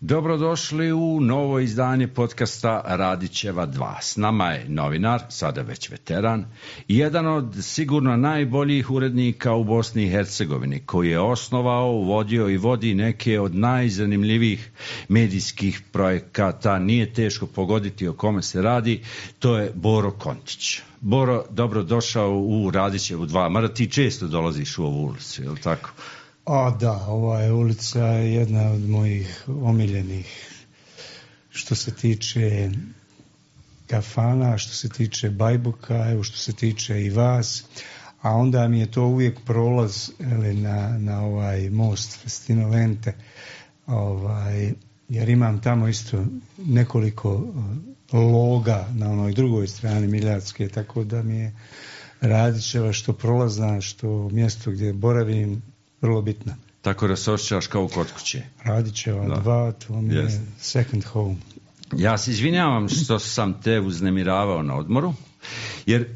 Dobrodošli u novo izdanje podcasta Radićeva 2. S nama je novinar, sada već veteran, i jedan od sigurno najboljih urednika u Bosni i Hercegovini, koji je osnovao, vodio i vodi neke od najzanimljivijih medijskih projekata. Nije teško pogoditi o kome se radi, to je Boro Kontić. Boro, dobrodošao u Radićevu 2, mada ti često dolaziš u ovu ulicu, je li tako? Da, ova je ulica jedna od mojih omiljenih što se tiče kafana, što se tiče Bajbuka, evo što se tiče i vas, a onda mi je to uvijek prolaz na ovaj most Festino Lente, jer imam tamo isto nekoliko loga na onoj drugoj strani Miljacke, tako da mi je Radićeva što prolazna, što mjesto gdje boravim vrlo bitna. Tako da se osjećaš kao kod kuće. Radićeva 2, to mi je second home. Ja se izvinjavam što sam te uznemiravao na odmoru, jer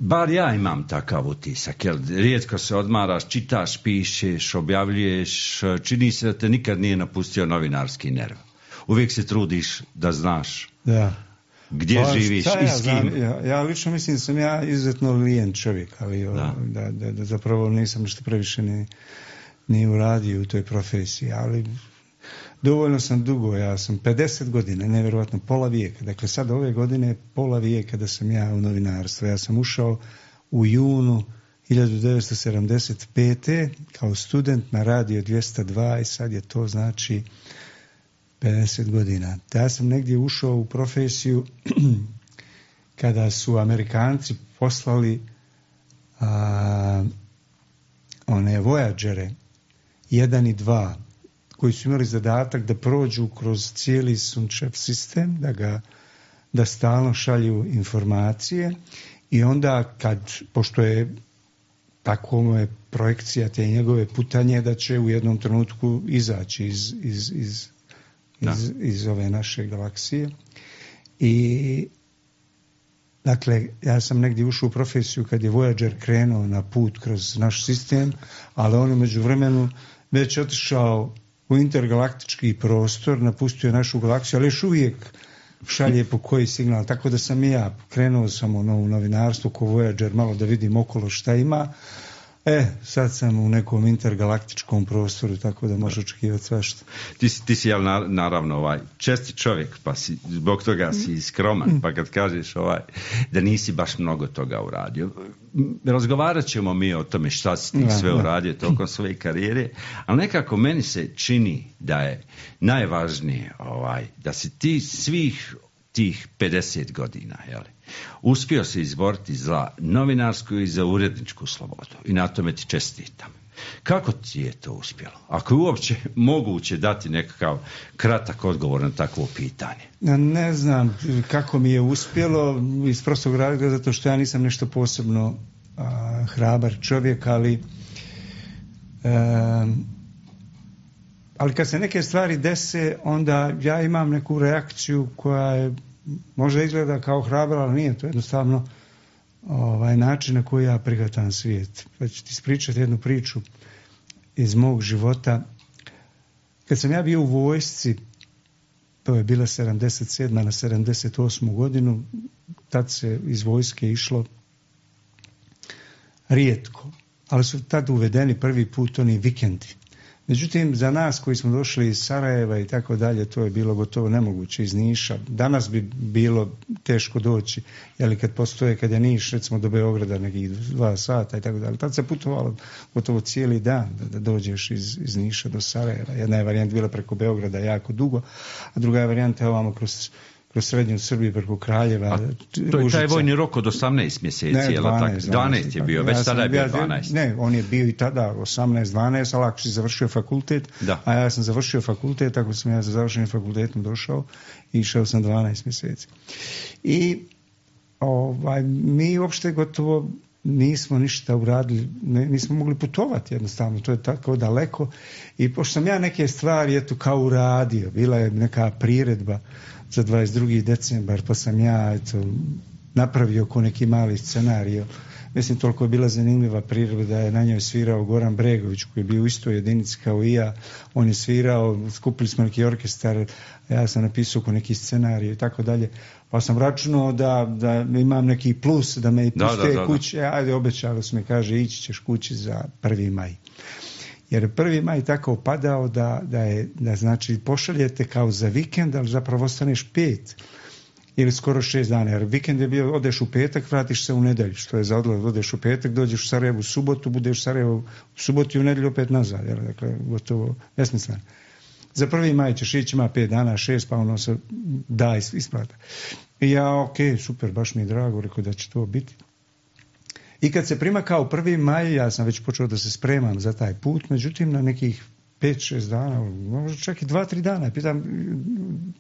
bar ja imam takav utisak, jer rijetko se odmaraš, čitaš, pišeš, objavljuješ, čini se da te nikad nije napustio novinarski nerv. Uvijek se trudiš da znaš gdje živiš i s kim. Ja lično mislim da sam ja izuzetno lijen čovjek, ali da zapravo nisam nešto previše ni uradio u toj profesiji, ali dovoljno sam dugo, ja sam 50 godina, nevjerojatno pola vijeka, dakle sad ove godine pola vijeka da sam ja u novinarstvu. Ja sam ušao u junu 1975. kao student na radio 202 i sad je to znači 50 godina. Ja sam negdje ušao u profesiju kada su Amerikanci poslali one Voyagere 1 i 2 koji su imali zadatak da prođu kroz cijeli Sunčev sistem, da stalno šalju informacije i onda pošto je tako je projekcija te njegove putanje da će u jednom trenutku izaći iz ove naše galaksije. I dakle, ja sam negdje ušao u profesiju kad je Voyager krenuo na put kroz naš sistem, ali on je međuvremenu već otišao u intergalaktički prostor, napustio našu galaksiju, ali još uvijek šalje po koji signal, tako da sam i ja krenuo sam u novinarstvo ko Voyager, malo da vidim okolo šta ima. Sad sam u nekom intergalaktičkom prostoru, tako da može očekivati svašta. Ti si naravno česti čovjek, pa si, zbog toga si skroman, pa kad kažeš da nisi baš mnogo toga uradio. Razgovarat ćemo mi o tome šta si ti sve uradio tokom svoje karijere, ali nekako meni se čini da je najvažnije da si ti svih tih 50 godina, uspio se izboriti za novinarsku i za uredničku slobodu i na tome ti čestitam. Kako ti je to uspjelo? Ako je uopće moguće dati nekakav kratak odgovor na takvo pitanje. Ne znam kako mi je uspjelo, iz prostog razloga zato što ja nisam nešto posebno hrabar čovjek, ali kad se neke stvari dese, onda ja imam neku reakciju koja je možda izgleda kao hrabra, ali nije, to jednostavno način na koji ja prihvatam svijet. Pa ću ti ispričati jednu priču iz mog života. Kad sam ja bio u vojsci, to je bila 77. na 78. godinu, tad se iz vojske išlo rijetko, ali su tad uvedeni prvi put oni vikendi. Međutim, za nas koji smo došli iz Sarajeva i tako dalje, to je bilo gotovo nemoguće iz Niša. Danas bi bilo teško doći, kad je Niš, recimo do Beograda nekih 2 sata i tako dalje. Tad se putovalo gotovo cijeli dan da dođeš iz Niša do Sarajeva. Jedna je varijanta bila preko Beograda jako dugo, a druga je varijanta ovamo kroz srednju Srbiju preko Kraljeva. To je taj vojni rok od 18 mjeseci. Ne, 12 je bio, već tada je bio 12. Ne, on je bio i tada 18-12, ali ako si završio fakultet, a ja sam završio fakultet, tako sam ja za završenim fakultetom došao i išao sam 12 mjeseci. I mi uopšte gotovo nismo ništa uradili, nismo mogli putovati jednostavno, to je tako daleko. I pošto sam ja neke stvari kao uradio, bila je neka priredba za 22. decembar, pa sam ja napravio ko neki mali scenario. Mislim, toliko je bila zanimljiva priroda da je na njoj svirao Goran Bregović, koji je bio u istoj jedinici kao i ja. On je svirao, skupili smo neki orkestar, ja sam napisao ko neki scenarij i tako dalje. Pa sam računao da imam neki plus, da me i puste kuće. Ajde, obećali su mi, kaže, ići ćeš kući za 1. maj. Jer 1. maj tako padao da znači pošaljete kao za vikend, ali zapravo ostaneš 5 ili skoro 6 dana. Jer vikend je bio, odeš u petak, vratiš se u nedjelju, što je za odlaz, odeš u petak, dođeš u Sarajevo u subotu, budeš u Sarajevo u subotu i u nedjelju opet nazad. Jer, dakle, gotovo besmisleno. Za 1. maj ćeš ići, ima 5 dana, 6, pa ono se da isplata. I ja, ok, super, baš mi je drago, rekao da će to biti. I kad se primakao 1. maj, ja sam već počeo da se spremam za taj put, međutim na nekih 5-6 dana, možda čak i 2-3 dana, pitam,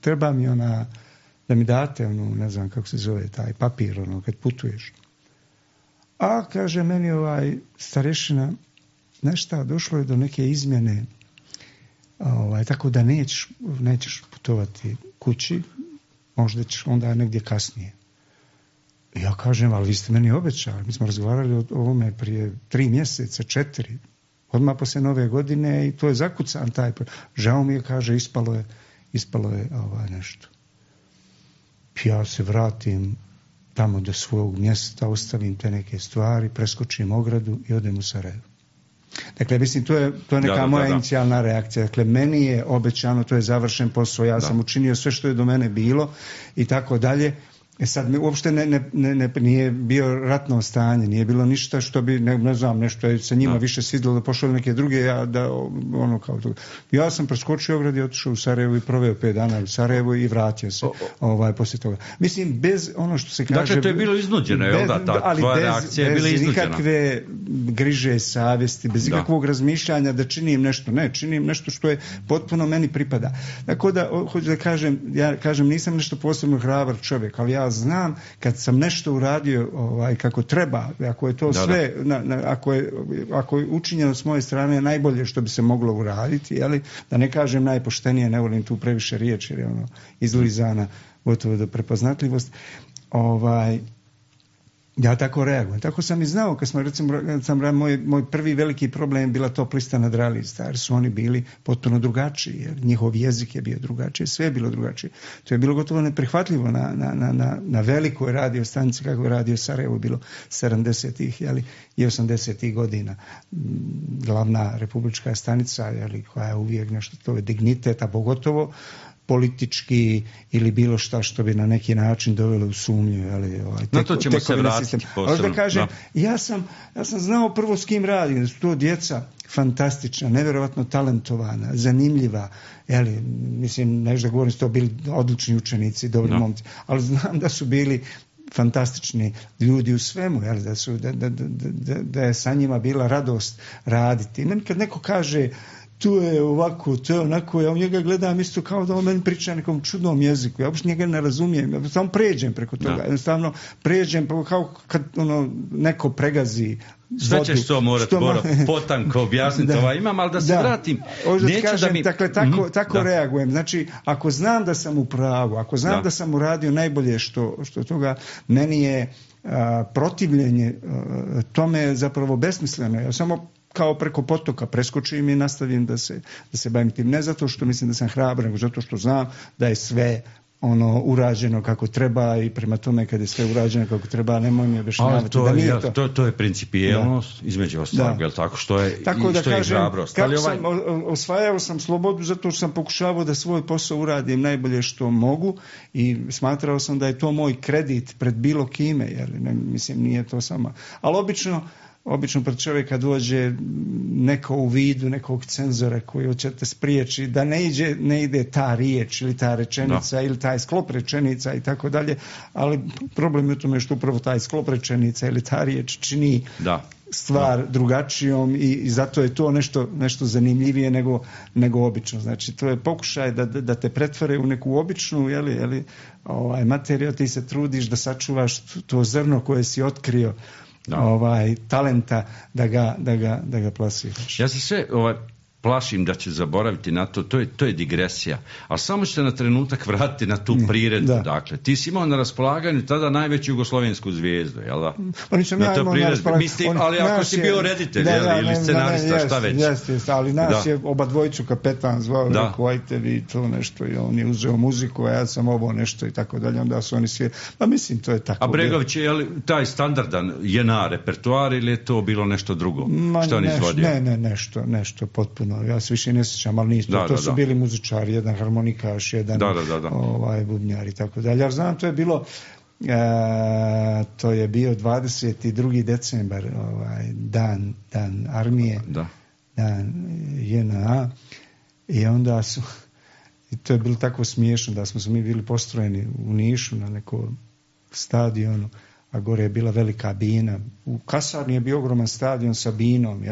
treba mi da mi date, ne znam kako se zove, taj papir, kad putuješ. A, kaže meni starešina, nešto, došlo je do neke izmjene, tako da nećeš putovati kući, možda ćeš onda negdje kasnije. Ja kažem, ali vi ste meni obećali, mi smo razgovarali o ovome prije 3 mjeseca, 4, odmah poslije Nove godine i to je zakucan taj. Žao mi je, kaže, ispalo je nešto. Ja se vratim tamo do svog mjesta, ostavim te neke stvari, preskočim ogradu i odem u Sarajevo. Dakle, mislim, to je neka moja inicijalna reakcija. Dakle, meni je obećano, to je završen posao, ja sam učinio sve što je do mene bilo i tako dalje. Sad mi uopšte nije bio ratno stanje, nije bilo ništa što bi, ne znam, nešto je sa njima više svidjelo da pošle neke druge, kao to. Ja sam preskočio ograd i otišao u Sarajevo i proveo 5 dana u Sarajevo i vratio se poslije toga. Mislim, bez ono što se kaže... Dakle, to je bilo iznuđeno, jel da? Ta tvoja reakcija je bila iznuđena. Bez nikakve griže savjesti, bez ikakvog razmišljanja da činim nešto. Ne, činim nešto što je potpuno meni pripada. Tako da, hoću da kažem, ja kažem, nisam nešto posebno hrabar čovjek, ali ja znam kad sam nešto uradio kako treba, ako je to sve, ako je učinjeno s moje strane najbolje što bi se moglo uraditi, da ne kažem najpoštenije, ne volim tu previše riječi, jer je izlizana gotovo do prepoznatljivost, ja tako reagujem. Tako sam i znao, kad smo, recimo, moj prvi veliki problem bila top lista na Dralizi, jer su oni bili potpuno drugačiji, jer njihov jezik je bio drugačiji, sve je bilo drugačije. To je bilo gotovo neprihvatljivo na velikoj radio stanici, kako je radio Sarajevo bilo 70-ih i 80-ih godina. Glavna republička stanica, koja je uvijek nešto, to je dignitet, a pogotovo politički ili bilo šta što bi na neki način dovelo u sumnju. Na to ćemo se vratiti posebno. Da kažem, ja sam znao prvo s kim radim, da su to djeca fantastična, nevjerojatno talentovana, zanimljiva, mislim, nešto da govorim, su to bili odlični učenici, dobri momci, ali znam da su bili fantastični ljudi u svemu, da je sa njima bila radost raditi. I meni kad neko kaže to je ovako, to je onako, ja u njega gledam isto kao da on meni priča nekom čudnom jeziku, ja uopšte njega ne razumijem, ja samo pređem preko toga, jednostavno pređem, kao kad neko pregazi sve ćeš to morati potanko objasniti, imam, ali da se vratim. Dakle, tako reagujem. Znači, ako znam da sam u pravu, ako znam da sam uradio najbolje što toga, meni je protivljenje tome zapravo besmisleno. Ja samo kao preko potoka preskočim i nastavim da se bavim tim. Ne zato što mislim da sam hrabar, nego zato što znam da je sve urađeno kako treba i prema tome kad je sve urađeno kako treba, nemoj mi objašnjavati da nije to. To je principijelnost, između ostalog, je li tako, što je hrabrost. Osvajao sam slobodu zato što sam pokušavao da svoj posao uradim najbolje što mogu i smatrao sam da je to moj kredit pred bilo kime, jer mislim nije to samo. Ali obično pred čovjeka dođe neko u vidu nekog cenzora koji hoće te spriječi da ne ide ta riječ ili ta rečenica ili taj sklop rečenica i tako dalje, ali problem je u tome što upravo taj sklop rečenica ili ta riječ čini stvar drugačijom i zato je to nešto zanimljivije nego obično. Znači, to je pokušaj da te pretvore u neku običnu materiju, ti se trudiš da sačuvaš to zrno koje si otkrio talenta da ga plasiraš. Ja se sve plašim da će zaboraviti na to, to je digresija. Ali samo ćete na trenutak vratiti na tu priredbu. Dakle, ti si imao na raspolaganju tada najveću jugoslovensku zvijezdu, jel da? Ali ako si bio reditelj ili scenarista, šta već? Jeste, ali nas je oba dvojicu kapetan zvao, rekao, ajte vi to nešto, i on je uzeo muziku, a ja sam ovo nešto i tako dalje, onda su oni svi, pa mislim, to je tako. A Bregović je li taj standardan JNA repertoar ili je to bilo nešto drugo? Što on izvodio? Ne, nešto potpuno. Ja se više ne sjećam, ali nisu. To su bili muzičari, jedan harmonikaš, jedan bubnjar i tako dalje. Ja znam, to je bilo to je bio 22. decembar, dan armije, dan JNA, i onda su, i to je bilo tako smiješno da smo mi bili postrojeni u Nišu na nekom stadionu, a gore je bila velika bina. U kasarni je bio ogroman stadion sa binom,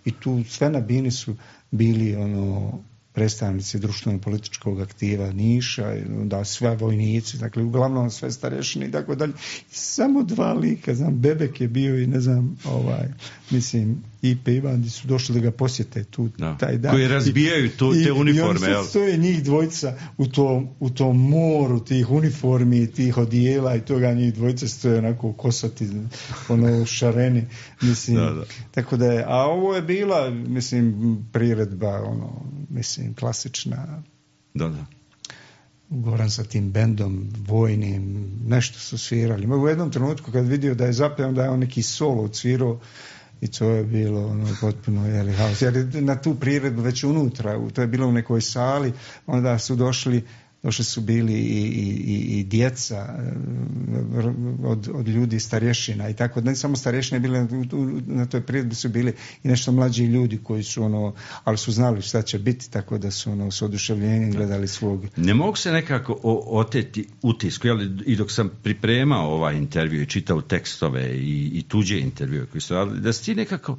i tu sve na bini su bili predstavnici društveno-političkog aktiva Niša, da sve vojnici, dakle uglavnom sve starešine i tako dalje. Samo dva lika, znam, Bebek je bio i ne znam, mislim, Ipe Ivandi su došli da ga posjete tu taj dan. Koji razbijaju te uniforme. I oni stoje njih dvojica u tom moru tih uniformi, tih odijela i toga, njih dvojica stoje onako kosati, šareni, mislim. Tako da je, a ovo je bila, mislim, priredba, mislim, klasična. Goran sa tim bendom vojnim, nešto su svirali. U jednom trenutku kad vidio da je zapeo, da je on neki solo odsvirao, i to je bilo potpuno haos. Jer na tu priredbu već unutra, to je bilo u nekoj sali, onda su došli su bili i djeca od ljudi starješina i tako, ne samo starješine bili na toj priredbi, su bili i nešto mlađi ljudi koji su ali su znali šta će biti, tako da su s oduševljenjem gledali svog. Ne mogu se nekako oteti utisku, i dok sam pripremao ovaj intervju i čitao tekstove i tuđe intervjue koji su radili, da si ti nekako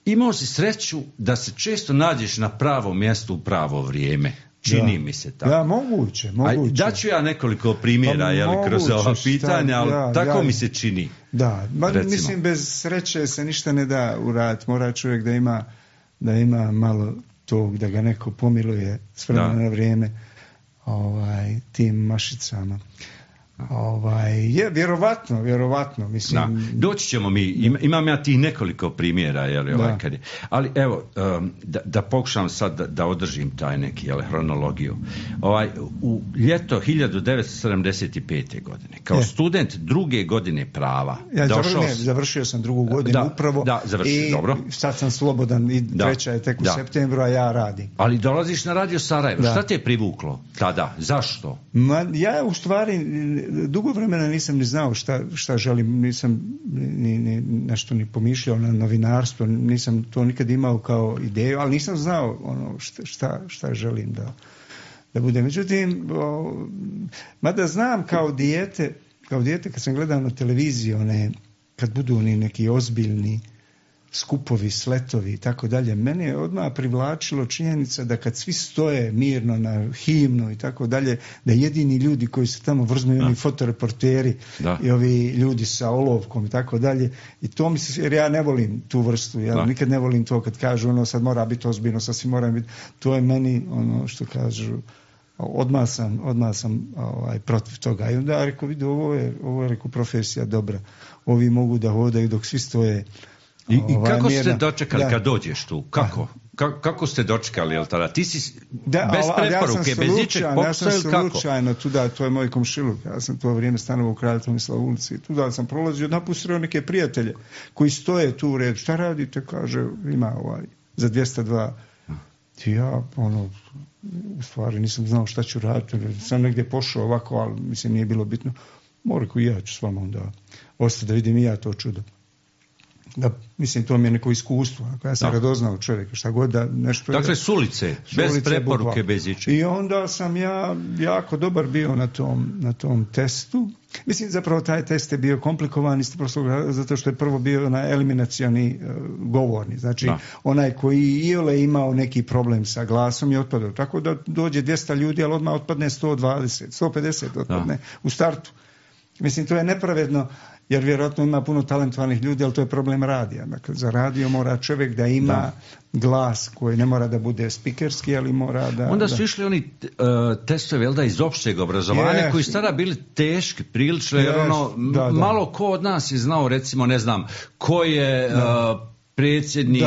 imao si sreću da se često nađeš na pravo mjesto u pravo vrijeme. Čini mi se tako. Da, moguće. Daću ja nekoliko primjera, kroz ova pitanja, ali tako mi se čini. Da, mislim, bez sreće se ništa ne da uraditi. Mora čovjek da ima malo tog, da ga neko pomiluje s vremena na vrijeme tim mašicama. Je, vjerovatno, mislim. Doći ćemo mi, imam ja tih nekoliko primjera, ali evo, da pokušam sad da održim taj neki, hronologiju. U ljeto 1975. godine, kao student druge godine prava, završio sam drugu godinu upravo. Da, završio, dobro. Sad sam slobodan i treća je tek u septembru, a ja radim. Ali dolaziš na Radio Sarajevo, šta te je privuklo tada? Zašto? Ja u stvari dugo vremena nisam ni znao šta želim, nisam ni nešto ni pomišljao na novinarstvo, nisam to nikad imao kao ideju, ali nisam znao šta želim da bude. Međutim, mada znam kao dijete kad sam gledao na televiziji, kad budu oni neki ozbiljni skupovi, sletovi i tako dalje, mene je odmah privlačilo činjenica da kad svi stoje mirno na himnu i tako dalje, da jedini ljudi koji se tamo vrznu i oni fotoreporteri i ovi ljudi sa olovkom i tako dalje, i to mi se, jer ja ne volim tu vrstu, nikad ne volim to kad kažu sad mora biti ozbiljno, sad svi moraju biti, to je meni što kažu, odmah sam protiv toga. I onda rekao, vidi, ovo je rekao, profesija dobra, ovi mogu da hodaju dok svi stoje. I kako ste dočekali kad dođeš tu? Kako ste dočekali, jel tada? Ti si bez preporuke, bez ničeg popsa ili kako? Ja sam slučajno tuda, to je moj komšiluk, ja sam to vrijeme stanovao u Kralja Tomislava ulici, tuda sam prolazio, napustio neke prijatelje koji stoje tu u redu, šta radite, kaže, ima za 202. I ja, u stvari nisam znao šta ću raditi, sam negdje pošao ovako, ali mislim nije bilo bitno. Mora ko i ja ću s vama onda ostati da vidim i ja to čudo. Da, mislim, to mi je neko iskustvo. Ja sam ga doznao čovjeka, šta god da nešto... Dakle, s ulice, bez preporuke, bez ičega. I onda sam ja jako dobar bio na tom testu. Mislim, zapravo taj test je bio komplikovan zato što je prvo bio onaj eliminacioni govorni. Znači, onaj koji iole imao neki problem sa glasom je otpadao. Tako da dođe 200 ljudi, ali odmah otpadne 120, 150 otpadne u startu. Mislim, to je nepravedno jer vjerojatno ima puno talentovanih ljudi, ali to je problem radija. Dakle, za radio mora čovjek da ima glas koji ne mora da bude spikerski, ali mora da... Onda su išli oni testovi, iz opšteg obrazovanja, koji su tada bili teški, prilično, jer malo ko od nas je znao, recimo, ne znam, ko je... predsjednik,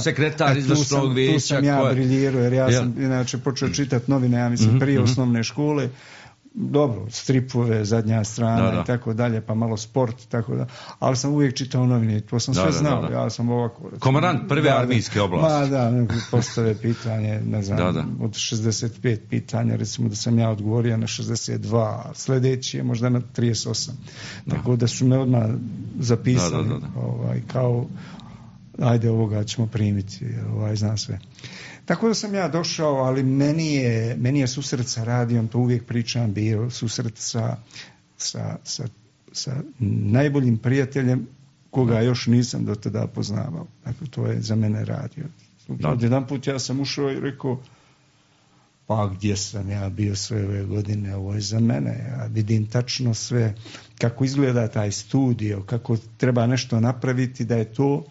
sekretar izvršnog vijeća. Tu sam ja briljirao, jer ja sam inače počeo čitati novine, ja mislim, prije osnovne škole. Dobro, stripove, zadnja strana i tako dalje, pa malo sport, tako da. Ali sam uvijek čitao novine, to sam sve znao. Ja sam ovako... Komandant prve armijske oblasti. Postave pitanje, ne znam, od 65 pitanja, recimo da sam ja odgovorio na 62, a sljedeći je možda na 38. Tako da su me odmah zapisali, kao, ajde, ovoga ćemo primiti, zna sve. Tako da sam ja došao, ali meni je susret sa radijom, to uvijek pričam, bio susret sa najboljim prijateljem koga još nisam do tada poznavao. Dakle, to je za mene radio. Jedan put ja sam ušao i rekao, pa gdje sam ja bio sve ove godine, ovo je za mene. Ja vidim tačno sve, kako izgleda taj studio, kako treba nešto napraviti, da je to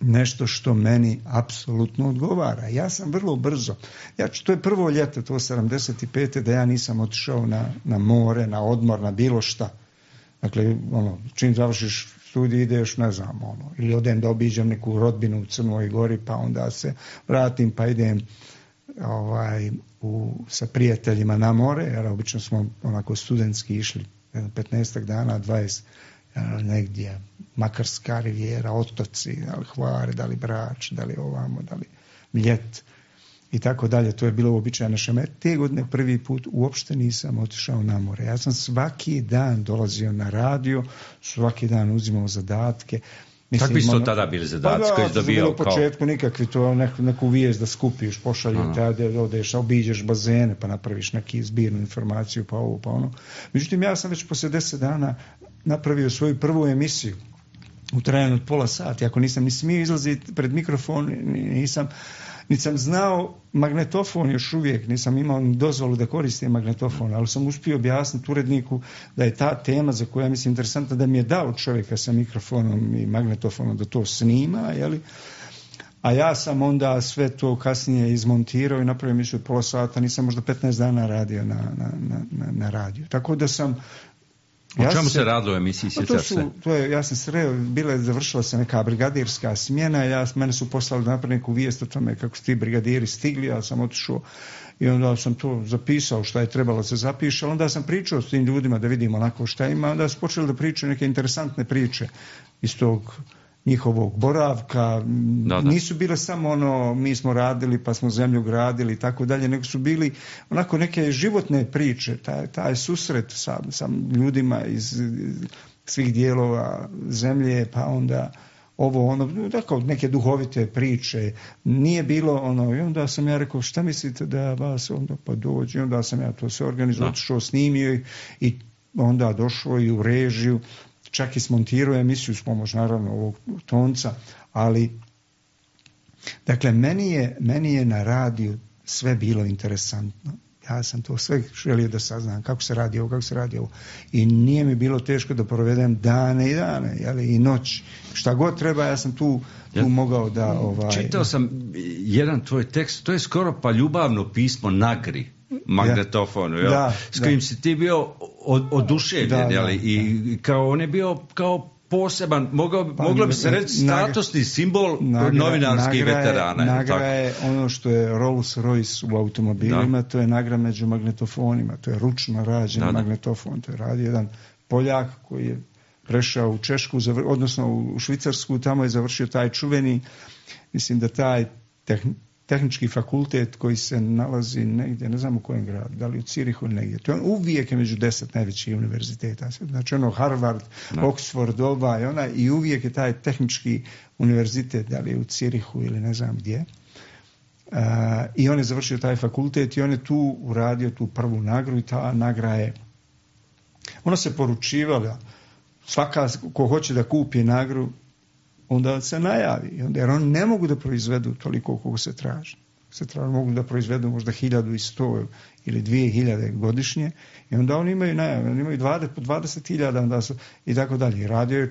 nešto što meni apsolutno odgovara. Ja sam vrlo brzo, to je prvo ljeto, to 75. da ja nisam otišao na more, na odmor, na bilo šta. Dakle, čim završiš studij ideš, ne znam, ili odem da obiđem neku rodbinu u Crnoj Gori, pa onda se vratim, pa idem sa prijateljima na more, jer obično smo onako studentski išli 15 dana, 20 negdje, Makarska rivijera, otoci, da li Hvare, da li Brač, da li ovamo, da li Mljet i tako dalje. To je bilo uobičajeno naše. Te godine prvi put uopšte nisam otišao na more. Ja sam svaki dan dolazio na radio, svaki dan uzimao zadatke. Kakvi su to tada bili zadaci koji si dobio? U početku nikakvi, to neku vijest da skupiš, pošalju te, odeš, obiđeš bazene, pa napraviš neki zbirnu informaciju, pa ovo, pa ono. Međutim, ja sam već poslije 10 dana napravio svoju prvu emisiju u trajanju od pola sata. Ako nisam ni smio izlaziti pred mikrofon, nisam znao magnetofon još uvijek, nisam imao ni dozvolu da koristim magnetofon, ali sam uspio objasniti uredniku da je ta tema za koju ja mislim interesantna, da mi je dao čovjeka sa mikrofonom i magnetofonom da to snima, jeli? A ja sam onda sve to kasnije izmontirao i napravio emisiju od pola sata, nisam možda 15 dana radio na radiju. Tako da sam... O čemu se radilo u emisiji? Ja sam sreo, završila se neka brigadirska smjena, mene su poslali da napravim neku vijest o tome kako su ti brigadiri stigli, ja sam otišao i onda sam to zapisao šta je trebalo se zapiše, ali onda sam pričao s tim ljudima da vidimo onako šta ima, onda su počeli da pričaju neke interesantne priče iz tog njihovog boravka, nisu bile samo mi smo radili pa smo zemlju gradili i tako dalje, nego su bili onako neke životne priče, taj susret sa ljudima iz svih dijelova zemlje, pa onda tako neke duhovite priče, nije bilo i onda sam ja rekao, šta mislite da vas onda pa dođe, onda sam ja to sve organizovao, otišao, snimio i onda došao i u režiju, čak i smontirao emisiju s pomoć naravno ovog tonca, ali dakle meni je na radiju sve bilo interesantno. Ja sam to sve želio da saznam kako se radi ovo. I nije mi bilo teško da provedem dane i dane, i noć. Šta god treba, ja sam tu mogao da... Čitao sam jedan tvoj tekst, to je skoro pa ljubavno pismo Nagri, magnetofonu, s kojim si ti bio oduševljen, i kao on je bio kao poseban, moglo bi se reći statusni simbol novinarskih veterana. Nagra je ono što je Rolls Royce u automobilima, to je nagra među magnetofonima, to je ručno rađen magnetofon, to je radio jedan Poljak koji je prešao u Češku, odnosno u Švicarsku, tamo je završio taj čuveni, mislim da taj tehnički fakultet koji se nalazi negdje, ne znam u kojem gradu, da li u Cirihu ili negdje. To je uvijek među 10 najvećih univerziteta. Znači Harvard, Oxford, i uvijek je taj tehnički univerzitet, da li je u Cirihu ili ne znam gdje. I on je završio taj fakultet i on je tu uradio tu prvu nagru i ta nagra je, ona se poručivala, svaka ko hoće da kupi nagru, onda se najavi, jer oni ne mogu da proizvedu toliko koliko se traži. se treba mogu da proizvedu možda 1100 ili 2000 godišnje i onda oni imaju 20.000 i tako dalje. Radio je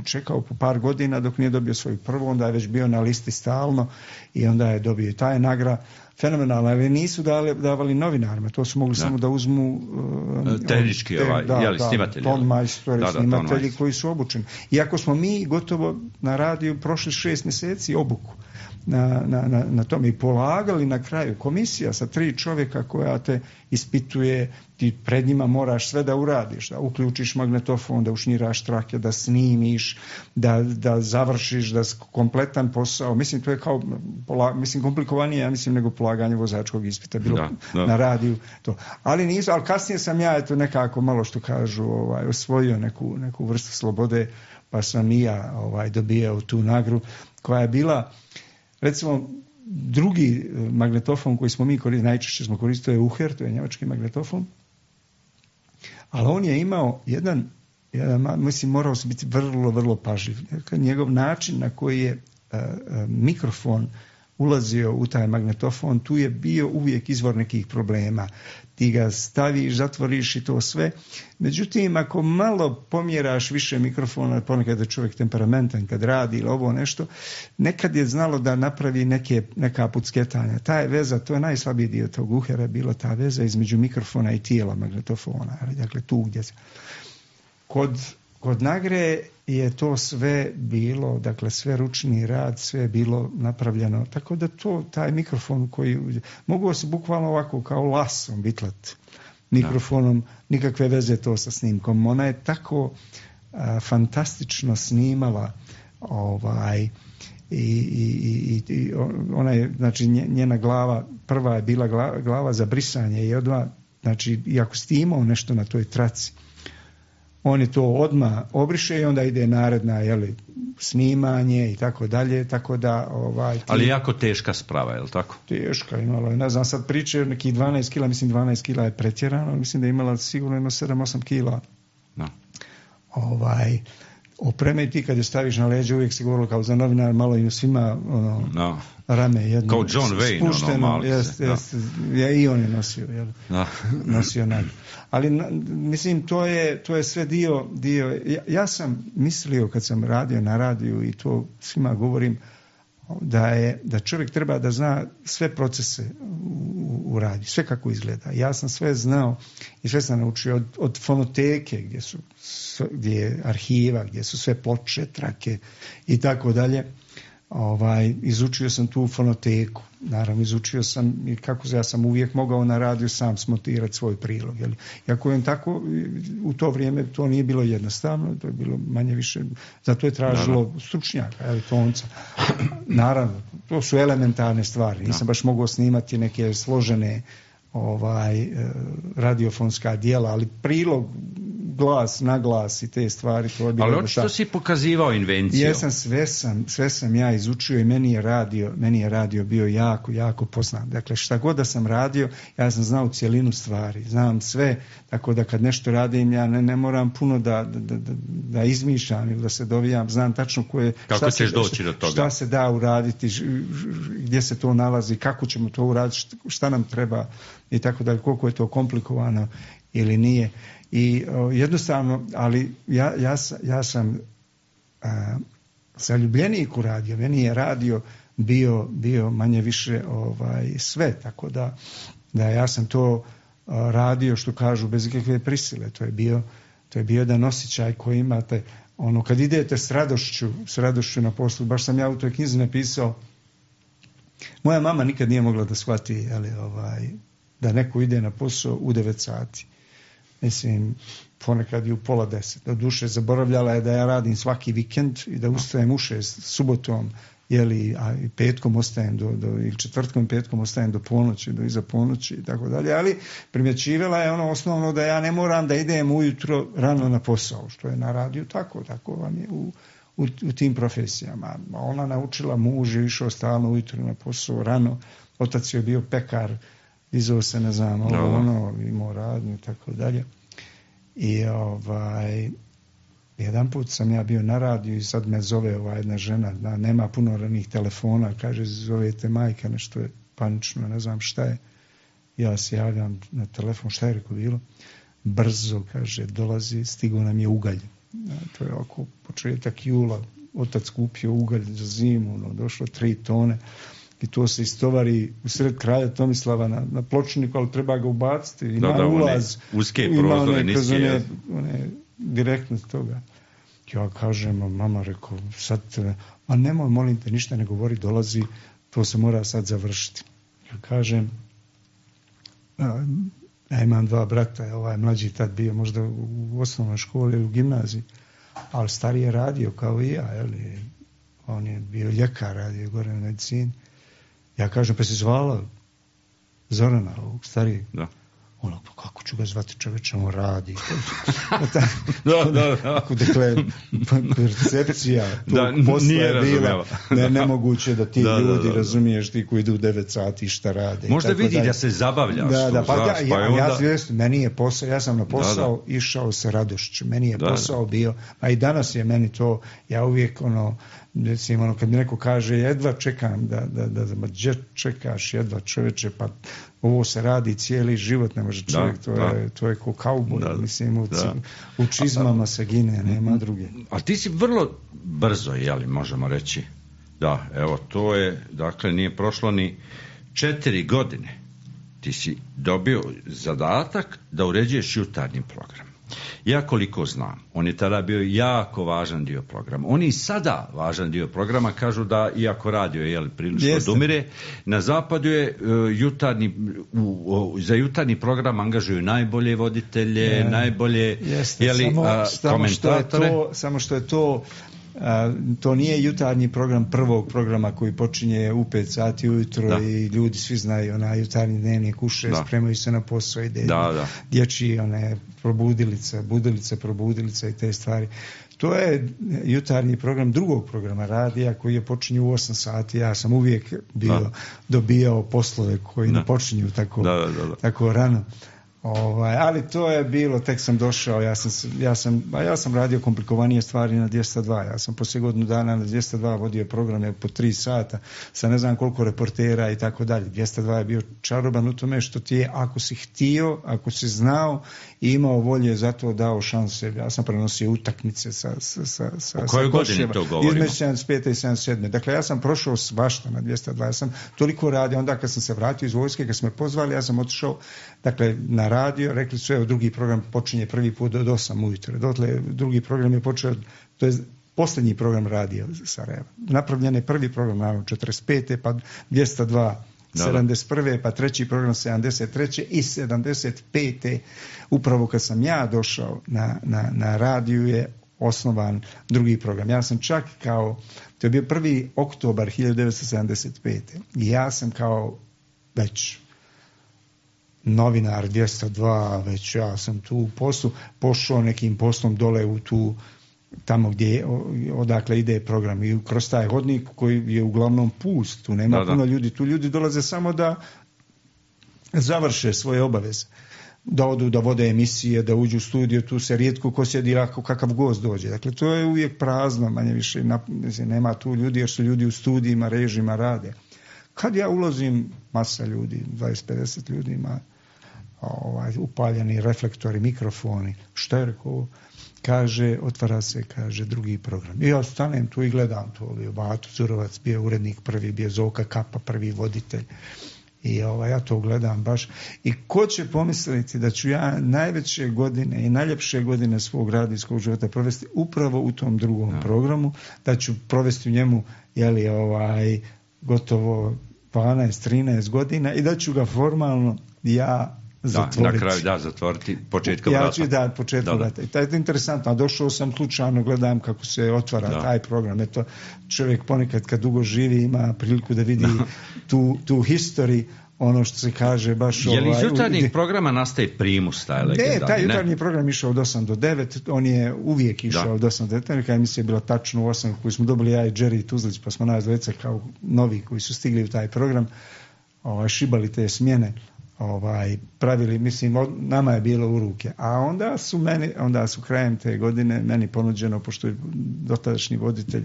čekao po par godina dok nije dobio svoju prvu, onda je već bio na listi stalno i onda je dobio i taj nagrada. Fenomenalno, ali nisu davali novinarima, to su mogli samo da uzmu tehnički snimatelji. Tonmajstori, snimatelji koji su obučeni. Iako smo mi gotovo na radiju prošli 6 mjeseci obuku na tome i polagali na kraju komisija sa 3 čovjeka koja te ispituje, ti pred njima moraš sve da uradiš, da uključiš magnetofon, da ušnjiraš trake, da snimiš, da završiš, da kompletan posao. Mislim, to je kao komplikovanije, nego polaganje vozačkog ispita bilo na radiju. To. Ali kasnije sam ja nekako malo što kažu osvojio neku vrstu slobode, pa sam i ja dobijao tu nagradu koja je bila. Recimo, drugi magnetofon koji smo mi koristili, najčešće smo koristili, to je Uher, to je njemački magnetofon, ali on je imao jedan morao se biti vrlo, vrlo pažljiv. Njegov način na koji je mikrofon ulazio u taj magnetofon, tu je bio uvijek izvor nekih problema. Ti ga staviš, zatvoriš i to sve. Međutim, ako malo pomjeraš više mikrofona, ponekad je čovjek temperamentan kad radi ili ovo nešto, nekad je znalo da napravi neka pucketanja. Ta je veza, to je najslabiji dio tog Uhera, bila ta veza između mikrofona i tijela magnetofona. Dakle, tu gdje se... Kod Nagre je to sve bilo, dakle sve ručni rad, sve je bilo napravljeno, tako da taj mikrofon koji mogu se bukvalno ovako kao lasom bitlat mikrofonom, nikakve veze to sa snimkom. Ona je tako fantastično snimala i ona je, znači njena glava, prva je bila glava za brisanje i odmah, znači i ako si imao nešto na toj traci, on je to odmah obriše i onda ide naredna snimanje i tako dalje, tako da... Ali jako teška sprava, je li tako? Teška, imala je, ne znam, sad priče nekih 12 kila, mislim 12 kila je pretjerano, mislim da je imala sigurno 7-8 kila. No. Opreme ti kad je staviš na leđe, uvijek se govorilo kao za novinar, malo im svima rame jedno. Kao John Wayne, spušteno, i on je nosio, nosio nadu. Ali, mislim, to je sve dio, ja sam mislio kad sam radio na radiju i to svima govorim, da čovjek treba da zna sve procese u radiju, sve kako izgleda. Ja sam sve znao i sve sam naučio od fonoteke gdje je arhiva, gdje su sve ploče, trake i tako dalje. Izučio sam tu fonoteku. Naravno, izučio sam i ja sam uvijek mogao na radiju sam smontirati svoj prilog. Iako je tako, u to vrijeme to nije bilo jednostavno, to je bilo manje više, zato je tražilo stručnjaka, tonca. Naravno, to su elementarne stvari. Nisam baš mogao snimati neke složene radiofonska dijela, ali prilog, glas, naglas i te stvari, to je bilo... Ali očito si pokazivao invenciju. Jesam, sve sam ja izučio i meni je radio bio jako, jako poznat. Dakle, šta god da sam radio, ja sam znao cjelinu stvari, znam sve, tako da kad nešto radim, ja ne moram puno da izmišljam ili da se dovijam, znam tačno kako ćeš doći do toga. Šta se da uraditi, gdje se to nalazi, kako ćemo to uraditi, šta nam treba i tako da, koliko je to komplikovano ili nije. I jednostavno, ali ja sam zaljubljenik u radio, meni je radio bio manje više sve, tako da ja sam to radio, što kažu, bez ikakve prisile. To je bio jedan osjećaj koji imate, kad idete s radošću na poslu. Baš sam ja u toj knjizi napisao, moja mama nikad nije mogla da shvati da neko ide na posao u 9 sati. Mislim, ponekad i u 9:30. Do duše zaboravljala je da ja radim svaki vikend i da ustajem u 6 subotom, a i petkom ostajem ili četvrtkom i petkom ostajem do ponoći, do iza ponoći i tako dalje, ali primjećivala je osnovno da ja ne moram da idem ujutro rano na posao, što je na radiju tako vam je u tim profesijama. Ona naučila, muž je išao stalno ujutro na posao rano, otac je bio pekar, dizao se, ne znam, imao radnju i tako dalje. I Jedan put sam ja bio na radiju i sad me zove ova jedna žena, nema puno ranih telefona, kaže zovete majka, nešto je panično, ne znam šta je. Ja se javljam na telefon, šta je rekao bilo? Brzo, kaže, dolazi, stigao nam je ugalj. To je oko početak jula, otac kupio ugalj za zimu, došlo 3 tone i to se istovari u sred kralja Tomislava na pločniku, ali treba ga ubaciti. Ima ulaz, uske prozore, niske. One direktno toga. Ja kažem, mama rekao, sad, a nemoj, molim te, ništa ne govori, dolazi, to se mora sad završiti. Ja kažem, ja imam 2 brata, ovaj mlađi tad bio možda u osnovnoj školi ili u gimnaziji, ali stariji je radio kao i ja, jeli? On je bio ljekar, radio gore u medicini. Ja kažem, pa si zvala Zorana, ovog starijeg? Da. Ono, pa kako ću ga zvati, čoveče, on radi. Da. Dakle, percepcija tog posla je bila nemoguće da ti ljudi, razumiješ, ti koji idu u 9 sati šta rade. Možda vidi da se zabavljaš. Meni je posao, ja sam na posao išao sa radošću. Meni je posao bio, a i danas je meni to, ja uvijek recimo, kad mi neko kaže jedva čekam da čekaš jedva, čoveče, pa ovo se radi cijeli život, ne može čovjek, to je ko kauboj, mislim, u čizmama se gine, nema druge. A ti si vrlo brzo, jeli, možemo reći, da, evo, to je, dakle, nije prošlo ni 4 godine, ti si dobio zadatak da uređuješ jutarnji program. Ja koliko znam, on je tada bio jako važan dio programa. On je i sada važan dio programa, kažu da, iako radio je prilično odumire, na zapadu je za jutarnji program angažuju najbolje voditelje, najbolje komentatore. Samo što je to nije jutarnji program prvog programa koji počinje u 5 sati ujutro i ljudi svi znaju, jutarnji dnevnik uše, spremaju se na posao, ide dječji, probudilica i te stvari. To je jutarnji program drugog programa radija koji je počinju u 8 sati. Ja sam uvijek dobijao poslove koji ne počinju tako rano. Ali to je bilo, tek sam došao, ja sam radio komplikovanije stvari na 202, ja sam poslije godinu dana na 202 vodio programe po 3 sata sa ne znam koliko reportera i tako dalje. 202 je bio čaroban u tome što ti je, ako si htio, ako si znao i imao volje, zato dao šanse. Ja sam prenosio utakmice sa kojoj godini to govorimo? Između 75. i 77. Dakle, ja sam prošao svašta na 202, ja sam toliko radio, onda kad sam se vratio iz vojske, kad smo me pozvali, ja sam otišao, dakle, na radio, rekli su, evo, drugi program počinje prvi put od 8 ujutro. Dotle, drugi program je počeo, to je posljednji program radio Sarajeva. Napravljen je prvi program, naravno, 45. pa 202, 71. pa treći program 73. i 75. upravo kad sam ja došao na radiju je osnovan drugi program. Ja sam čak to je bio 1. oktobar 1975. I ja sam kao već novinar 202, već ja sam tu u poslu, pošao nekim poslom dole u tamo odakle ide program i kroz taj hodnik koji je uglavnom pust, tu nema puno ljudi, tu ljudi dolaze samo da završe svoje obaveze, da odu, da vode emisije, da uđu u studio, tu se rijetko ko sjedi ako kakav gost dođe. Dakle, to je uvijek prazno, manje više, nema tu ljudi jer su ljudi u studijima, režima rade. Kad ja ulazim, masa ljudi, 20-50 ljudi ima upaljeni reflektori, mikrofoni, što je rekao, kaže, otvara se, kaže, drugi program. I ja stanem tu i gledam to, bio Bato Zurovac, bio urednik prvi, bio Zoka Kapa, prvi voditelj. I ja to gledam baš. I ko će pomisliti da ću ja najveće godine i najljepše godine svog radijskog života provesti upravo u tom drugom programu, da ću provesti u njemu, gotovo 12-13 godina i da ću ga formalno zatvoriti. Na kraju zatvoriti početkom rata. Početkom rata. I to je interesantno. A došao sam slučajno, gledam kako se otvara taj program. Eto, čovjek ponekad kad dugo živi ima priliku da vidi tu historiju, ono što se kaže baš... Je li iz jutarnjih programa nastaje primus, taj legendarni? Ne, taj jutarnji program išao od 8 do 9, on je uvijek išao od 8 do 9, neka emisija je bila tačno u 8, koju smo dobili ja i Jerry Tuzlić, pa smo nas dvojica kao novi koji su stigli u taj program, šibali te smjene, pravili, mislim, nama je bilo u ruke. A onda su krajem te godine meni ponuđeno, pošto je dotadašnji voditelj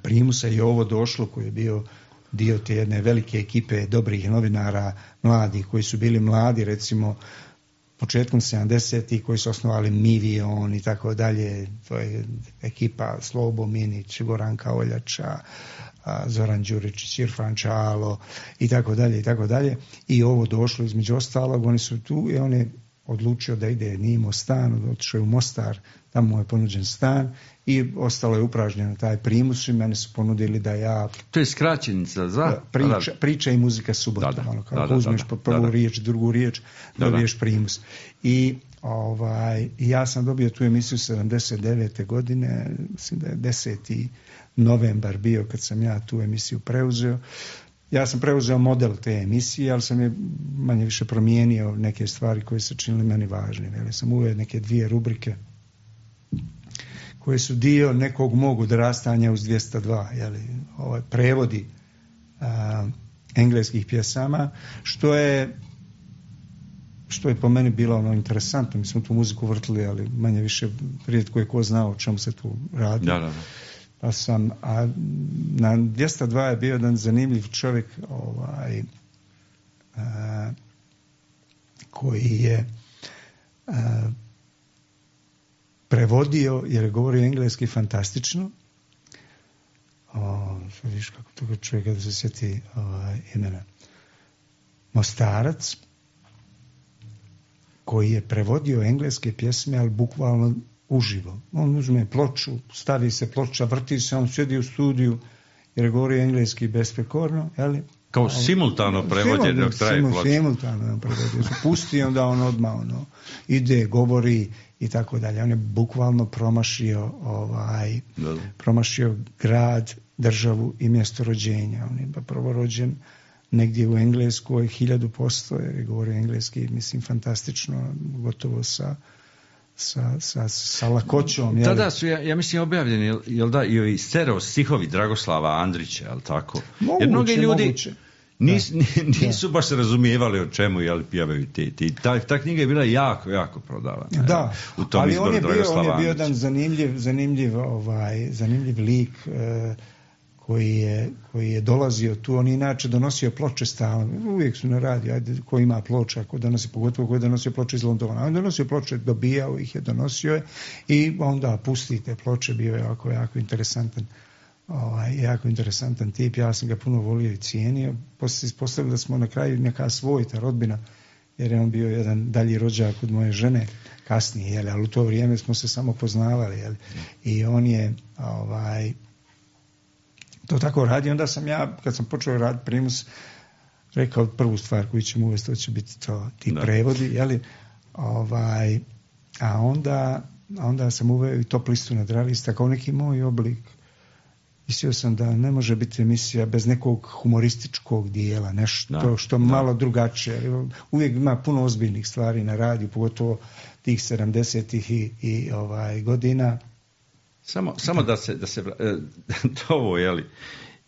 Primusa i ovo došlo, koji je bio dio te jedne velike ekipe dobrih novinara, mladih, koji su bili mladi, recimo, početkom 70-ih, koji su osnovali Mivion i tako dalje, to je ekipa Slobo Minić, Goranka Oljača, Zoran Đurić, Irfan Čalo i tako dalje i tako dalje. I ovo došlo između ostalog, oni su tu i on je odlučio da ide, nije imao stan, otišao je u Mostar, tamo mu je ponuđen stan i ostalo je upražnjeno taj Primus i mene su ponudili da ja... To je skraćenica za... Priča i muzika subotom, kako uzmeš prvu riječ, drugu riječ, dobiješ Primus. I ja sam dobio tu emisiju 79. godine, mislim da je 10. novembar bio kad sam ja tu emisiju preuzeo. Ja sam preuzeo model te emisije, ali sam je manje više promijenio neke stvari koje se činile meni važnim. Ja sam uveo neke 2 rubrike koje su dio nekog mog odrastanja uz 202, prevodi engleskih pjesama, što je po meni bilo interesantno. Mi smo tu muziku vrtili, ali manje više rijetko je ko znao o čemu se tu radi. Da. Pa sam, a na 202 je bio jedan zanimljiv čovjek koji je prevodio, jer je govorio engleski fantastično. Viš kako toga čovjeka da se sjeti imena. Mostarac, koji je prevodio engleske pjesme, ali bukvalno uživo. On uzme ploču, stavi se ploča, vrti se, on sjedi u studiju jer je govorio engleski besprekorno, jeli? Kao simultano prevođen dok traje ploča. Simultano prevođen. Pusti, onda on odmah ide, govori i tako dalje. On je bukvalno promašio grad, državu i mjesto rođenja. On je prvo rođen negdje u Engleskoj 1000%, jer je govorio engleski, mislim, fantastično, gotovo sa lakoćom. Tada su, ja mislim, objavljeni, jel da, i stereo stihovi Dragoslava Andrića, jel tako? Moguće, jer mnogi ljudi moguće. Nisu baš razumijevali o čemu, jel, pjevaju ta knjiga je bila jako, jako prodavana. Da, u tom ali izboru on je bio jedan zanimljiv lik koji je dolazio tu. On inače donosio ploče stalno. Uvijek su na radiju, ko ima ploča, pogotovo ko je donosio ploče iz Londona. On donosio ploče, dobijao ih je, donosio je i onda pustite ploče, bio je jako interesantan tip. Ja sam ga puno volio i cijenio. Poslije se ispostavilo da smo na kraju neka svojita rodbina, jer je on bio jedan dalji rođak od moje žene kasnije, ali u to vrijeme smo se samo poznavali. I on je to tako radi. Onda sam ja, kad sam počeo raditi Primus, rekao prvu stvar koju ćemo uvesti, to će biti ti prevodi, a onda sam uveo i top listu nadrealista kao neki moj oblik. Mislio sam da ne može biti emisija bez nekog humorističkog dijela, nešto što malo drugačije. Uvijek ima puno ozbiljnih stvari na radiju, pogotovo tih 70-ih i godina. Samo da se ovo, jeli,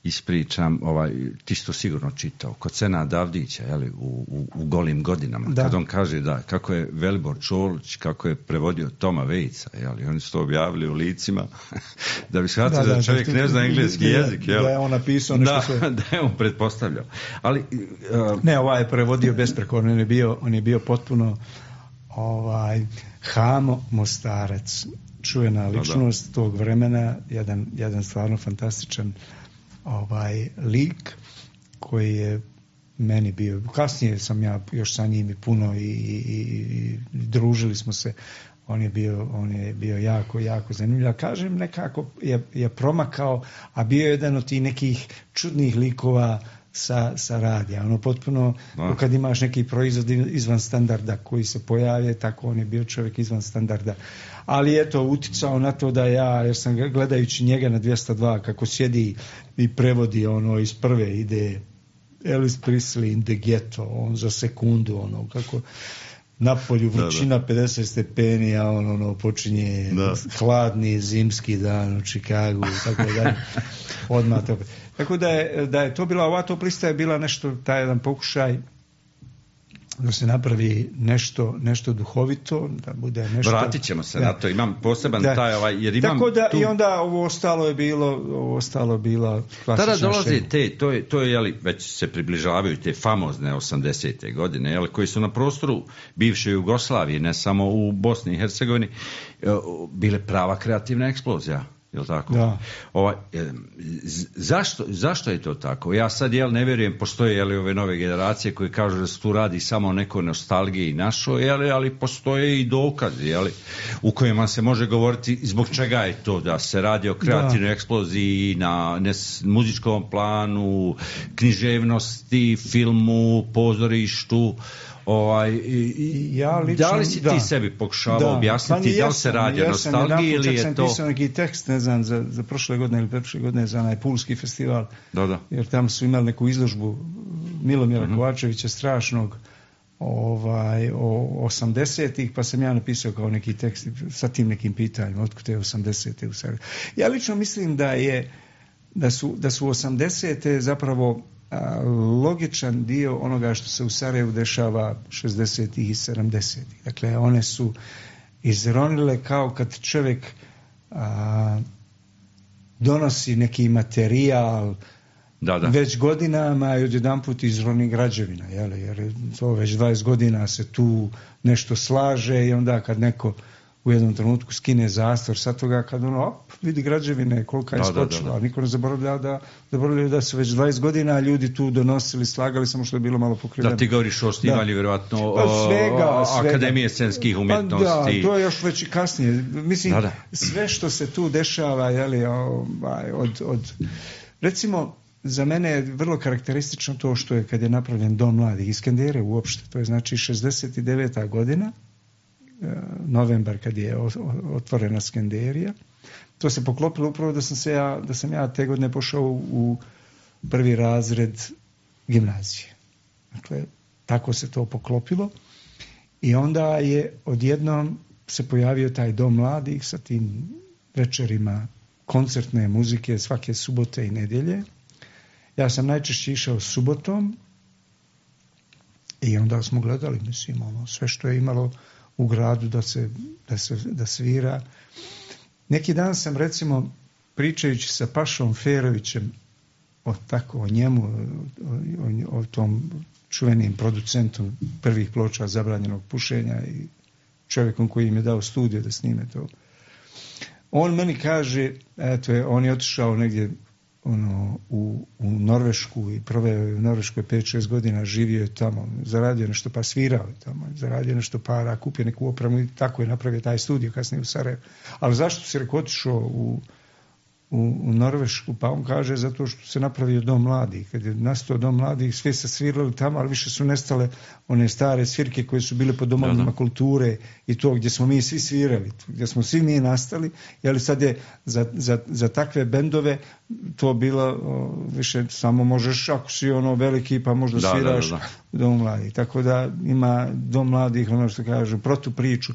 ispričam, ti si to sigurno čitao, kod Senada Avdića, jeli, u Golim godinama, kad on kaže da kako je Velibor Čolić, kako je prevodio Toma Vejca, jeli, oni su to objavili u licima, da bi shvatili da čovjek ne zna engleski jezik, jeli. Da je on napisao nešto sve. Da je on pretpostavljao. Ali, ne, ovaj je prevodio besprekorno, on je bio potpuno Hamo Mostarac, čuvena ličnost tog vremena, jedan stvarno fantastičan lik koji je meni bio. Kasnije sam ja još sa njim i puno i družili smo se. On je bio jako zanimljiv. Ja kažem, nekako je promakao, a bio je jedan od tih nekih čudnih likova sa radija. Potpuno, kad imaš neki proizvod izvan standarda koji se pojavlje, tako on je bio čovjek izvan standarda. Ali eto, uticao na to da jer sam gledajući njega na 202, kako sjedi i prevodi iz prve ide Elvis Presley in the Ghetto, on za sekundu, kako napolju vrućina 50 stepeni, a počinje hladni zimski dan u Čikagu i tako dalje. Odmah to. Tako da je to bila, ova top lista je bila nešto, taj jedan pokušaj da se napravi nešto duhovito, da bude nešto... Vratit ćemo se na to, imam poseban taj jer imam... Tako da tu... i onda ovo ostalo je bila klasična tada dolaze to je jeli, već se približavaju te famozne 80. godine, jeli, koji su na prostoru bivše Jugoslavije, ne samo u Bosni i Hercegovini, bile prava kreativna eksplozija. Jel tako? Da. Zašto je to tako? Ja sad ne vjerujem, postoje ove nove generacije koje kažu da se tu radi samo o nekoj nostalgiji našoj, ali postoje i dokazi u kojima se može govoriti zbog čega je to da se radi o kreativnoj eksploziji na muzičkom planu, književnosti, filmu, pozorištu. Da li si ti sebi pokušavao objasniti da li se radi o nostalgiji ili je to... Ja sam pisao neki tekst, ne znam, za prošle godine ili preprošle godine za onaj Pulski festival, jer tamo su imali neku izložbu Milomira Kovačevića strašnog o 80-ih, pa sam ja napisao kao neki tekst sa tim nekim pitanjima, otkud je 80-te u Sarajevu. Ja lično mislim da su 80-te zapravo logičan dio onoga što se u Sarajevu dešava 60-ih i 70-ih. Dakle, one su izronile kao kad čovjek donosi neki materijal već godinama i odjedanput izroni građevina, jer to već 20 godina se tu nešto slaže i onda kad neko u jednom trenutku skine zastor sa toga, kad vidi građevine kolika je skočila, niko ne zaboravlja da su već 20 godina ljudi tu donosili, slagali, samo što je bilo malo pokriveno. Da, ti govoriš o osnivanju vjerojatno Akademije scenskih umjetnosti. Da, to je još već i kasnije. Mislim, sve što se tu dešava, recimo, za mene je vrlo karakteristično to što je kad je napravljen Dom mladih iz Skendere uopšte, to je znači 69. godina, novembar kad je otvorena Skenderija. To se poklopilo upravo da sam ja te godine pošao u prvi razred gimnazije. Dakle, tako se to poklopilo i onda je odjednom se pojavio taj Dom mladih sa tim večerima koncertne muzike svake subote i nedjelje. Ja sam najčešće išao subotom i onda smo gledali, sve što je imalo u gradu da svira. Neki dan sam, recimo, pričajući sa Pašom Ferovićem o njemu, o tom čuvenim producentom prvih ploča zabranjenog pušenja i čovjekom koji im je dao studio da snime to. On meni kaže, on je otišao negdje u Norvešku i proveo je u Norveškoj 5-6 godina, živio je tamo, zaradio nešto pa svirao je tamo, zaradio nešto para, kupio neku opremu i tako je napravio taj studio kasnije u Sarajevu. Ali zašto si rekao otišao u Norvešku? Pa on kaže zato što se napravio Dom mladih. Kad je nastao Dom mladih, svi se svirali tamo, ali više su nestale one stare svirke koje su bile po domovima kulture i to gdje smo mi svi svirali, gdje smo svi mi nastali, ali sad je za takve bendove to bilo više samo možeš ako si veliki pa možda sviraš Dom mladih. Tako da ima Dom mladih, ono što kažu, protupriču.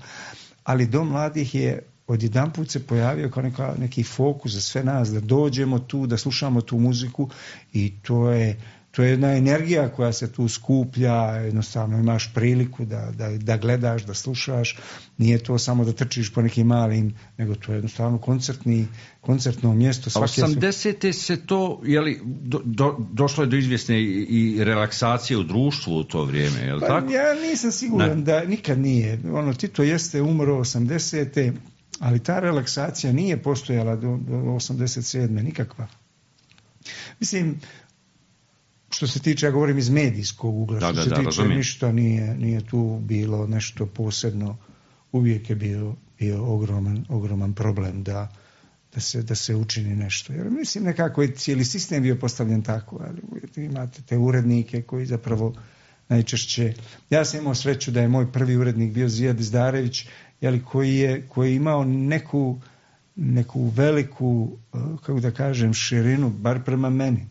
Ali Dom mladih je odjedanput se pojavio kao neki fokus za sve nas, da dođemo tu, da slušamo tu muziku i to je jedna energija koja se tu skuplja, jednostavno imaš priliku da gledaš, da slušaš, nije to samo da trčiš po nekim malim, nego to je jednostavno koncertno mjesto. 80. se to, došlo je do izvjesne i relaksacije u društvu u to vrijeme, je li tako? Ja nisam siguran da nikad nije. Tito jeste umro 80. ali ta relaksacija nije postojala do 87. nikakva. Mislim, što se tiče, ja govorim iz medijskog ugla, što se tiče razumim. Ništa nije tu bilo nešto posebno, uvijek je bio ogroman problem da se učini nešto. Jer mislim nekako je cijeli sistem bio postavljen tako, ali imate te urednike koji zapravo najčešće, ja sam imao sreću da je moj prvi urednik bio Zijad Izdarević, koji je imao neku veliku, kako da kažem, širinu, bar prema meni.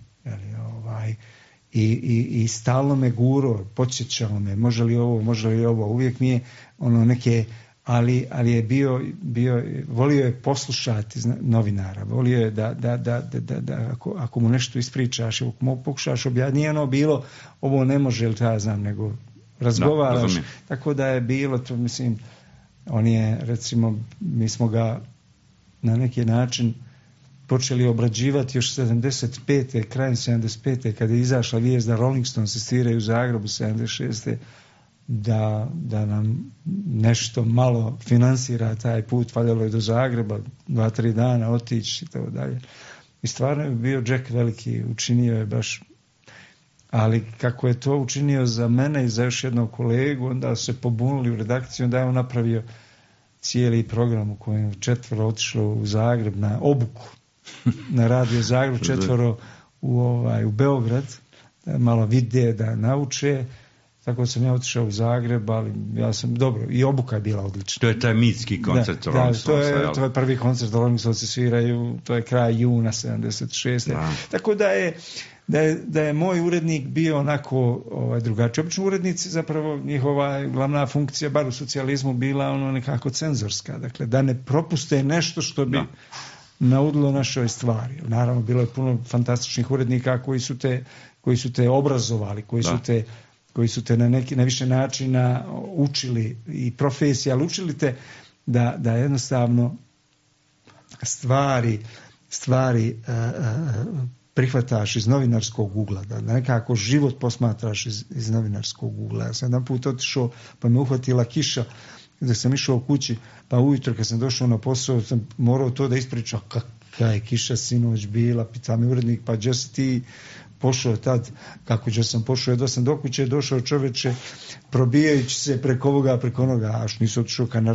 I stalno me guro, podsjećao me, može li ovo, uvijek mi je neke ali je bio, volio je poslušati novinara, volio je da ako mu nešto ispričaš, ako mu pokušaš objasniti, nije ono bilo, ovo ne može, ili ja znam, nego razgovaraš. Tako da je bilo, to mislim, on je, recimo, mi smo ga na neki način počeli obrađivati još 75. krajem 75. kada je izašla vijest da Rolling Stones sviraju u Zagrebu 76. da nam nešto malo finansira taj put, valjalo je do Zagreba 2-3 dana otići i tako dalje. I stvarno je bio Jack veliki, učinio je baš, ali kako je to učinio za mene i za još jednog kolegu, onda su se pobunili u redakciji, onda je on napravio cijeli program u kojem 4 otišlo u Zagreb na obuku, na radio Zagreb, 4 u Beograd, malo vide da nauče. Tako sam ja otišao u Zagreb, ali ja sam dobro, i obuka je bila odlična. To je taj mitski koncert. To je prvi koncert da Rolling Stones sviraju, to je kraj juna 76. Da. Tako da je moj urednik bio onako drugačiji. Obično urednici, zapravo njihova glavna funkcija, bar u socijalizmu, bila ono nekako cenzorska. Dakle, da ne propuste nešto što bi naudilo našoj stvari. Naravno, bilo je puno fantastičnih urednika koji su te obrazovali, koji su te na više načina učili i profesije, ali učili te da jednostavno stvari prihvataš iz novinarskog ugla, da nekako život posmatraš iz novinarskog ugla. Ja sam jedan put otišao, pa me uhvatila kiša, da sam išao u kući, pa ujutro kad sam došao na posao, sam morao to da ispričam, kakva je kiša sinoć bila, pita mi urednik, pa gdje si ti pošao tad, kako će sam pošao, jedva sam do kuće došao, čoveče, probijajući se preko ovoga, preko onoga, až nisu otišao ka na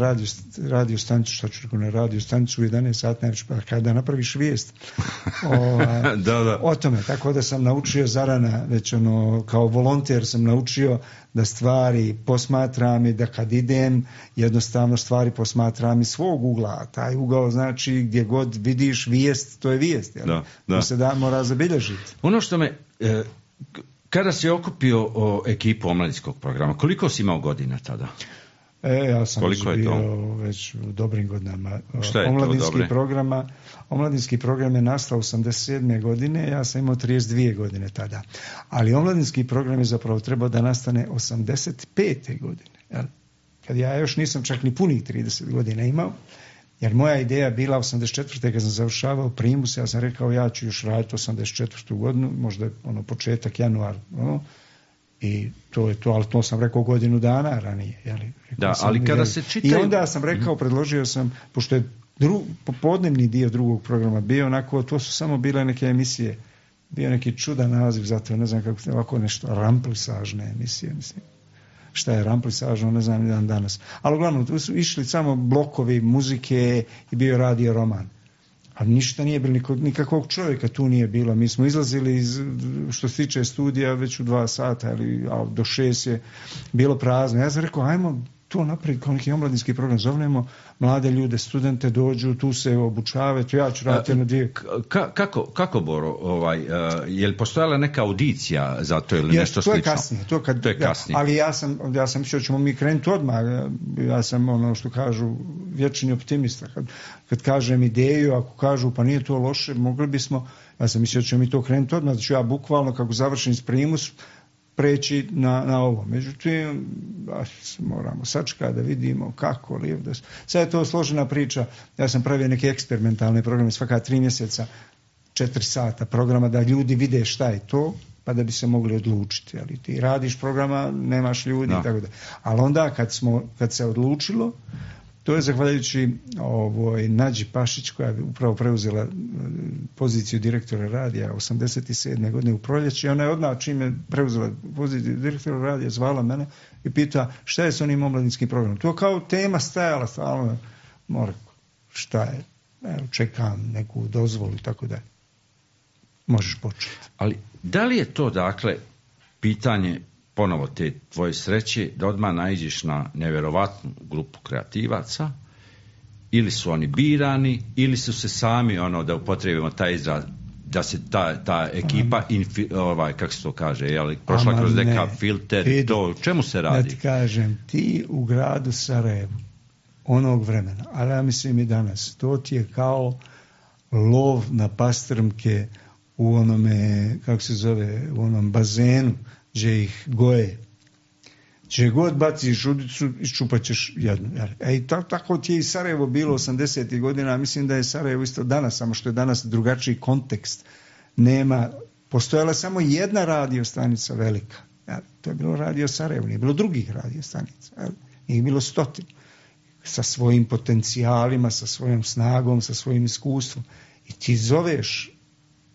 radio stanicu, šta ću rekao, na radio stanicu u 11 sati, najveći, pa kada napraviš vijest o tome, tako da sam naučio zarana, već kao volonter sam naučio da stvari posmatram i da kad idem, jednostavno stvari posmatram iz svog ugla, a taj ugao znači gdje god vidiš vijest, to je vijest, jel? To se mora zabilježiti. Ono što me, kada si okupio ekipu omladinskog programa, koliko si imao godina tada? Ja sam već u dobrim godinama. Omladinski program je nastao 87. godine, ja sam imao 32 godine tada. Ali omladinski program je zapravo trebao da nastane 85. godine. Jel? Kad ja još nisam čak ni punih 30 godina imao, jer moja ideja bila 84. kad sam završavao primus, ja sam rekao ja ću još raditi 84. godinu, možda je početak januar, i to je to, ali to sam rekao godinu dana ranije. Ali kada se čitaju... I onda sam rekao, predložio sam, pošto je popodnevni dio drugog programa bio onako, to su samo bile neke emisije, bio neki čudan naziv za to, ne znam kako se ovako nešto, ramplisažne emisije, mislim. Šta je ramplisažno, ne znam, jedan danas. Ali uglavnom, tu su išli samo blokovi muzike i bio radio roman. A ništa nije bilo, nikakvog čovjeka tu nije bilo. Mi smo izlazili što se tiče studija već u 2 sata, a do 6 je bilo prazno. Ja sam rekao, ajmo to napraviti kao neki omladinski program, zovnemo mlade ljude, studente, dođu, tu se obučavaju, ja ću raditi jedno 2. Kako Boro, je li postojala neka audicija za to ili nešto slično? To je kasnije. Ali ja sam mislio da ćemo mi krenuti odmah. Ja sam ono što kažu vječni optimista. Kad kažem ideju, ako kažu pa nije to loše, mogli bismo, ja sam mislio da ćemo mi to krenuti odmah, da ću ja bukvalno kako završim s primus preći na ovo. Međutim, moramo sačekati da vidimo kako. Sad je to složena priča. Ja sam pravio neke eksperimentalne programe svaka 3 mjeseca, 4 sata programa da ljudi vide šta je to, pa da bi se mogli odlučiti. Ali ti radiš programa, nemaš ljudi, tako da. Ali onda kad se odlučilo, to je zahvaljujući Nađi Pašić koja je upravo preuzela poziciju direktora radija 87. godine u proljeće. Ona je odmah čim je preuzela poziciju direktora radija zvala mene i pita šta je s onim omladinskim programom. To kao tema stajala stalno. Šta je? Čekam neku dozvolu i tako da. Možeš početi. Ali da li je to dakle pitanje ponovo te tvoje sreće da odmah naiđeš na nevjerovatnu grupu kreativaca, ili su oni birani, ili su se sami, da upotrijebimo taj izraz, da se ta ekipa, kako se to kaže, prošla kroz neka filter, to, čemu se radi? Da ti kažem, ti u gradu Sarajevu, onog vremena, ali ja mislim i danas. To ti je kao lov na pastrmke u onome, kako se zove, u onom bazenu gdje ih goje. Če god baciš udicu, iščupat ćeš jednu. Tako ti je i Sarajevo bilo 80. godina, mislim da je Sarajevo isto danas, samo što je danas drugačiji kontekst. Postojala samo jedna radio stanica velika. To je bilo Radio Sarajevo, nije bilo drugih radio stanica. Nije bilo 100. Sa svojim potencijalima, sa svojom snagom, sa svojim iskustvom. I ti zoveš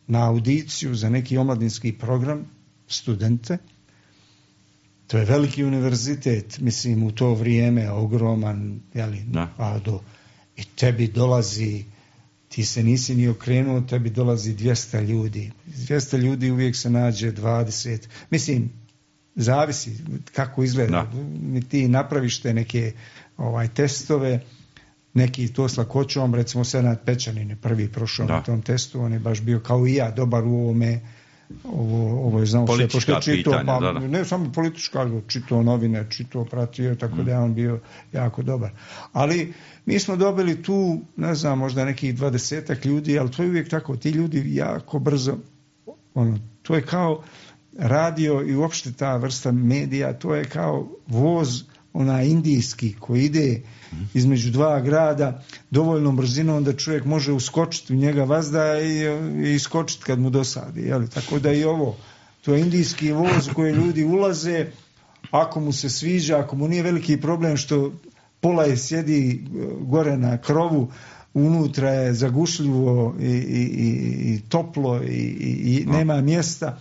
na audiciju za neki omladinski program studente. To je veliki univerzitet, mislim, u to vrijeme, ogroman, i tebi dolazi, ti se nisi ni okrenuo, tebi dolazi 200 ljudi. 200 ljudi uvijek se nađe 20. Mislim, zavisi kako izgleda. Ti napraviš te neke testove, neki to s lakoćom, recimo Senad Pečanin je prvi prošao na tom testu, on je baš bio kao i ja, dobar u ovome. Ovo je znao sve, pošto je čitao, ne samo politička, ali čitao novine, čitao, pratio, tako da je on bio jako dobar. Ali mi smo dobili tu, ne znam, možda nekih 20 ljudi, ali to je uvijek tako, ti ljudi jako brzo, to je kao radio i uopšte ta vrsta medija, to je kao voz indijski koji ide između dva grada dovoljnom brzinom da čovjek može uskočiti u njega vazda i iskočiti kad mu dosadi. Tako da i ovo, to je indijski voz u koji ljudi ulaze, ako mu se sviđa, ako mu nije veliki problem što pola je sjedi gore na krovu, unutra je zagušljivo i toplo i nema mjesta.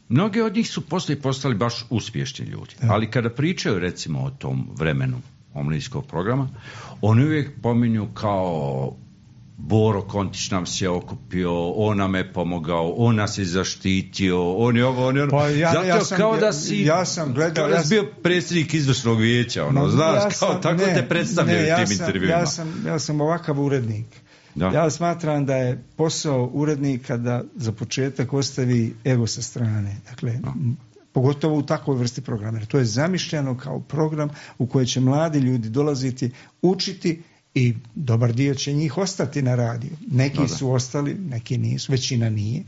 Mnogi od njih su postali baš uspješni ljudi. Ali kada pričaju recimo o tom vremenu omladinskog programa, oni uvijek pominju kao Boro Kontić nam se okupio, on nam je pomogao, on nas je zaštitio, on je ovo, on je ono. Kao da si bio predsjednik izvršnog vijeća, tako te predstavljaju tim intervjuima. Ja sam ovakav urednik. Ja smatram da je posao urednika da za početak ostavi ego sa strane. Dakle, pogotovo u takvoj vrsti programa. To je zamišljeno kao program u koji će mladi ljudi dolaziti, učiti i dobar dio će njih ostati na radiju. Neki su ostali, neki nisu, većina nije.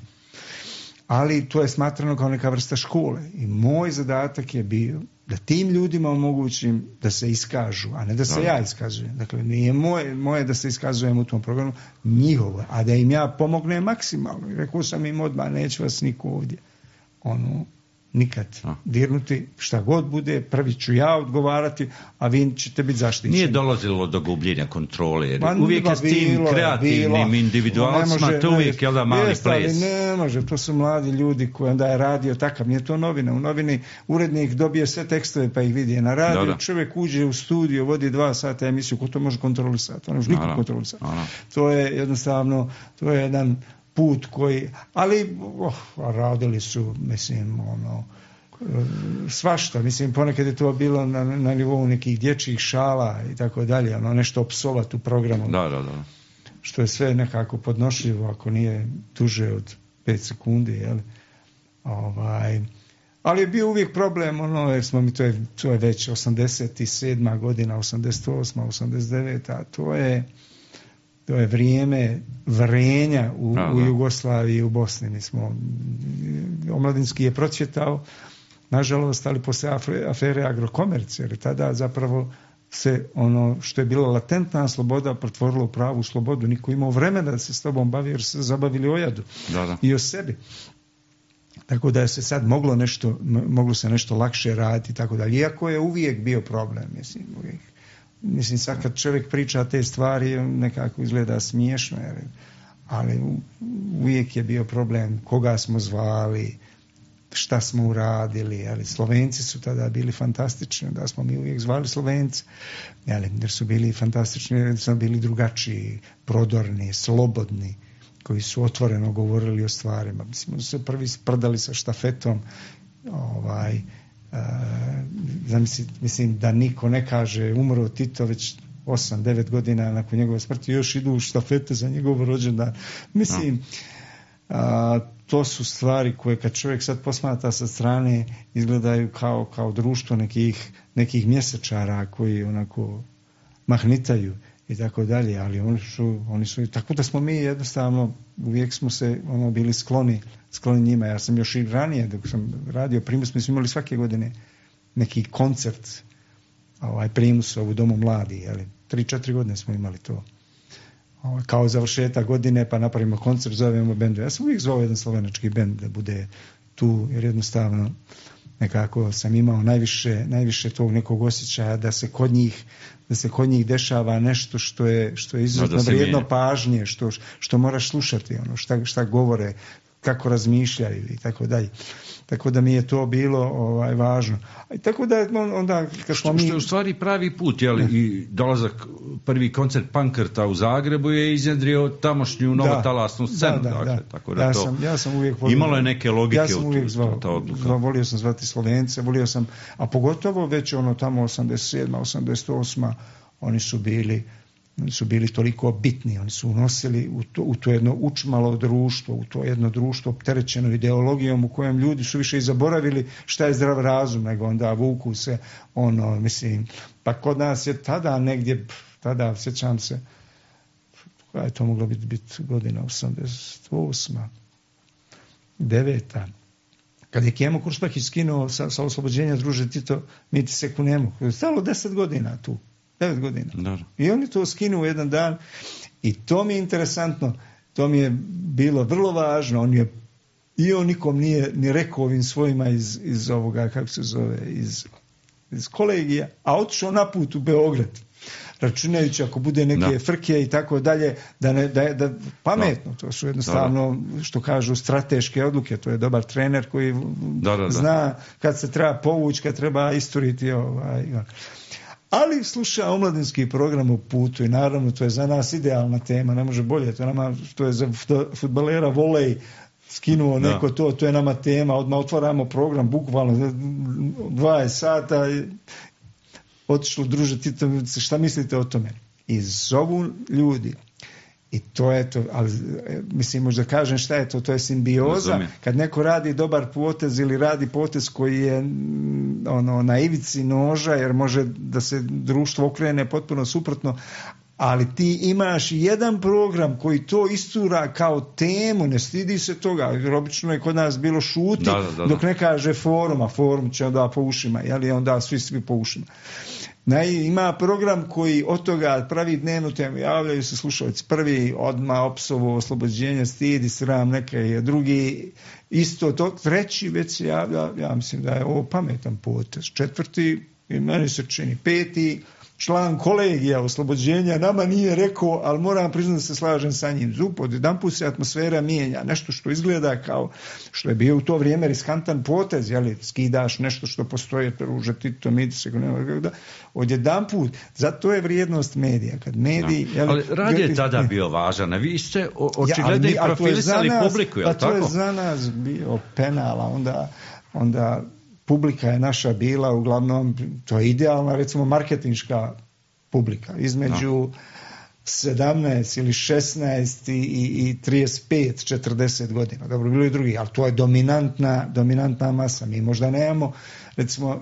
Ali to je smatrano kao neka vrsta škole. I moj zadatak je bio da tim ljudima omogućim da se iskažu, a ne da se ja iskazujem. Dakle, nije moje da se iskazujem u tom programu, njihovo, a da im ja pomognem maksimalno. Rekao sam im odmah, neće vas niko ovdje nikad dirnuti, šta god bude, prvi ću ja odgovarati, a vi ćete biti zaštićeni. Nije dolazilo do gubljenja kontrole, uvijek je s tim kreativnim individualcima, to uvijek je da mali ples. Ne može, to su mladi ljudi koji onda je radio takav, nije to novina. U novini urednik dobije sve tekstove pa ih vidi na radiju, čovjek uđe u studio, vodi 2 sata emisiju, ko to može kontrolisati? On može nikog kontrolisati. To je jednostavno, to je jedan put koji, ali radili su, mislim, svašta, mislim, ponekad je to bilo na nivou nekih dječjih šala i tako dalje, nešto opsovat u programu. Da. Što je sve nekako podnošljivo ako nije duže od 5 sekundi, ali je bio uvijek problem, jer smo mi, to je već 87. godina, 88. 89. a to je vrijeme vrenja u Jugoslaviji i u Bosni. Mi smo, omladinski je procvjetao, nažalost, ali poslije afere Agrokomerc, jer tada zapravo se ono što je bila latentna sloboda pretvorilo u pravu slobodu. Niko imao vremena da se s tobom bavi, jer se zabavili o jadu i o sebi. Tako da se sad moglo se nešto lakše raditi i tako dalje. Iako je uvijek bio problem, mislim, sad kad čovjek priča te stvari, nekako izgleda smiješno, ali uvijek je bio problem koga smo zvali, šta smo uradili, ali Slovenci su tada bili fantastični, da smo mi uvijek zvali Slovenci, jer su bili fantastični, jer su bili drugačiji, prodorni, slobodni, koji su otvoreno govorili o stvarima. Mislim, su se prvi sprdali sa štafetom, mislim da niko ne kaže umro Tito već 8-9 godina nakon njegove smrti, još idu u štafete za njegov rođendan. Mislim, to su stvari koje kad čovjek sad posmatra sa strane izgledaju kao društvo nekih mjesečara koji onako mahnitaju i tako dalje, ali oni su tako da smo mi jednostavno uvijek smo se bili skloni njima. Ja sam još i ranije dok sam radio Primus, mi smo imali svake godine neki koncert Primus u Domu mladi, 3-4 godine smo imali to. Kao završetak godine, pa napravimo koncert, zovemo bendu. Ja sam uvijek zvao jedan slovenački bend da bude tu, jer jednostavno nekako sam imao najviše tog nekog osjećaja da se kod njih dešava nešto što je izuzetno vrijedno pažnje, što moraš slušati, šta govore, kako razmišljaju i tako dalje. Tako da mi je to bilo važno. I tako da onda kad smo što je u stvari pravi put, i dolazak prvi koncert Pankrta u Zagrebu je iznjedrio tamošnju novotalasnu scenu. Tako da ja sam uvijek imalo je neke logike. Ja sam uvijek volio sam zvati Slovence, volio sam, a pogotovo već tamo 87. 88. oni su bili toliko bitni, oni su unosili u to jedno učmalo društvo, u to jedno društvo opterećeno ideologijom u kojem ljudi su više i zaboravili šta je zdrav razum, nego onda vuku se pa kod nas je tada sjećam se, koja je to mogla biti godina, 88. 9. Kad je Kemo Kurspah iskinuo sa oslobođenja Druže Tito, mi ti se kunemo, stalo 10 godina tu. 9 godina. Dobro. I oni to skinu u jedan dan i to mi je interesantno, to mi je bilo vrlo važno. On nikom nije ni rekao ovim svojima iz ovoga, kako se zove, iz kolegija, a otišao na put u Beograd, računajući ako bude neke frke i tako dalje, da pametno, to su jednostavno, što kažu, strateške odluke, to je dobar trener koji zna kad se treba povući, kad treba isturiti ali sluša omladinski program u putu i naravno to je za nas idealna tema, ne može bolje, to je za fudbalera volej, skinuo neko to je nama tema, odmah otvaramo program, bukvalno 20 sata, otišlo Druže Tito, šta mislite o tome? I zovu ljudi. I to je to, ali mislim možda kažem šta je to je simbioza, kad neko radi dobar potez ili radi potez koji je na ivici noža jer može da se društvo okrene potpuno suprotno, ali ti imaš jedan program koji to istura kao temu, ne stidi se toga, jer obično je kod nas bilo šuti dok ne kaže forum, a forum će onda po ušima, onda svi po ušima. Ima program koji od toga pravi dnevnu temu, javljaju se slušalci, prvi odmah opsovo oslobođenje, stidi, sram, neka je drugi, isto to, treći već se javlja, ja mislim da je ovo pametan potez, četvrti, i meni se čini, peti, član kolegija oslobođenja nama nije rekao, ali moram priznati da se slažem sa njim. Odjedanput se atmosfera mijenja, nešto što izgleda kao što je bio u to vrijeme riskantan potez, skidaš nešto što postoje, Druže Tito, odjedanput, zato je vrijednost medija. Kad mediji, ali radio je tada bio važan, a vi ste očigledno i profilisali publiku, je li tako? To je za nas bio penal, onda publika je naša bila uglavnom, to je idealna recimo marketinška publika, između 17 ili 16 i 35-40 godina. Dobro, bilo i drugi, ali to je dominantna masa. Mi možda nemamo, recimo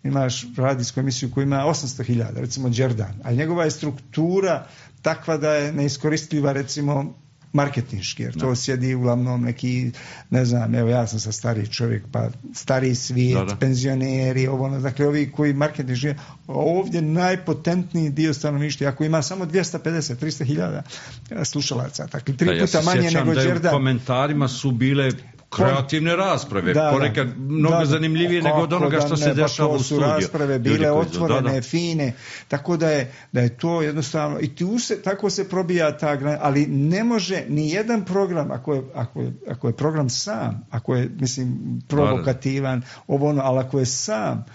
imaš radijsku emisiju koja ima 800.000, recimo Đerdan, ali njegova je struktura takva da je neiskoristljiva recimo marketinški, jer to sjedi uglavnom neki, ne znam, evo ja sam sa stariji čovjek, pa stariji svijet, penzioneri, dakle ovi koji marketinški, ovdje najpotentniji dio stanovništva, ako ima samo 250-300.000 slušalaca, dakle 3 puta manje nego Đerdan. U komentarima su bile kreativne rasprave, ponekad mnogo zanimljivije nego od onoga što se dešava u studiju. To su rasprave bile otvorene, fine, tako da je to jednostavno, i tako se probija ta granica, ali ne može ni jedan program, ako je program sam, ako je, mislim, provokativan, ali ako je sam,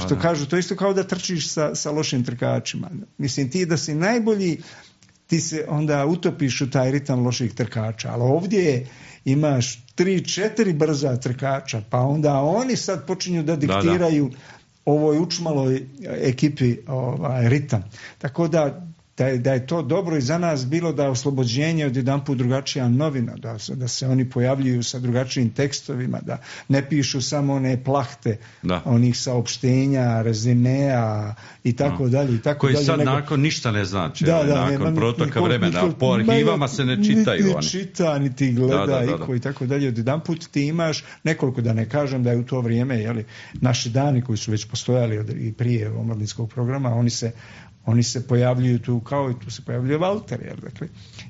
što kažu, to isto kao da trčiš sa lošim trkačima. Mislim, ti da si najbolji, ti se onda utopiš u taj ritam loših trkača, ali ovdje imaš 3-4 brza trkača, pa onda oni sad počinju da diktiraju ovoj učmaloj ekipi ritam. Tako da da je to dobro i za nas bilo da oslobođenje od jedanput drugačija novina, da se oni pojavljuju sa drugačijim tekstovima, da ne pišu samo one plahte onih saopštenja, rezimea i tako dalje. Koji sad nakon ništa ne znači, nakon protoka vremena, po arhivama se ne čitaju. Niti čita, niti gleda i tako dalje. Od jedanput ti imaš nekoliko, da ne kažem da je u to vrijeme, naši dani koji su već postojali i prije omladinskog programa, oni se pojavljuju tu kao i tu se pojavljuje Valter. Dakle,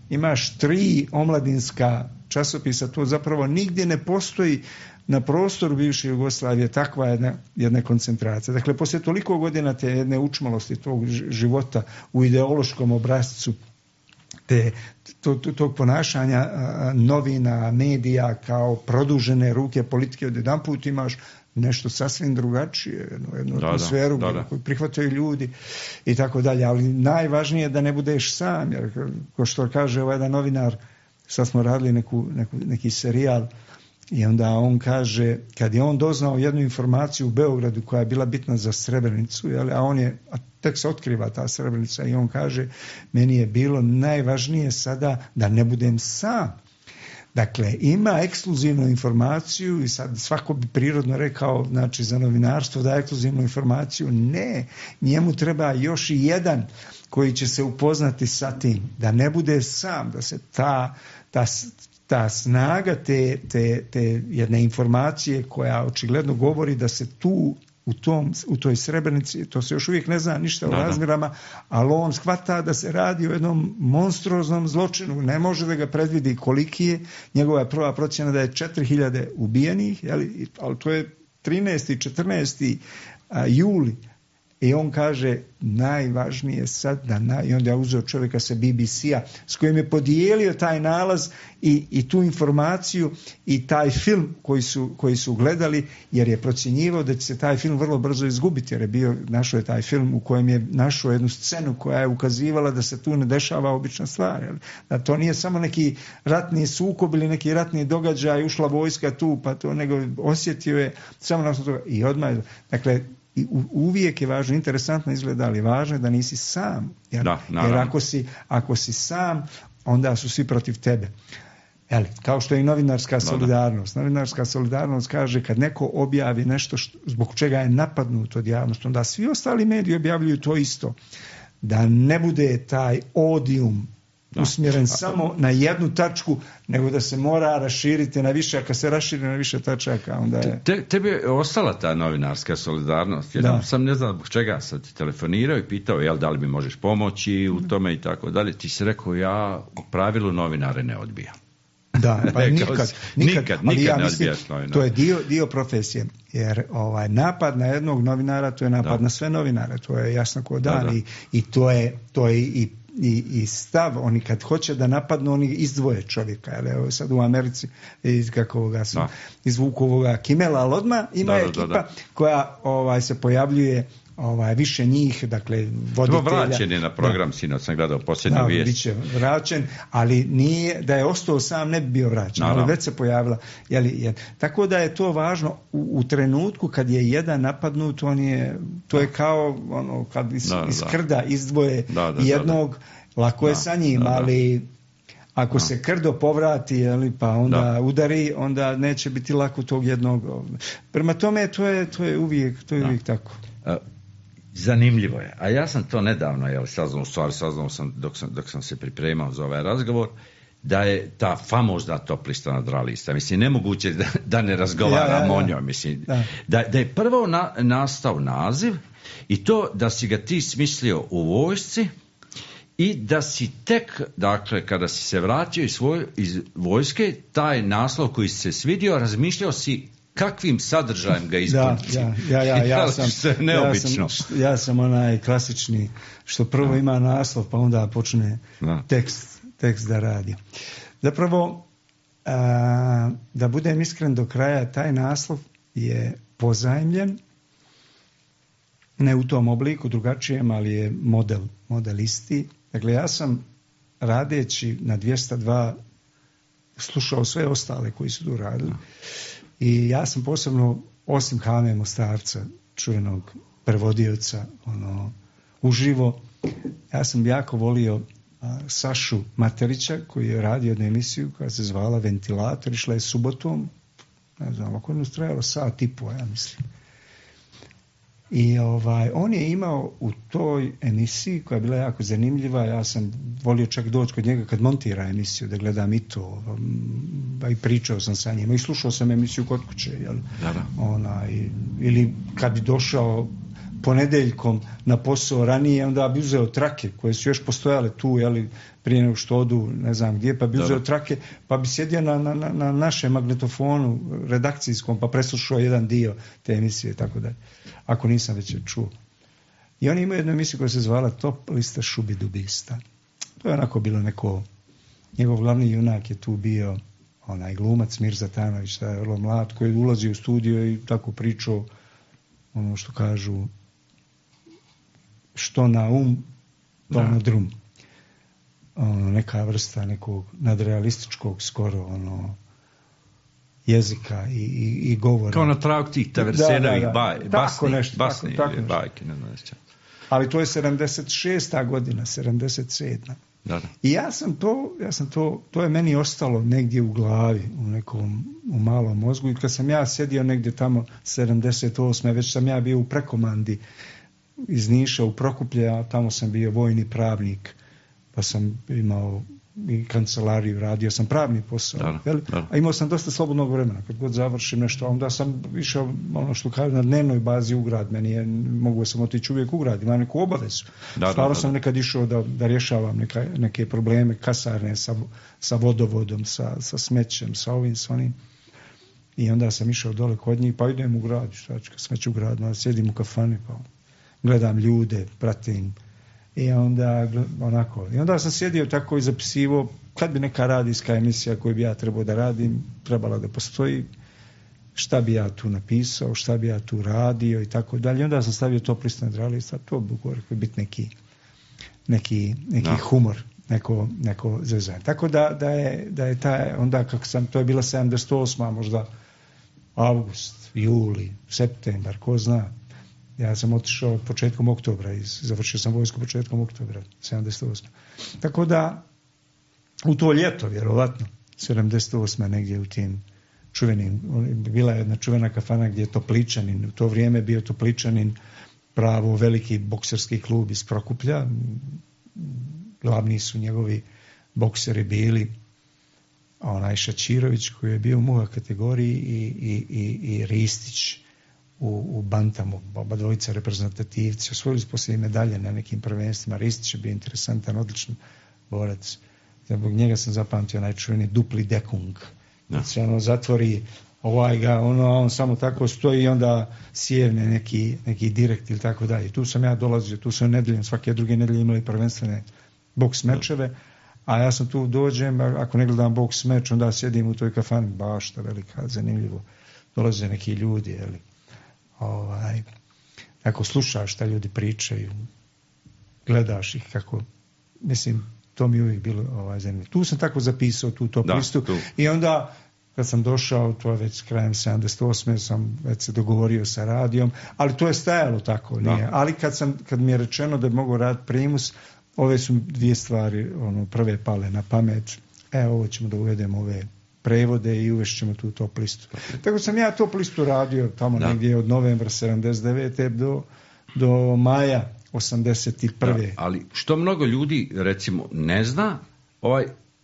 imaš 3 omladinska časopisa, to zapravo nigdje ne postoji na prostoru bivše Jugoslavije takva jedna koncentracija. Dakle, poslije toliko godina te jedne učmalosti tog života u ideološkom obrascu, tog ponašanja novina, medija kao produžene ruke politike, odjedanput imaš nešto sasvim drugačije, jednu atmosferu koju prihvataju ljudi i tako dalje, ali najvažnije je da ne budeš sam, jer ko što kaže jedan novinar, sad smo radili neki serijal i onda on kaže, kad je on doznao jednu informaciju u Beogradu koja je bila bitna za Srebrenicu, a tek se otkriva ta Srebrenica i on kaže, meni je bilo najvažnije sada da ne budem sam. Dakle, ima ekskluzivnu informaciju i sad svako bi prirodno rekao, znači za novinarstvo da ekskluzivnu informaciju. Ne, njemu treba još i jedan koji će se upoznati sa tim, da ne bude sam, da se ta snaga te jedne informacije koja očigledno govori da se tu u toj Srebrenici, to se još uvijek ne zna ništa o razmjerama, ali on shvata da se radi o jednom monstruoznom zločinu, ne može da ga predvidi koliki je, njegova je prva procjena da je 4000 ubijenih, ali to je 13. i 14. juli. I on kaže, najvažnije sad i onda je uzeo čovjeka sa BBC-a s kojim je podijelio taj nalaz i tu informaciju i taj film koji su gledali, jer je procjenjivao da će se taj film vrlo brzo izgubiti, jer našao je taj film u kojem je našao jednu scenu koja je ukazivala da se tu ne dešava obična stvar. Da to nije samo neki ratni sukob ili neki ratni događaj, ušla vojska tu, pa to, nego osjetio je samo na toga i odmah. Dakle, i uvijek je važno, interesantno izgleda, ali važno je da nisi sam. Jer ako si sam, onda su svi protiv tebe. Kao što je i novinarska solidarnost. Novinarska solidarnost kaže kad neko objavi nešto zbog čega je napadnut od javnosti, onda svi ostali mediji objavljuju to isto. Da ne bude taj odium usmjeren samo na jednu tačku, nego da se mora raširiti na više, a kad se raširi na više tačaka, onda je... Tebi je ostala ta novinarska solidarnost. Ja sam ne znam zbog čega sad ti telefonirao i pitao, da li mi možeš pomoći u tome i tako dalje. Ti si rekao, ja u pravilu novinare ne odbijam. Da, pa nikad ne odbijaš novinare. To je dio profesije, jer napad na jednog novinara, to je napad na sve novinare, to je jasno ko dan. I to je i stav, oni kad hoće da napadnu, oni izdvoje čovjeka. Evo sad u Americi izvuku ovoga Kimela, ali odmah ima ekipa koja se pojavljuje više njih, dakle voditelja. Vraćen je na program, sinoć sam gledao posljednju vijest. Biće vraćen, ali nije, da je ostao sam ne bi bio vraćen, ali već se pojavila. Tako da je to važno u trenutku kad je jedan napadnut, to je kao kad iz krda izdvoje jednog, lako je sa njim, ali ako se krdo povrati, pa onda udari, onda neće biti lako tog jednog. Prema tome, to je uvijek tako. Zanimljivo je. A ja sam to nedavno saznao sam dok sam se pripremao za ovaj razgovor, da je ta famozna top lista nadrealista. Mislim, nemoguće da ne razgovaramo o njoj. Mislim, da je prvo nastao naziv i to da si ga ti smislio u vojsci i da si tek, dakle, kada si se vratio iz vojske, taj naslov koji si se svidio, razmišljao si kakvim sadržajem ga ispuniti. Ja sam onaj klasični, što prvo ima naslov, pa onda počne tekst da radi. Zapravo, da budem iskren do kraja, taj naslov je pozajmljen, ne u tom obliku, drugačijem, ali je model isti. Dakle, ja sam radeći na 202 slušao sve ostale koji su tu radili. I ja sam posebno, osim Hame Mostarca, čuvenog prevodioca, uživo, Ja sam jako volio Sašu Materića koji je radio jednu emisiju koja se zvala Ventilator, išla je subotom, ne znam, ako je trajalo sat i po, ja mislim. I on je imao u toj emisiji koja je bila jako zanimljiva, ja sam volio čak doći kod njega kad montira emisiju da gledam i to, i pričao sam sa njima i slušao sam emisiju kod kuće, jel? Ili kad bi došao ponedeljkom na posao ranije, onda bi uzeo trake koje su još postojale tu, jeli, prije nego što odu ne znam gdje, pa bi uzeo trake, pa bi sjedio na našem magnetofonu redakcijskom, pa preslušao jedan dio te emisije, tako da, ako nisam već je čuo. I oni imaju jednu emisiju koja se zvala Top lista šubidubista. To je onako bilo neko, njegov glavni junak je tu bio onaj glumac Mirza Tanović, taj je vrlo mlad, koji ulazi u studio i tako pričao, ono što kažu, što na to na drum. Neka vrsta nekog nadrealističkog skoro jezika i govora. Kao na tragu tih Taversenovih bajke. Ali to je 76. godina, 77. Da. I ja sam to je meni ostalo negdje u glavi, u malom mozgu, i kad sam ja sjedio negdje tamo 78. već sam ja bio u prekomandi iz Niša u Prokuplje, a tamo sam bio vojni pravnik, pa sam imao i kancelariju, radio sam pravni posao, a imao sam dosta slobodnog vremena, kad god završim nešto, onda sam išao, ono što kažem, na dnevnoj bazi u grad, mogu sam otići uvijek u grad, imam neku obavezu. Stvarno sam nekad išao da rješavam neke probleme kasarne sa vodovodom, sa smećem, sa ovim, s onim. I onda sam išao dole kod njih, pa idem u grad, smeću u grad, onda sjedim u kafani, pa gledam ljude, pratim. I onda sam sjedio tako i zapisivo, kad bi neka radijska emisija koju bi ja trebao da radim, trebala da postoji, šta bi ja tu napisao, šta bi ja tu radio i tako dalje. Onda sam stavio Top lista nadrealista, to bi biti neki humor, neko zezanje. Tako da je taj, onda kako sam, to je bila 78. možda avgust, juli, septembar, ko zna. Ja sam otišao početkom oktobra, završio sam vojsku početkom oktobra, 78. Tako da, u to ljeto, vjerovatno, 78. negdje u tim čuvenim, bila je jedna čuvena kafana gdje je Topličanin, u to vrijeme bio Topličanin pravo veliki bokserski klub iz Prokuplja, glavni su njegovi bokseri bili onaj Šačirović koji je bio u muha kategoriji i Ristić u bantamu, oba dvojica reprezentativci, osvojili su poslije medalje na nekim prvenstvima. Ristić je bio interesantan, odličan borac. Zbog njega sam zapamtio najčuveni dupli dekung. Znači, zatvori on samo tako stoji i onda sjevne neki direkt ili tako dalje. Tu sam ja dolazio, tu sam nedeljom, svake druge nedelje imali prvenstvene boks mečeve, a ja sam tu dođem, ako ne gledam boks meč, onda sjedim u toj kafani, bašta velika, zanimljivo. Dolaze neki ljudi, jeli. Ako slušaš šta ljudi pričaju, gledaš ih kako, mislim, to mi uvijek bilo zanimljivo. Tu sam tako zapisao tu top listu i onda kad sam došao, to je već krajem 78. sam već se dogovorio sa radijom, ali to je stajalo tako, nije. Ali kad mi je rečeno da bi mogao raditi primus, ove su dvije stvari prve pale na pamet. Ovo ćemo da uvedemo ove prevode i uvešćemo tu top listu. Tako sam ja top listu radio tamo negdje od novembra 79. do maja 81. Ali što mnogo ljudi recimo ne zna,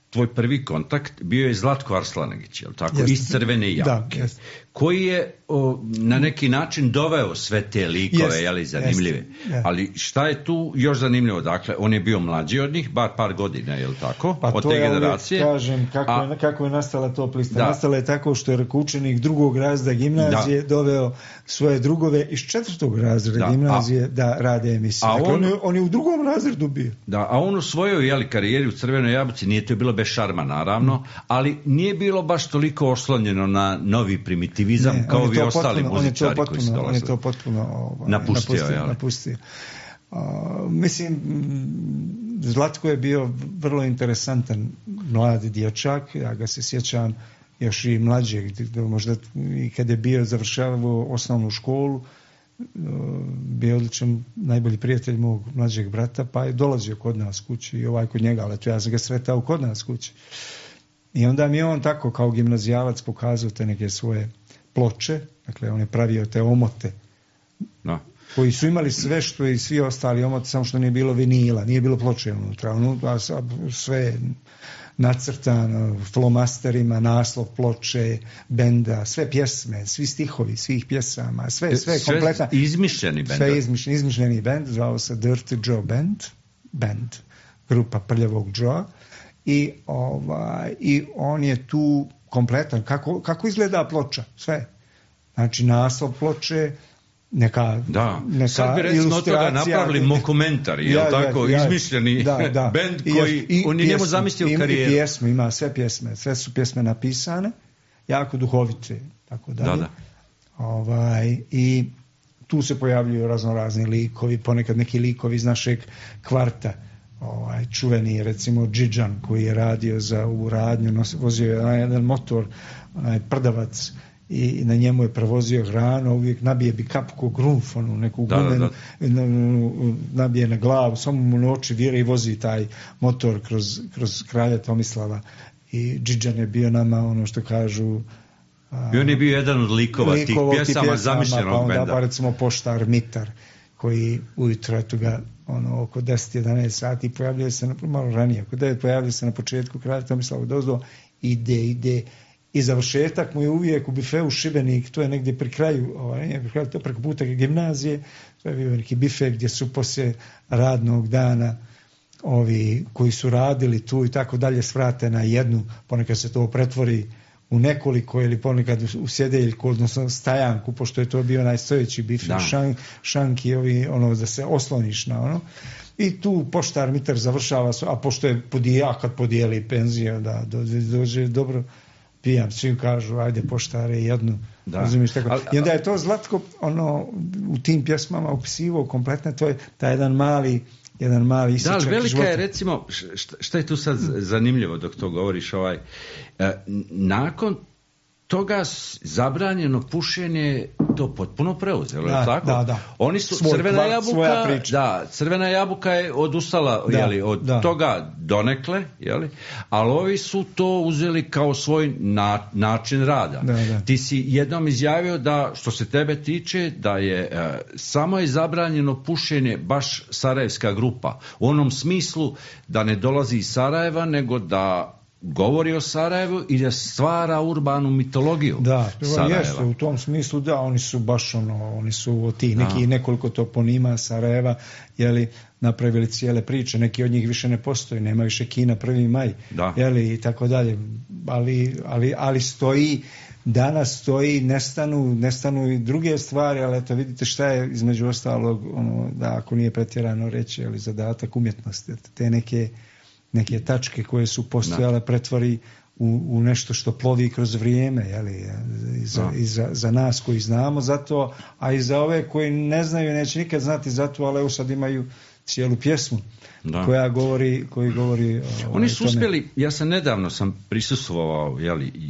tvoj prvi kontakt bio je Zlatko Arslanagić, jel tako? Iz Crvene Jabuke, koji je na neki način doveo sve te likove, jeli, zanimljive. Ali šta je tu još zanimljivo? Dakle, on je bio mlađi od njih, bar par godina, jel tako? Pa od to te ja generacije. Kažem, kako je nastala top lista. Nastala je tako što je učenik drugog razreda gimnazije doveo svoje drugove iz 4. razreda gimnazije da rade emisije. Dakle, on je u drugom razredu bio. Da, a on u svojoj karijeri u Crvenoj Jabuci, nije to bilo bez šarma, naravno, ali nije bilo baš toliko oslonjeno na novi primitivizam kao vi ostali muzičari koji su dolazili. On je to potpuno napustio. Mislim, Zlatko je bio vrlo interesantan mladi dječak, ja ga se sjećam još i mlađeg, možda i kad je bio završavao osnovnu školu, bio odličan najbolji prijatelj mog mlađeg brata, pa je dolazio kod nas kući i kod njega, ali ja sam ga sretao kod nas kući. I onda mi je on tako kao gimnazijalac pokazao te neke svoje ploče, dakle on je pravio te omote, koji su imali sve što i svi ostali omote, samo što nije bilo vinila, nije bilo ploče unutra, sve nacrtano flomasterima, naslov ploče, benda, sve pjesme, svi stihovi, svih pjesama, sve kompletno. Izmišljeni bend. Sve izmišljeni bend, zvao se Dirty Joe Band, grupa Prljavog Joe. I on je tu kompletan. Kako izgleda ploča? Sve. Znači naslov ploče, neka sad bi recimo od toga napravili mokumentari, izmišljeni bend koji on je njemu zamislio karijeru. Ima sve pjesme, sve su pjesme napisane, jako duhovite, tako dalje. I tu se pojavljuju raznorazni likovi, ponekad neki likovi iz našeg kvarta, čuveni recimo Džidžan koji je radio za ovu radnju, vozio je jedan motor, prdavac, i na njemu je prevozio hranu, uvijek nabije bi kapku grunf, neku gumenu, nabije na glavu, samo mu na oči vire i vozi taj motor kroz kralja Tomislava. I Džidžan je bio nama, što kažu... I on je bio jedan od likova tih pjesama zamišljenog benda. Pa recimo poštar Mitar, koji ujutro oko 10-11 sati pojavljuje se, malo ranije, oko 9 pojavljuje se na početku kralja Tomislava dozdo, ide i završetak mu je uvijek u bifeu Šibenik, to je negdje pri kraju, to preko puta gimnazije, to je bio neki bife gdje su poslije radnog dana ovi koji su radili tu i tako dalje svrate na jednu, ponekad se to pretvori u nekoliko ili ponekad u sjedeljku, odnosno stajanku, pošto je to bio najstojeći bife, šanki, da se osloniš na I tu poštar Mitar završava, a pošto je kad podijeli penziju, da dođe dobro, pijam, svi kažu, ajde poštare jednu. I onda je to Zlatko u tim pjesmama opisivo kompletno, to je taj jedan mali isječak života. Velika je, recimo, šta je tu sad zanimljivo dok to govoriš, nakon toga zabranjeno pušenje to potpuno preuzelo, je li tako? Da. Oni su, Crvena jabuka je odustala od toga donekle, ali ovi su to uzeli kao svoj način rada. Ti si jednom izjavio da, što se tebe tiče, da je samo je zabranjeno pušenje baš sarajevska grupa. U onom smislu da ne dolazi iz Sarajeva, nego da govori o Sarajevu i da stvara urbanu mitologiju Sarajeva. Jeste, u tom smislu oni su baš oni su od tih nekoliko toponima Sarajeva, napravili cijele priče, neki od njih više ne postoji, nema više Kina 1. maj, i tako dalje, ali stoji, danas stoji, nestanu i druge stvari, ali eto vidite šta je između ostalog, da ako nije pretjerano reći, zadatak umjetnosti, te neke tačke koje su postojale pretvori u nešto što plovi kroz vrijeme, i za nas koji znamo za to, a i za ove koji ne znaju, neće nikad znati za to, ali sad imaju cijelu pjesmu koji govori oni su uspjeli, nedavno sam prisustvovao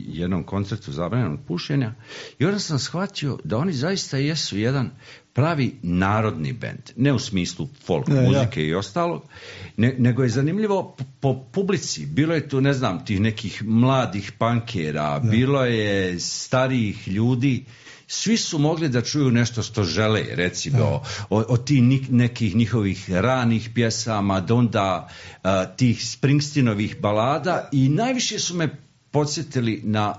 jednom koncertu zabranjenog pušenja i onda sam shvatio da oni zaista jesu jedan pravi narodni bend, ne u smislu folk muzike i ostalog, nego je zanimljivo po publici. Bilo je tu, tih nekih mladih pankera, bilo je starijih ljudi, svi su mogli da čuju nešto što žele, recimo od tih nekih njihovih ranih pjesama, do onda tih Springsteenovih balada, i najviše su me podsjetili na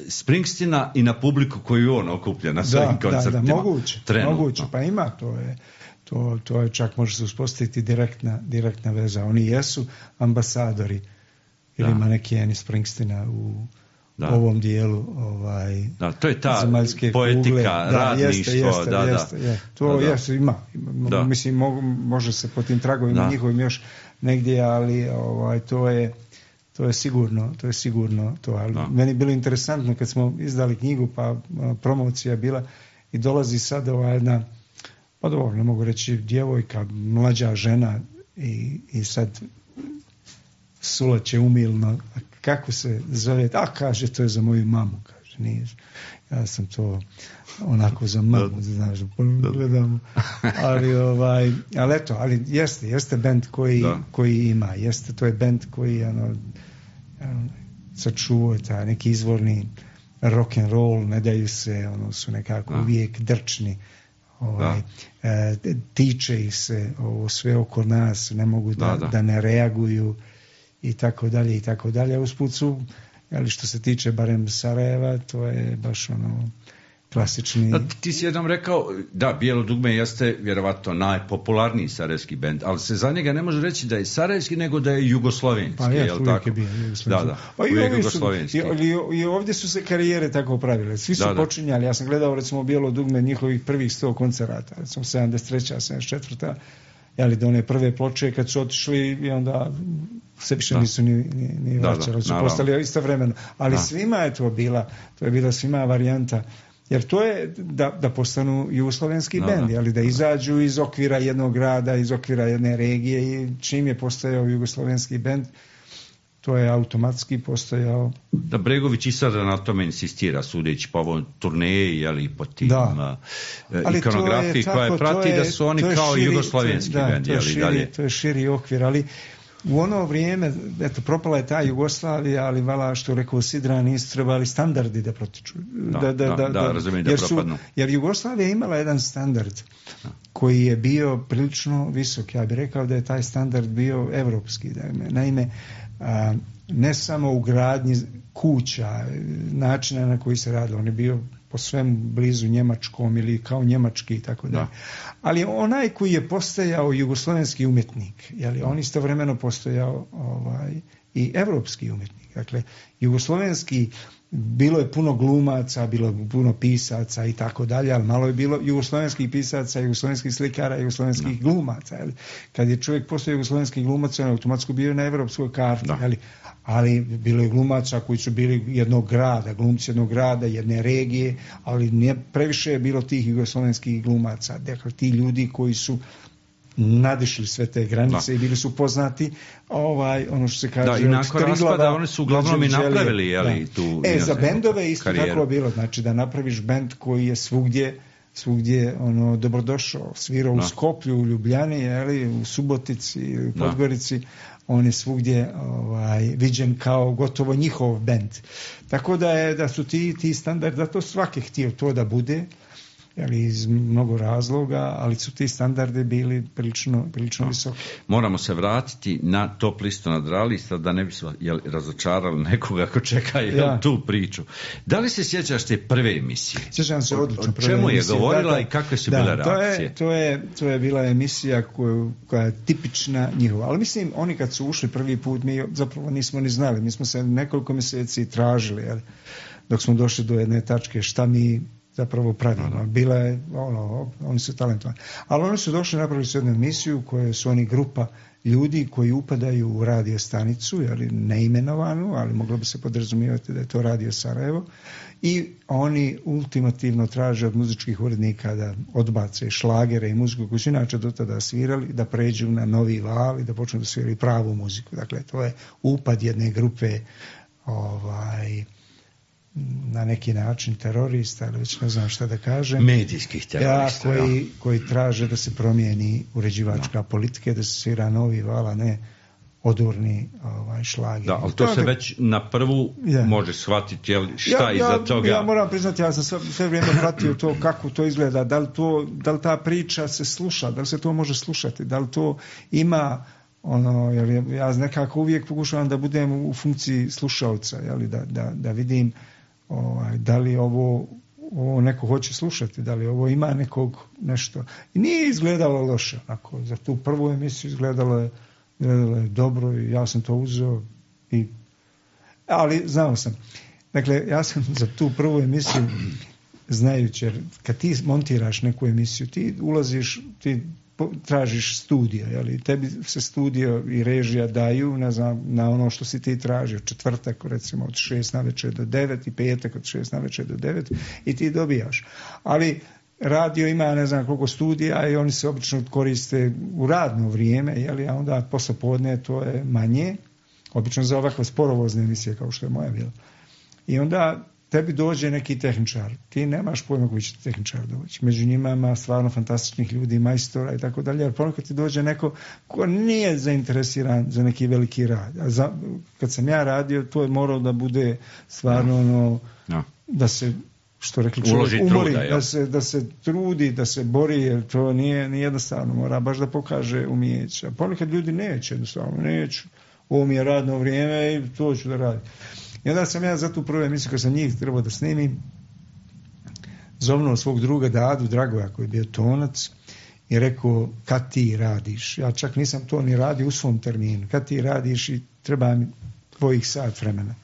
Springsteena i na publiku koju on okuplja na svojim koncertima. Moguće, pa ima, to je čak može se uspostaviti direktna veza. Oni jesu ambasadori ili manekeni Springsteena u ovom dijelu to je ta zemaljske poetika, kugle. radništvo. Jeste. To jeste, ima. Mislim, može se po tim tragovima njihovim još negdje, ali to je sigurno to. Ali meni je bilo interesantno kad smo izdali knjigu, pa promocija bila i dolazi sad jedna, pa dobro, ne mogu reći djevojka, mlađa žena i sad sulaće umilno, kako se zove, kaže, to je za moju mamu, kaže. nije. Ja sam to onako za mamu, znaš, gledam. Ali eto, ali jeste bend koji ima, to je bend koji sačuvao taj neki izvorni rock and roll, ne daju se, su nekako uvijek drčni. Tiče ih se ovo sve oko nas, ne mogu da ne reaguju i tako dalje i tako dalje. Usput su, ali što se tiče barem Sarajeva, to je baš klasični... Ti si jednom rekao, da, Bijelo dugme jeste vjerovatno najpopularniji sarajevski bend, ali se za njega ne može reći da je sarajevski, nego da je jugoslovenski. Pa uvijek je bio jugoslovenski. Da, uvijek jugoslovenski. I ovdje su se karijere tako pravile. Svi su počinjali. Ja sam gledao recimo Bijelo dugme njihovih prvih 100 koncerata, recimo 73. 74. Jeli, do one prve ploče kad su otišli i onda se više nisu ni vraćali, su postali istovremeno. Ali svima je to je bila svima varijanta. Jer to je da postanu jugoslovenski bend, ali da izađu iz okvira jednog grada, iz okvira jedne regije i čim je postojao jugoslovenski bend, to je automatski postojao. Da, Bregović i sada na tome insistira, sudeći po ovom turneji, ali po tim ikonografiji koja je prati, da su oni kao jugoslovenski bend. To je širi okvir, ali u ono vrijeme, eto, propala je ta Jugoslavija, ali vala, što rekao Sidra, nisu trebali standardi da protiču. Razumijem da propadnu. Jer Jugoslavija imala jedan standard koji je bio prilično visok. Ja bih rekao da je taj standard bio evropski. Naime, ne samo u gradnji kuća, načina na koji se radilo, on je bio po svemu blizu njemačkom ili kao njemački i tako dalje. Ali onaj koji je postojao jugoslovenski umjetnik, on istovremeno postojao i evropski umjetnik. Dakle, jugoslovenski, bilo je puno glumaca, bilo je puno pisaca i tako dalje, ali malo je bilo jugoslovenskih pisaca, jugoslovenskih slikara, jugoslovenskih glumaca. Kad je čovjek postao jugoslovenski glumac, on je automatski bio na evropskoj karti. Ali bilo je glumaca koji su bili jednog grada, glumci jednog grada, jedne regije, ali nije previše je bilo tih jugoslovenskih glumaca. Dakle, ti ljudi koji su nadišli sve te granice i bili su poznati, ono što se kaže, i nakon raspada oni su uglavnom i napravili tu... za bendove isto karijeru. Tako bilo, znači da napraviš bend koji je svugdje dobrodošao, svirao u Skoplju, u Ljubljani, u Subotici, u Podgorici, on je svugdje viđen kao gotovo njihov bend. Tako da su ti standardi, zato svaki htio to da bude, iz mnogo razloga, ali su ti standardi bili prilično visoki. Moramo se vratiti na top listu nadrealista, da ne bismo razočarali nekoga ko čeka tu priču. Da li se sjećaš te prve emisije? Sjećam se odlično. O čemu je govorila i kakve su bile reakcije? To je bila emisija koja je tipična njihova. Ali mislim, oni kad su ušli prvi put, mi zapravo nismo ni znali. Mi smo se nekoliko mjeseci tražili, dok smo došli do jedne tačke šta mi zapravo pravimo. Bila je, oni su talentovani. Ali oni su došli, napravili su jednu emisiju koje su oni grupa ljudi koji upadaju u radio stanicu, neimenovanu, ali moglo bi se podrazumijevati da je to Radio Sarajevo, i oni ultimativno traže od muzičkih urednika da odbace šlagere i muziku koju su inače do tada svirali, da pređu na novi val i da počnu da sviraju pravu muziku. Dakle, to je upad jedne grupe na neki način terorista, ali već ne znam šta da kažem. Medijskih terorista. Koji traže da se promijeni uređivačka politika, da se svira novi val, a ne odurni šlager. Da, ali to se već na prvu može shvatiti šta iza toga. Ja moram priznati, ja sam sve vrijeme pratio to kako to izgleda, da li ta priča se sluša, da li se to može slušati, da li to ima jer ja nekako uvijek pokušavam da budem u funkciji slušalca, da vidim da li ovo neko hoće slušati, da li ovo ima nekog nešto. I nije izgledalo loše. Za tu prvu emisiju izgledalo je dobro i ja sam to uzeo. Ali znao sam. Dakle, ja sam za tu prvu emisiju, znajući, jer kad ti montiraš neku emisiju, ti ulaziš, ti tražiš studio, tebi se studio i režija daju na ono što si ti tražio, četvrtak recimo od 6 navečer do 9 i petak od 6 navečer do 9 i ti dobijaš. Ali radio ima ne znam koliko studija i oni se obično koriste u radno vrijeme, a onda posle podne to je manje, obično za ovakve sporovozne emisije kao što je moja bila. I onda tebi dođe neki tehničar, ti nemaš pojma koji će tehničar doći. Među njima ima stvarno fantastičnih ljudi, majstora i tako dalje, jer ponekad ti dođe neko ko nije zainteresiran za neki veliki rad. Kad sam ja radio, to je moralo da bude stvarno da se, što rekli čovjek, umori, da se trudi, da se bori, jer to nije jednostavno, mora baš da pokaže umijeće. A ponekad ljudi neće, jednostavno neću. Ovo mi je radno vrijeme i to ću da radim. I onda sam ja za tu prvu emisiju, kad sam njih trebao da snimim, zovnuo svog druga Dadu Dragoja, koji je bio tonac, i rekao, kad ti radiš? Ja čak nisam to ni radio u svom terminu. Kad ti radiš i treba mi tvojih sat vremena.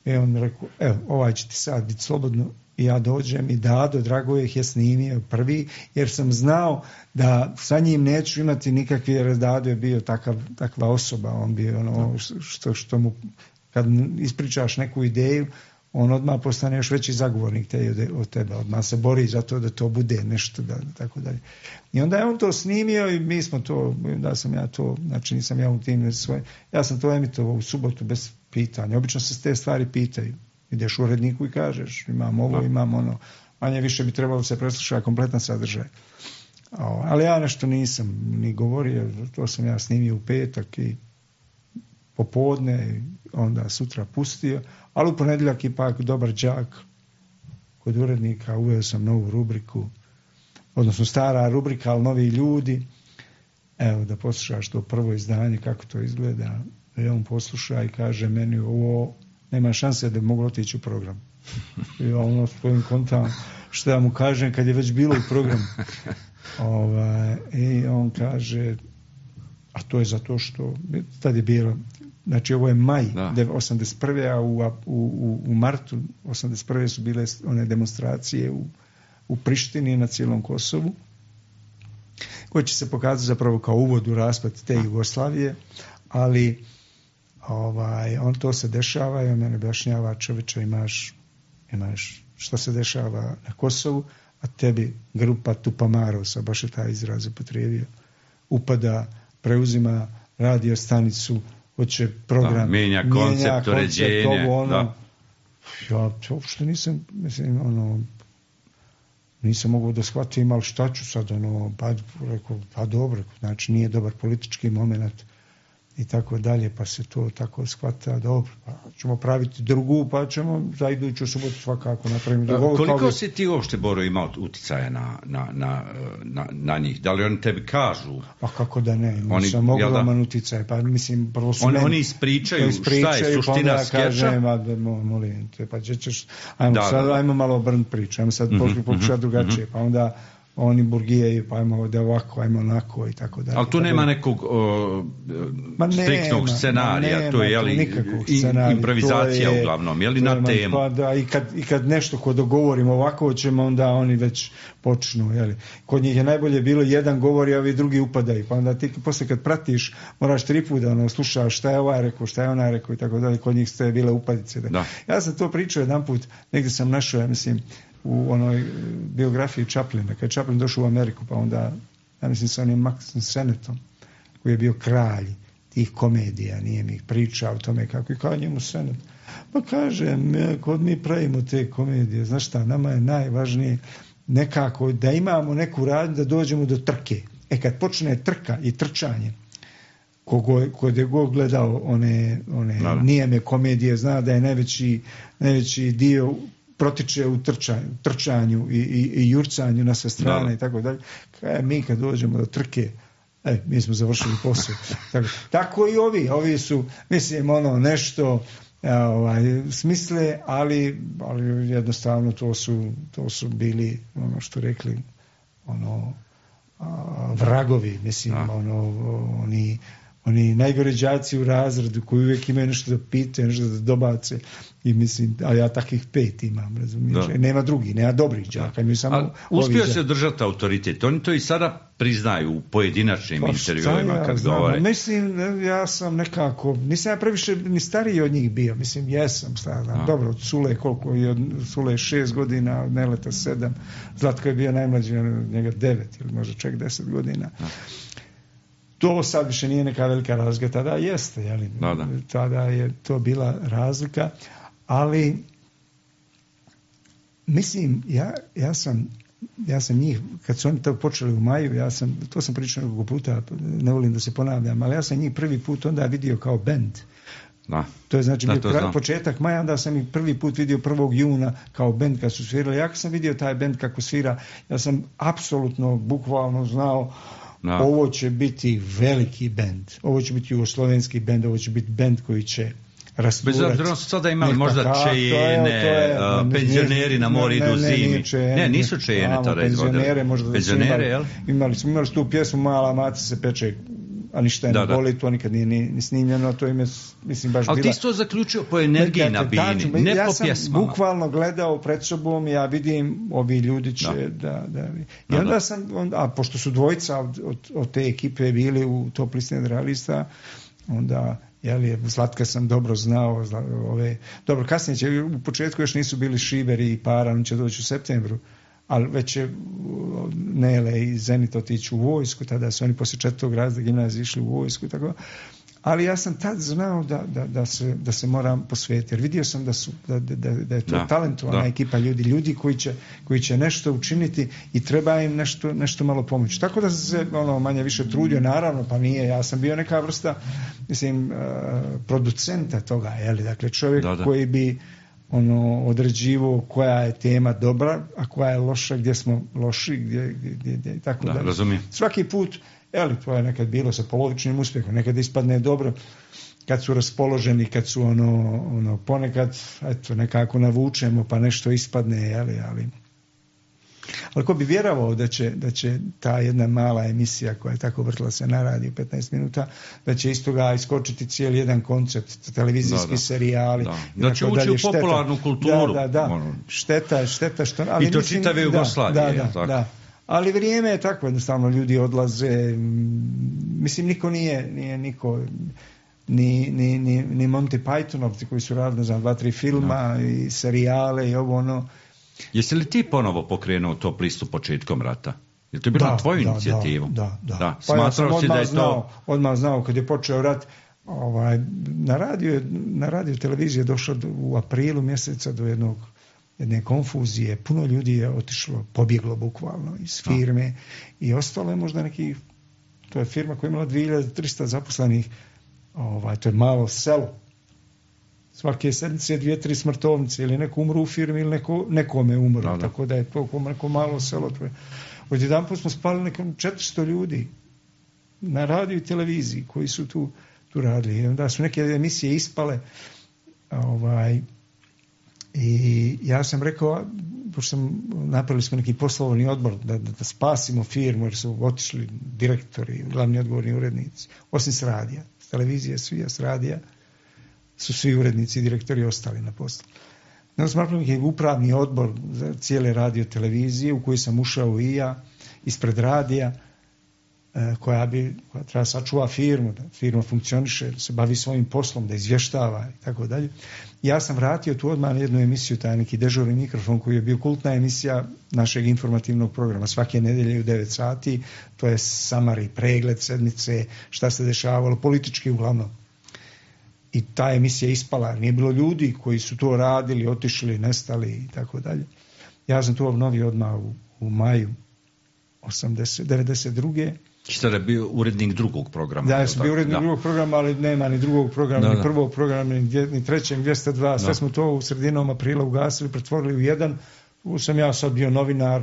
I on mi rekao, evo, ovaj će ti sad biti slobodno. I ja dođem i Dado Dragoje ih je snimio prvi, jer sam znao da sa njim neću imati nikakve, jer Dado je bio takva osoba, on bio ono što mu, kad ispričaš neku ideju, on odmah postane još veći zagovornik od tebe, odmah se bori za to da to bude nešto, tako dalje. I onda je on to snimio i mi smo to, da sam ja to, znači nisam ja u tim svoje, ja sam to emitovao u subotu bez pitanja. Obično se te stvari pitaju. Ideš u uredniku i kažeš, imam ovo, imam ono, manje više bi trebalo se preslušati kompletan sadržaj. Ali ja nešto nisam ni govorio, to sam ja snimio u petak i popodne i onda sutra pustio, ali u ponedjeljak ipak dobar đak kod urednika, uveo sam novu rubriku, odnosno stara rubrika, ali novi ljudi. Evo da poslušaš to prvo izdanje, kako to izgleda. I on posluša i kaže meni, ovo nema šanse da bi moglo otići u program. I ono svojim kontam što ja mu kažem kad je već bilo u programu. I on kaže, a to je zato što tad je bilo, znači ovo je maj 81. a u martu 81. su bile one demonstracije u Prištini na cijelom Kosovu, koje će se pokazati zapravo kao uvod u raspad te Jugoslavije, ali on to se dešava i on mene objašnjava, čovječe, imaš što se dešava na Kosovu, a tebi grupa Tupamarosa, baš je taj izraz upotrijebio, upada, preuzima radio stanicu, hoće program, mijenja koncept, uređenje. Ja uopšte nisam, nisam mogao da shvatim, ali šta ću sad, rekao, pa dobro, znači nije dobar politički moment i tako dalje, pa se to tako shvata, dobro, pa ćemo praviti drugu, pa ćemo za iduću subotu svakako napraviti drugu. Koliko si ti uopšte, Boro, imao uticaja na njih? Da li oni tebi kažu? Pa kako da ne, sam ogroman uticaj, pa mislim, prvo su oni ispričaju šta je suština skeča? Kažem, molim te, pa ćeš, ajmo malo obrnuti priču, ajmo sad pokušati drugačije, pa onda oni burgijaju, pa ajmo da ovako, ajmo onako i tako dalje. Ali tu nema nekog striktnog scenarija, to je improvizacija uglavnom, je li na temu? Pa da, i kad nešto ko dogovorimo ovako ćemo, onda oni već počnu, je li. Kod njih je najbolje bilo jedan govori, a ovi drugi upadaju, pa onda ti posle kad pratiš moraš 3 puta slušaš šta je ovaj rekao, šta je onaj rekao i tako dalje, kod njih ste bile upadice. Da. Ja sam to pričao jedan put, negdje sam našao, ja mislim, u onoj biografiji Chaplina, kad je Chaplin došao u Ameriku, pa onda, ja mislim sa onim Maxom Senetom, koji je bio kralj tih komedija, nije mi pričao o tome kako i kao njemu Senet. Pa kažem, kod mi pravimo te komedije, znaš šta, nama je najvažnije nekako da imamo neku radnju da dođemo do trke. Kad počne trka i trčanje, kod je god gledao one nijeme komedije, zna da je najveći dio protiče u trčanju i jurcanju na sve strane i tako dalje. Mi kad dođemo do trke, mi smo završili posao. Tako i ovi su, mislim, nešto smisle, ali jednostavno to su bili, ono što rekli, vragovi, mislim, oni najgore đaci u razredu koji uvijek imaju nešto da pitaju, nešto da dobace i mislim, a ja takvih 5 imam, razumiješ, nema drugi, nema dobrih đaka, imaju samo uspio se držati autoritet, oni to i sada priznaju u pojedinačnim intervjuima kad govore. Mislim, ja sam nekako, nisam ja previše ni stariji od njih bio, mislim, jesam, dobro, od Sule, koliko je od Sule 6 godina, od Neleta 7, Zlatko je bio najmlađi, njega 9 ili možda čak 10 godina. To sad više nije neka velika razlika, tada jeste, jeli? Tada je to bila razlika, ali Mislim, ja sam njih, kad su oni to počeli u maju, to sam pričao nekoliko puta, ne volim da se ponavljam, ali ja sam njih prvi put onda vidio kao bend. Da. To je znači bio početak maja, onda sam ih prvi put vidio 1. juna kao bend kad su svirali. Ja kad sam vidio taj bend kako svira, ja sam apsolutno, bukvalno znao ovo će biti veliki bend, ovo će biti jugoslovenski bend, ovo će biti bend koji će rasturati. Bez obzira su sada imali možda čejene, penzioneri na mori idu zimi. Ne, nisu čejene tada izvodili. Penzionere, jel? Imali smo tu pjesmu Mala maca se peče, a ništa je ne boli, to nikad nije ni snimljeno, to ime, mislim, baš bila... Ali ti si to zaključio po energiji na bini, ne po pjesmama. Ja sam bukvalno gledao pred sobom, ja vidim, ovi ljudi će da... I onda sam, pošto su dvojica od te ekipe bili u top listi realista, onda... Zlatka sam dobro znao, dobro, kasnije će, u početku još nisu bili Šiber i Para, on će doći u septembru, ali već će Nele i Zenit otići u vojsku, tada su oni poslije 4. razreda gimnazije išli u vojsku, tako. Ali ja sam tad znao da se moram posvetiti, jer vidio sam da je to talentovana ekipa ljudi koji će nešto učiniti i treba im nešto malo pomoći. Tako da sam se manje više trudio, naravno, pa nije, ja sam bio neka vrsta, mislim, producenta toga, dakle čovjek koji bi određivo koja je tema dobra, a koja je loša, gdje smo loši, gdje tako da. Razumijem. Svaki put, to je nekad bilo sa polovičnim uspjehom, nekad ispadne dobro kad su raspoloženi, kad su ponekad nekako navučemo pa nešto ispadne, ali ko bi vjerovao da će ta jedna mala emisija koja je tako vrtila se na radiju 15 minuta, da će iz toga iskočiti cijeli jedan koncept, televizijski serijali. Da će ući u popularnu kulturu. Šteta što... Ali i to čitave Jugoslavije. Da. Ali vrijeme je tako, jednostavno ljudi odlaze, mislim niko nije niko, ni Monty Pythonovci koji su radili za 2-3 filma i serijale i ovo Jesi li ti ponovo pokrenuo top listu početkom rata? Je to bilo na tvoju inicijativu? Da. Pa ja sam odmah znao kad je počeo rat, na radio televiziji je došlo u aprilu mjeseca do jedne konfuzije, puno ljudi je otišlo, pobjeglo bukvalno iz firme i ostalo je možda to je firma koja je imala 2300 zaposlenih, to je malo selo. Svake sedmice 2-3 smrtovnice, ili neko umru u firmi ili nekome umru, tako da je to neko malo selo. Odjedanput smo spali nekom 400 ljudi na radiju i televiziji koji su tu radili. I onda su neke emisije ispale, i ja sam rekao, pošto napravili smo neki poslovni odbor da spasimo firmu, jer su otišli direktori, glavni odgovorni urednici, osim s radija, s televizije, s radija su svi urednici i direktori ostali na poslu. Onda smo napravili neki upravni odbor za cijele radio televizije u koji sam ušao i ja ispred radija, koja treba sačuva firmu, da firma funkcioniše, da se bavi svojim poslom, da izvještava i tako dalje. Ja sam vratio tu odmah na jednu emisiju, taj neki dežurni mikrofon koji je bio kultna emisija našeg informativnog programa. Svake nedelje u 9 sati, to je samari, pregled sedmice, šta se dešavalo, politički uglavnom. I ta emisija ispala, nije bilo ljudi koji su to radili, otišli, nestali i tako dalje. Ja sam to obnovio odmah u maju 92. Sada je bio urednik drugog programa. Ja sam bio urednik drugog programa, ali nema ni drugog programa, ni prvog programa, ni trećeg, 202. Sve smo to u sredinom aprila ugasili, pretvorili u jedan. Sam ja sad bio novinar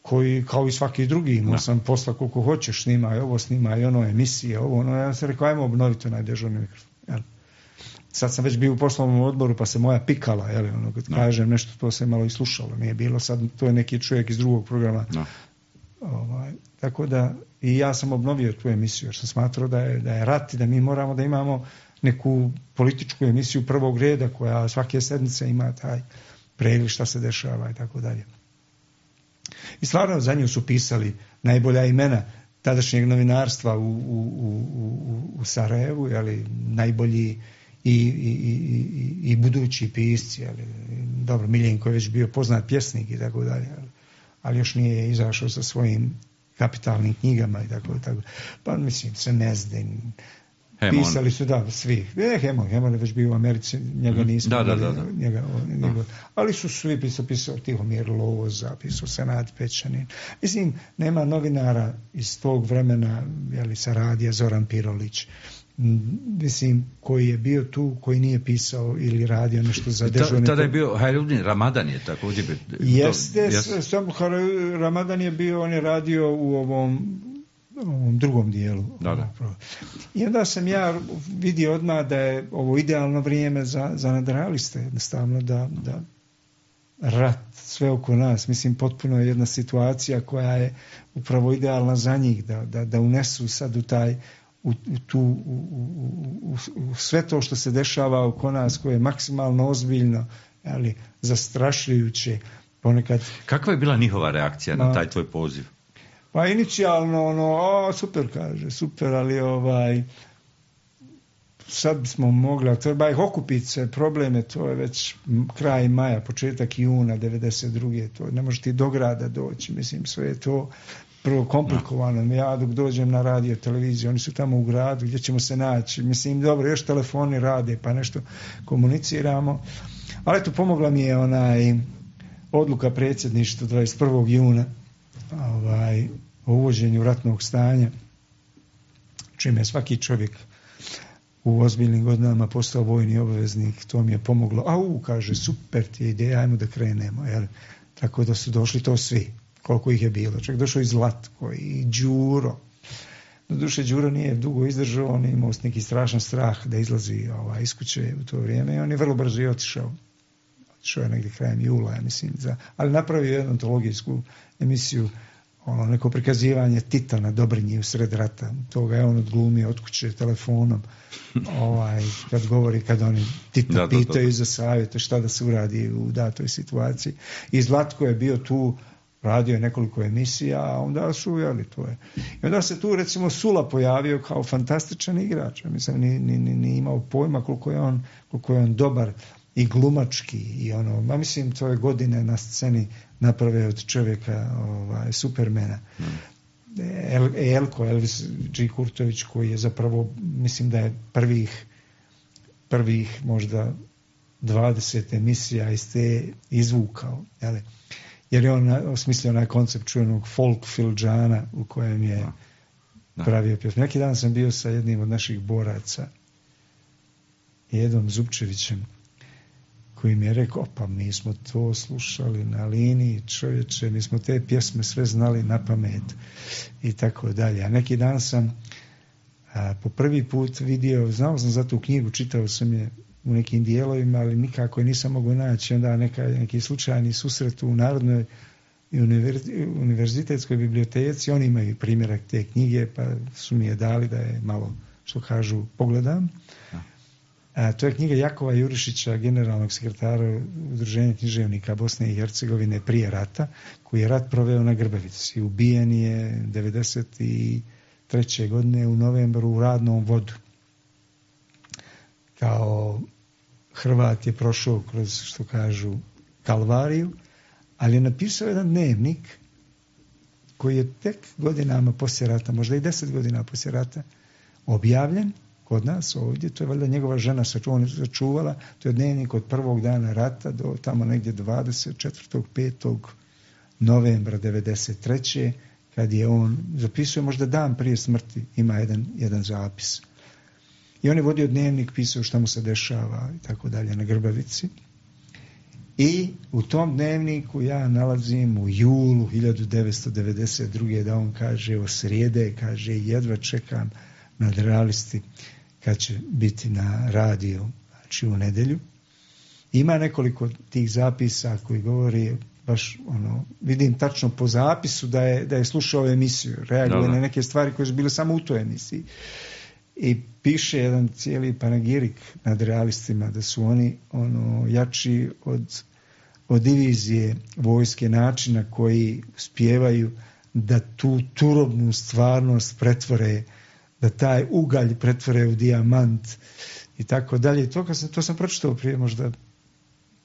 koji, kao i svaki drugi, imao sam posla koliko hoćeš, snimaj ovo, snimaj ono, emisije, ovo. Ja sam rekao, ajmo obnoviti onaj dežurni mikrofon. Sad sam već bio u poslovnom odboru, pa se moja pikala, kad kažem nešto, to se malo i slušalo, nije bilo, sad to je neki čovjek iz drugog programa. Tako da i ja sam obnovio tu emisiju, jer sam smatrao da je rat i da mi moramo da imamo neku političku emisiju prvog reda koja svake sedmice ima taj pregled šta se dešava i tako dalje. I stvarno za nju su pisali najbolja imena tadašnjeg novinarstva u Sarajevu, najbolji i budući pisci, dobro, Miljenko je već bio poznat pjesnik i tako dalje, ali još nije izašao sa svojim kapitalnim knjigama i tako. Pa mislim, Semezdin, Pisali su, svi. Hemon je već bio u Americi, njega nismo. Ali su svi pisao Tihomir Loza, pisao Senad Pečanin. Mislim, nema novinara iz tog vremena, sa radija, Zoran Pirolić, mislim, koji je bio tu, koji nije pisao ili radio nešto za dežurne. Tada je bio Hajrudin Ramadan je također. Jeste, samo Ramadan je bio, on je radio u ovom drugom dijelu. I onda sam ja vidio odmah da je ovo idealno vrijeme za nadrealiste, jednostavno da rat sve oko nas, mislim, potpuno je jedna situacija koja je upravo idealna za njih, da unesu sad u sve to što se dešava oko nas, koje je maksimalno ozbiljno, zastrašujuće ponekad. Kakva je bila njihova reakcija na taj tvoj poziv? Pa inicijalno, super, ali sad bismo mogli, treba ih okupiti se, probleme, to je već kraj maja, početak juna 92. To ne može ti do grada doći, mislim, sve je to prvo komplikovano. Ja dok dođem na radio, televiziju, oni su tamo u gradu, gdje ćemo se naći, mislim, dobro, još telefoni rade, pa nešto komuniciramo, ali eto, pomogla mi je odluka predsjedništva 21. juna, o uvođenju ratnog stanja, čime je svaki čovjek u ozbiljnim godinama postao vojni obveznik. To mi je pomoglo. Kaže, super ti je ideja, ajmo da krenemo. Tako da su došli to svi, koliko ih je bilo. Čak došao i Zlatko i Đuro. Doduše, Đuro nije dugo izdržao, on je imao neki strašan strah da izlazi iz kuće u to vrijeme i on je vrlo brzo i otišao. Otišao je negdje krajem jula, ja mislim. Ali napravio jednu antologijsku emisiju, neko prikazivanje Tita na Dobrinji u sred rata. Toga je on odglumio od kuće telefonom. Kad oni Tita pitaju za savjete šta da se uradi u datoj situaciji. I Zlatko je bio tu, radio je nekoliko emisija, a onda su to je. I onda se tu recimo Sula pojavio kao fantastičan igrač. Mislim, ni imao pojma koliko je on dobar i glumački i mislim, to je godine na sceni naprave od čovjeka Supermana. Elvis G. Kurtović, koji je zapravo, mislim da je prvih možda 20 emisija iz te izvukao, jer je on osmislio onaj koncept čuvenog folk filđana u kojem je pravio pjesmu. Neki dan sam bio sa jednim od naših boraca, Edom Zupčevićem, koji mi je rekao, pa mi smo to slušali na liniji, čovječe, mi smo te pjesme sve znali na pamet i tako dalje. A neki dan sam po prvi put vidio, znao sam za tu knjigu, čitao sam je u nekim dijelovima, ali nikako je nisam mogao naći. Onda neki slučajni susret u Narodnoj univerzitetskoj biblioteci, oni imaju primjerak te knjige, pa su mi je dali da je malo, što kažu, pogledam. To je knjiga Jakova Jurišića, generalnog sekretara Udruženja književnika Bosne i Hercegovine prije rata, koji je rat proveo na Grbavici. Ubijen je 1993. godine u novembru u Radnom vodu. Kao Hrvat je prošao kroz, što kažu, kalvariju, ali je napisao jedan dnevnik koji je tek godinama poslije rata, možda i 10 godina poslije rata, objavljen kod nas ovdje. To je valjda njegova žena sačuvala. To je dnevnik od prvog dana rata do tamo negdje 24. 5. novembra 1993. kad je on zapisuje, možda dan prije smrti ima jedan zapis. I on je vodio dnevnik, pisao šta mu se dešava i tako dalje na Grbavici. I u tom dnevniku ja nalazim u julu 1992. da on kaže o srijede, kaže jedva čekam nadrealisti kad će biti na radiju, znači u nedjelju. Ima nekoliko tih zapisa koji govori baš vidim tačno po zapisu da je slušao emisiju, reaguje na neke stvari koje su bile samo u toj emisiji. I piše jedan cijeli panegirik nad realistima da su oni jači od divizije vojske, načina koji uspijevaju da tu turobnu stvarnost pretvore, da taj ugalj pretvore u dijamant i tako dalje. To sam pročitao prije možda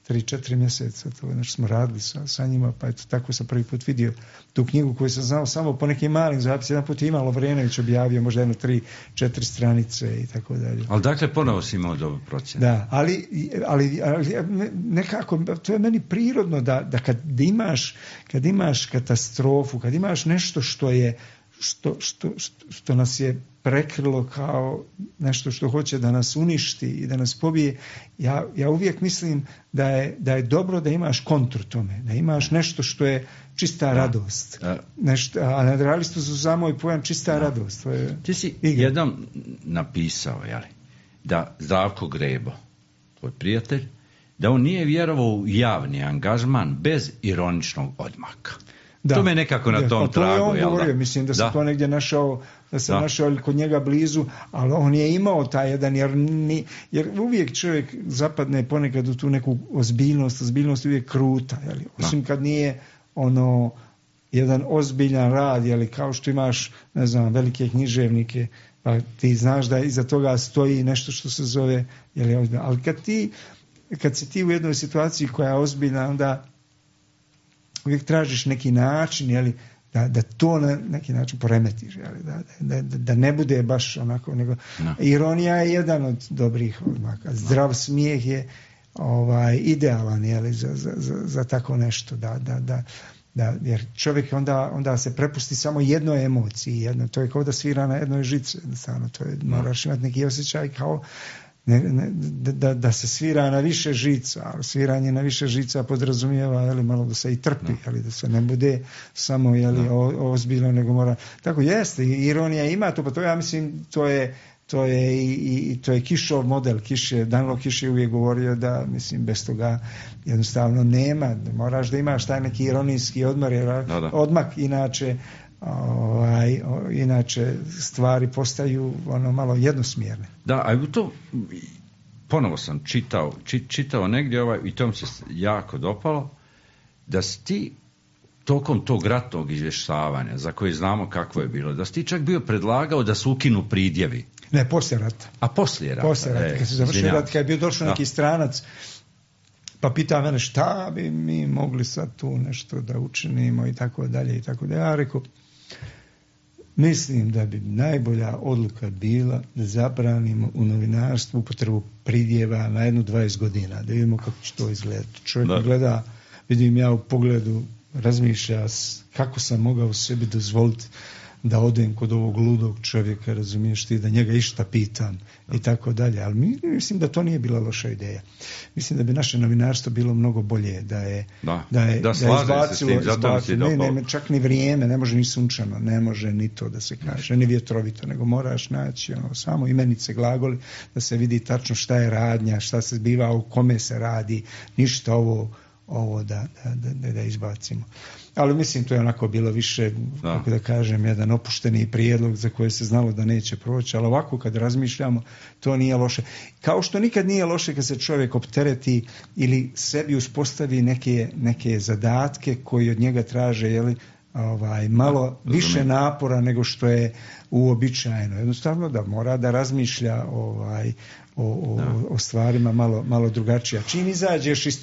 3-4 mjeseca, to nešto smo radili sa njima, pa eto, tako sam prvi put vidio tu knjigu koju sam znao samo po nekim malim zapisima. Jedan put je Ivan Lovrenović objavio, možda 3-4 stranice i tako dalje. Ali dakle, ponovo si imao dobro procjenu. Da, ali nekako, to je meni prirodno da kad imaš katastrofu, kad imaš nešto što nas je prekrilo kao nešto što hoće da nas uništi i da nas pobije, ja uvijek mislim da je dobro da imaš kontru tome, da imaš nešto što je čista radost. Nešto, a nadrealistu su samo i pojam čista radost. To je ti si jednom napisao, da Zdravko Grebo, tvoj prijatelj, da on nije vjerovao u javni angažman bez ironičnog odmaka. Da, to me nekako na tom tragu. To je on govorio, mislim da se to negdje našao, našao kod njega blizu, ali on je imao taj jedan, jer uvijek čovjek zapadne ponekad u tu neku ozbiljnost uvijek kruta, osim kad nije jedan ozbiljan rad, kao što imaš, ne znam, velike književnike, pa ti znaš da iza toga stoji nešto što se zove, ali kad si ti u jednoj situaciji koja je ozbiljna, onda uvijek tražiš neki način, da to na neki način poremetiš, da ne bude baš onako, nego ironija je jedan od dobrih odmaka. Zdrav smijeh je idealan, za tako nešto, jer čovjek onda se prepusti samo jednoj emociji, to je kao da svira na jednoj žici, moraš imati neki osjećaj kao da se svira na više žica, a sviranje na više žica podrazumijeva malo da se i trpi, da se ne bude samo ozbiljno, nego mora. Tako jeste, ironija ima to, pa to ja mislim to je Kišov model. Danilo Kiš je uvijek govorio da, mislim, bez toga jednostavno nema, moraš da imaš taj neki ironijski odmak, inače stvari postaju malo jednosmjerne. Da, a to ponovo sam čitao negdje i to mi se jako dopalo, da si ti tokom tog ratnog izvještavanja, za koje znamo kako je bilo, da si ti čak bio predlagao da se ukinu pridjevi. Ne, poslije rata. A poslije rata? Poslije rata, kad se završio rat, kad je bio došao neki stranac, pa pita mene šta bi mi mogli sad tu nešto da učinimo i tako dalje i tako dalje. Ja rekao, mislim da bi najbolja odluka bila da zabranimo u novinarstvu upotrebu pridjeva na 20 godina, da vidimo kako će to izgledati. Čovjek gleda, vidim ja u pogledu, razmišlja kako sam mogao sebi dozvoliti da odem kod ovog ludog čovjeka, razumiješ ti, da njega išta pitam i tako dalje. Ali mislim da to nije bila loša ideja. Mislim da bi naše novinarstvo bilo mnogo bolje da je izbacilo, ne, čak ni vrijeme, ne može ni sunčano, ne može ni to da se kaže, ni vjetrovito, nego moraš naći samo imenice, glagoli, da se vidi tačno šta je radnja, šta se zbiva, o kome se radi, ništa ovo da izbacimo. Ali mislim to je onako bilo više, kako da kažem, jedan opušteni prijedlog za koje se znalo da neće proći, ali ovako kad razmišljamo, to nije loše. Kao što nikad nije loše kad se čovjek optereti ili sebi uspostavi neke zadatke koji od njega traže, malo više napora nego što je uobičajeno. Jednostavno da mora da razmišlja o stvarima malo drugačije. Čim izađeš iz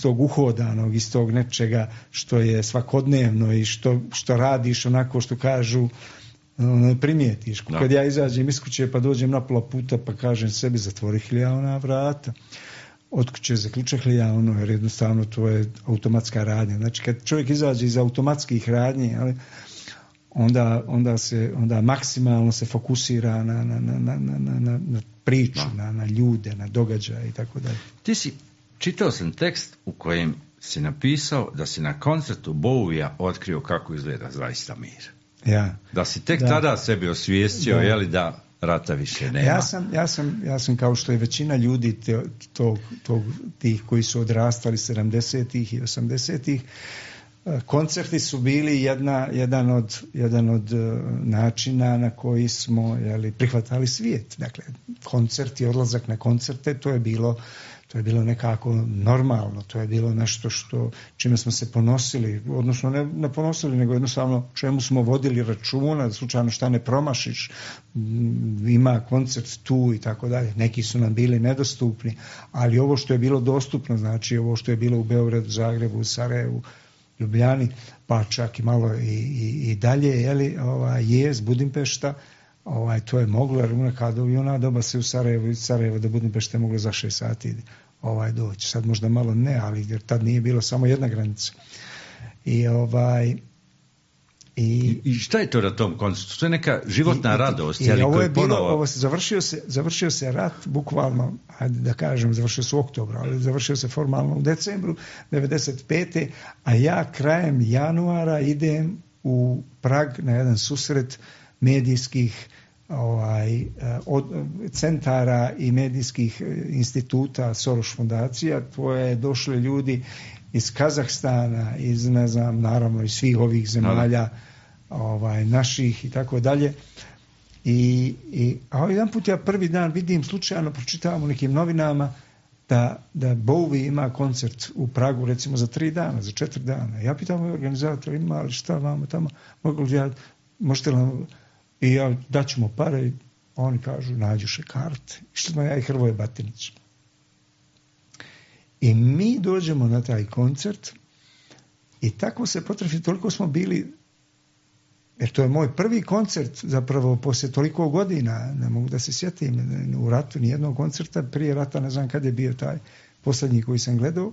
tog uhodanog, iz tog nečega što je svakodnevno i što radiš onako što kažu, primijetiš. Kad ja izađem iz kuće pa dođem na pola puta pa kažem sebi zatvori vrata, od kuće zaključak jer jednostavno to je automatska radnja. Znači kad čovjek izađe iz automatskih radnji, onda maksimalno se fokusira na priču, na ljude, na događaje i tako dalje. Čitao sam tekst u kojem si napisao da si na koncertu Bowija otkrio kako izgleda zaista mir. Ja. Da si tek tada sebi osvijestio, da rata više nema. Ja sam kao što je većina ljudi tih koji su odrastali 70-ih i 80-ih, koncerti su bili jedan od načina na koji smo prihvatali svijet. Dakle, koncerti, odlazak na koncerte, to je bilo nekako normalno, to je bilo nešto čime smo se ponosili, odnosno ne ponosili, nego jednostavno čemu smo vodili računa, da slučajno šta ne promašiš, ima koncert tu i tako dalje. Neki su nam bili nedostupni, ali ovo što je bilo dostupno, znači ovo što je bilo u Beogradu, Zagrebu, Sarajevu, Ljubljani, pa čak i malo i dalje, Jez, Budimpešta, to je moglo, jer i ona doba se u Sarajevo do Budimpešte moglo za 6 sati doći. Sad možda malo ne, ali jer tad nije bilo samo jedna granica. I šta je to na tom koncertu? To je neka životna radost. I ovo je bilo, završio se rat, bukvalno, ajde da kažem, završio se u oktobru, ali završio se formalno u decembru 95. A ja krajem januara idem u Prag na jedan susret medijskih centara i medijskih instituta Soros fondacija, koje došli ljudi iz Kazahstana, iz ne znam, naravno iz svih ovih zemalja naših i tako dalje. A jedan put ja prvi dan vidim, slučajno pročitavam u nekim novinama da Bowie ima koncert u Pragu recimo za 3 dana, za 4 dana. Ja pitam ovaj organizator, ima ali šta vama tamo, možete li nam, i ja daćemo pare, i oni kažu nađuše karte. Išli smo ja i Hrvoje Batinić. I mi dođemo na taj koncert i tako se potrafi, toliko smo bili, jer to je moj prvi koncert zapravo poslije toliko godina, ne mogu da se sjetim u ratu nijednog koncerta, prije rata ne znam kad je bio taj posljednji koji sam gledao.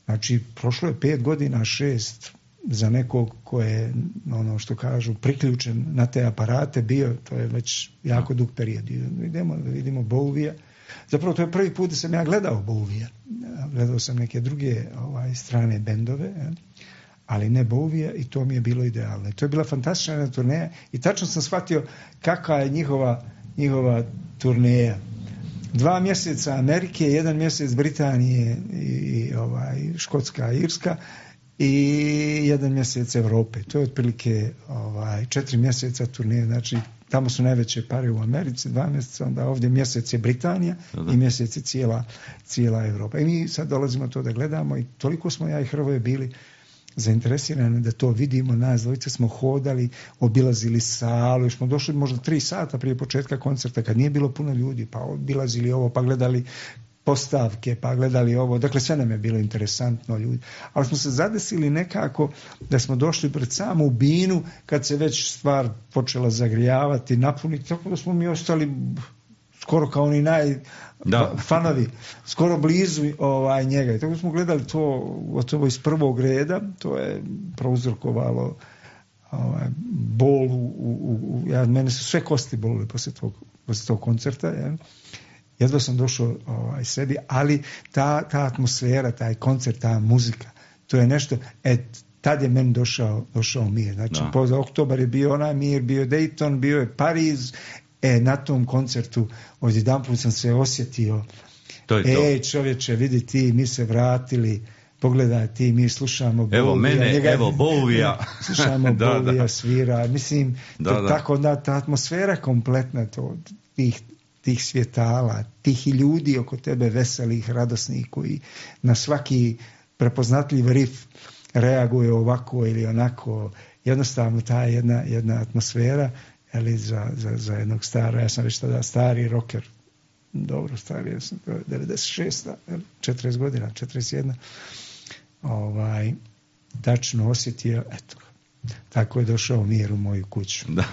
Znači, prošlo je 5 godina, 6 za nekog ko je, ono što kažu, priključen na te aparate bio, to je već jako dug period. Vidimo Bowie. Zapravo to je prvi put da sam ja gledao Bowie. Gledao sam neke druge strane bendove, ali ne Bowie, i to mi je bilo idealno. I to je bila fantastična turneja i tačno sam shvatio kakva je njihova turneja. 2 mjeseca Amerike, 1 mjesec Britanije i Škotska, Irska i 1 mjesec Europe. To je otprilike 4 mjeseca turneje, znači tamo su najveće pare u Americi, 2 mjeseca, onda ovdje mjesec je Britanija i mjesec je cijela Europa. I mi sad dolazimo to da gledamo i toliko smo ja i Hrvoje bili zainteresirani da to vidimo. Nas dvojice smo hodali, obilazili salu, još smo došli možda 3 sata prije početka koncerta kad nije bilo puno ljudi, pa obilazili ovo, pa gledali postavke, pa gledali ovo, dakle sve nam je bilo interesantno ljudi, ali smo se zadesili nekako da smo došli pred samu binu kad se već stvar počela zagrijavati, napuniti, tako da smo mi ostali skoro kao oni fanovi, skoro blizu njega. I tako smo gledali to gotovo iz prvog reda, to je prouzrokovalo bol mene su sve kosti bolili poslije tog koncerta, jedva sam došao sebi, ali ta atmosfera, taj koncert, ta muzika, to je nešto, tad je meni došao mir. Znači, poza oktobar je bio onaj mir, bio Dayton, bio je Pariz, na tom koncertu odjedanput sam se osjetio, čovječe, vidi ti, mi se vratili, pogledaj ti, mi slušamo Bowija. Evo mene, evo Bowija. Slušamo Bowija svira, mislim, tako da ta atmosfera kompletna, tih svjetala, tih i ljudi oko tebe veselih, radosnih, koji na svaki prepoznatljiv rif reaguje ovako ili onako, jednostavno ta jedna atmosfera, za jednog ja sam već tada stari rocker, dobro stari, ja sam 96, 40 godina, 41, tačno osjetio, eto, tako je došao mir u moju kuću. Da,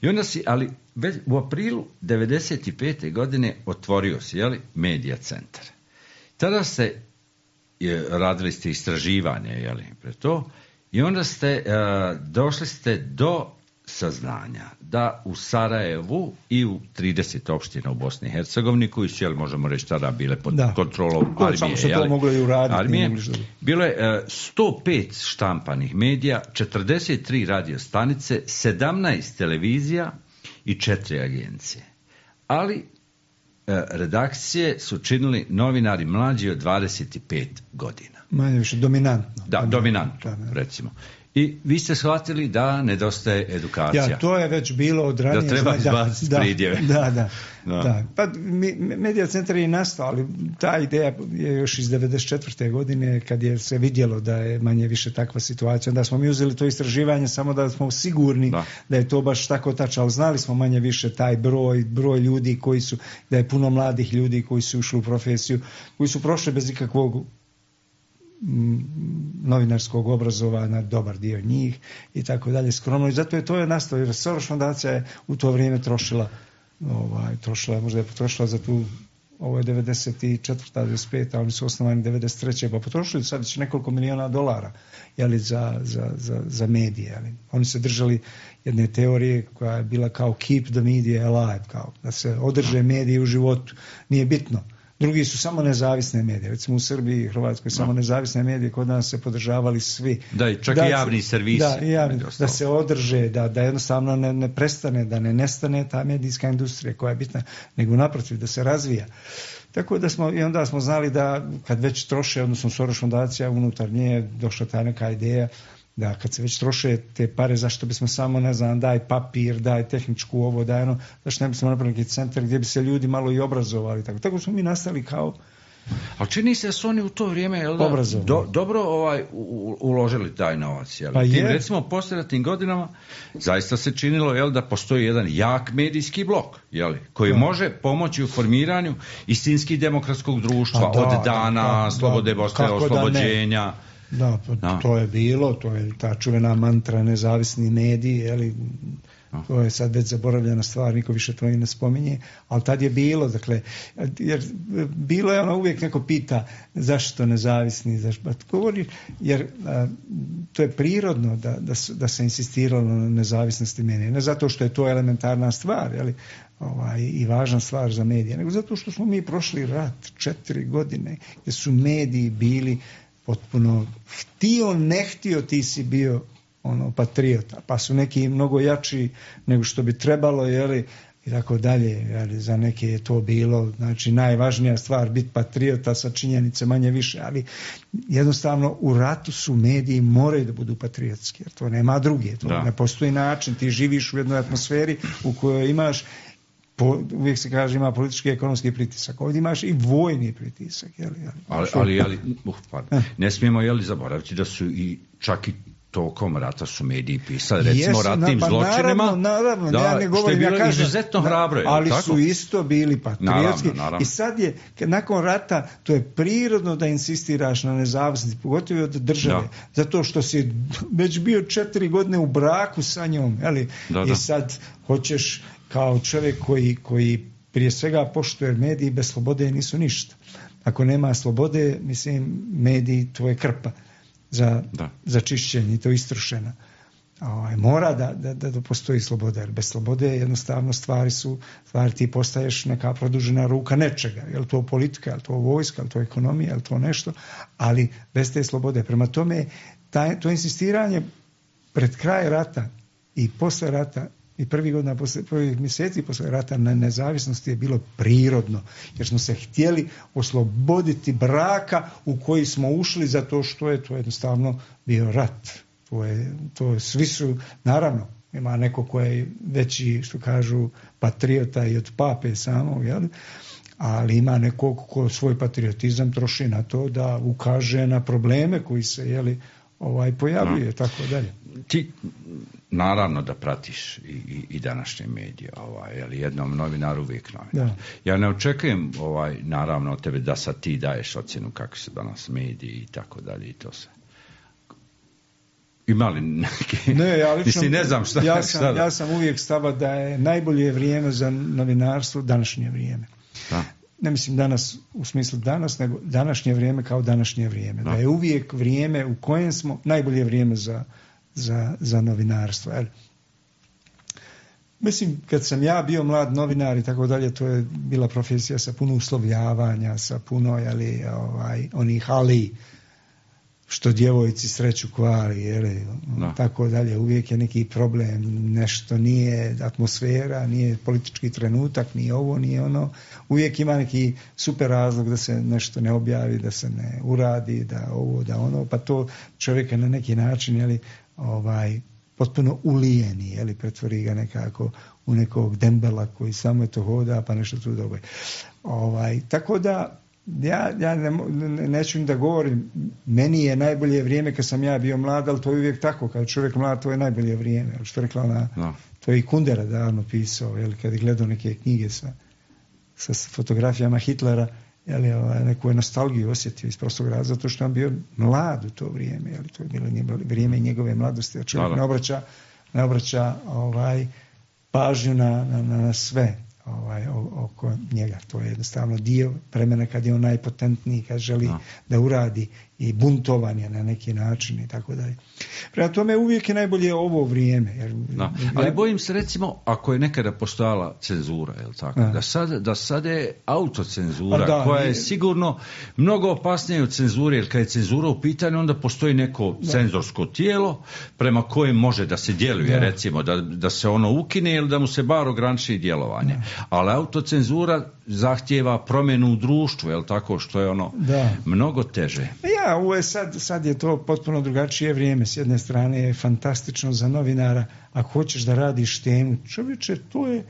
i onda ali već u aprilu 95. godine otvorio si, Medija centar. Tada radili ste istraživanje, pre to, i onda došli ste do saznanja da u Sarajevu i u 30 opština u Bosni i Hercegovini, koji su, možemo reći, tada bile pod kontrolom armije. Samo se to moglo i uraditi. Bilo je 105 štampanih medija, 43 radio stanice, 17 televizija i 4 agencije. Ali redakcije su činili novinari mlađi od 25 godina. Manje više dominantno. Da, dominantno, recimo. I vi ste shvatili da nedostaje edukacija. Ja, to je već bilo od ranije. Da treba izbaciti pridjeve. Da. Pa Medija centar je nastao, ali ta ideja je još iz 94. godine kad je se vidjelo da je manje više takva situacija. Onda smo mi uzeli to istraživanje samo da smo sigurni da je to baš tako tačno, ali znali smo manje više taj broj ljudi koji su, da je puno mladih ljudi koji su ušli u profesiju, koji su prošli bez ikakvog novinarskog obrazovanja, dobar dio njih i tako dalje, skromno. I zato je to nastalo, jer Soros fondacija je u to vrijeme trošila, možda je potrošila za tu, ovo je 94. 95. a oni su osnovani 93. pa potrošili sad već nekoliko miliona dolara za medije. Jeli. Oni se držali jedne teorije koja je bila kao keep the media alive, kao da se održe mediji u životu. Nije bitno. Drugi su samo nezavisne medije. Recimo u Srbiji i Hrvatskoj samo nezavisne medije, kod nas se podržavali svi. Da, i čak i javni servisi. Da se održe, da jednostavno ne prestane, da ne nestane ta medijska industrija koja je bitna, nego naprotiv da se razvija. Tako da i onda smo znali da kad već troše, odnosno Soros fondacija, unutar nje je došla ta neka ideja da kad se već troše te pare, zašto bismo samo, ne znam, daj papir, daj tehničku ovo, daj ono, zašto ne bismo napravili neki centar gdje bi se ljudi malo i obrazovali. Tako smo mi nastali kao... Ali čini se da su oni u to vrijeme dobro uložili taj novac. Jel? Recimo u poslijeratnim godinama zaista se činilo da postoji jedan jak medijski blok koji može pomoći u formiranju istinski demokratskog društva od dana slobode Bosne, oslobođenja. To je bilo, to je ta čuvena mantra nezavisni mediji, to je sad već zaboravljena stvar, niko više to i ne spominje, ali tad je bilo, dakle, jer bilo je ono, uvijek neko pita zašto nezavisni, jer to je prirodno da se insistiralo na nezavisnosti medija, ne zato što je to elementarna stvar, i važna stvar za medije, nego zato što smo mi prošli rat 4 godine, gdje su mediji bili potpuno htio, ne htio, ti si bio patriota, pa su neki mnogo jači nego što bi trebalo, i tako dalje, za neke je to bilo, znači najvažnija stvar biti patriota sa činjenice manje više, ali jednostavno u ratu su mediji moraju da budu patriotski, jer to nema druge, to ne postoji način, ti živiš u jednoj atmosferi u kojoj imaš uvijek se kaže ima politički i ekonomski pritisak. Ovdje imaš i vojni pritisak. Ali ne smijemo zaboraviti da su i čak i tokom rata su mediji pisali, recimo ratnim zločinima. Naravno, ja ne govorim, ja kažem, izuzetno hrabro. Ali su isto bili patriotski. Naravno. I sad je, nakon rata, to je prirodno da insistiraš na nezavisnosti, pogotovo od države, zato što si već bio 4 godine u braku sa njom. I sad hoćeš kao čovjek koji prije svega poštuje, mediji bez slobode nisu ništa. Ako nema slobode, mislim, mediji to je krpa za čišćenje i to istrošena. Mora da postoji sloboda, jer bez slobode jednostavno stvari ti postaješ neka produžena ruka nečega. Je li to politika, je li to vojska, je li to ekonomija, je li to nešto, ali bez te slobode. Prema tome, to insistiranje pred kraj rata i posle rata i prvih mjeseci posle rata na nezavisnosti je bilo prirodno, jer smo se htjeli osloboditi braka u koji smo ušli zato što je to jednostavno bio rat. Svi su, naravno, ima neko ko je veći, što kažu, patriota i od pape samog, ali ima nekog ko svoj patriotizam troši na to da ukaže na probleme koji se pojavljuje, tako dalje. Ti naravno da pratiš i današnje medije, jednom novinaru uvijek novinar. Ja ne očekujem naravno od tebe da sad ti daješ ocjenu kako se danas mediji i tako dalje i to sve. Ima li neke... Ne znam šta. Ja sam uvijek stava da je najbolje vrijeme za novinarstvo današnje vrijeme. Ne mislim danas u smislu danas, nego današnje vrijeme kao današnje vrijeme. Da je uvijek vrijeme u kojem smo najbolje vrijeme za novinarstvo. Mislim, kad sam ja bio mlad novinar i tako dalje, to je bila profesija sa puno uslovljavanja, sa puno onih ali, što djevojci sreću kvari, tako dalje, uvijek je neki problem, nešto nije atmosfera, nije politički trenutak, nije ovo, nije ono, uvijek ima neki super razlog da se nešto ne objavi, da se ne uradi, da ovo, da ono, pa to čovjeka na neki način, potpuno ulijeni, pretvori ga nekako u nekog dembela koji samo je to hoda, pa nešto tu događa. Tako da ja neću da govorim, meni je najbolje vrijeme kad sam ja bio mlad, ali to je uvijek tako, kad čovjek mlad, to je najbolje vrijeme. Što je rekla ona, to je i Kundera davno pisao, kad je gledao neke knjige sa fotografijama Hitlera, neku je nostalgiju osjetio iz prostog razloga, zato što je on bio mlad u to vrijeme, to je bilo vrijeme njegove mladosti, a čovjek ne obraća pažnju na sve oko njega. To je jednostavno dio vremena kad je on najpotentniji, kad želi da uradi, i buntovan je na neki način i tako dalje. Prema tome uvijek je najbolje ovo vrijeme. Ali bojim se, recimo, ako je nekada postojala cenzura, da sad je autocenzura, koja je sigurno mnogo opasnija od cenzure, jer kad je cenzura u pitanju, onda postoji neko cenzorsko tijelo prema kojem može da se djeluje, recimo, da se ono ukine ili da mu se bar ograniči djelovanje. Ali autocenzura zahtijeva promjenu u društvu, što je mnogo teže. Ovo je sad je to potpuno drugačije vrijeme. S jedne strane je fantastično za novinara, ako hoćeš da radiš temu, čovječe, to je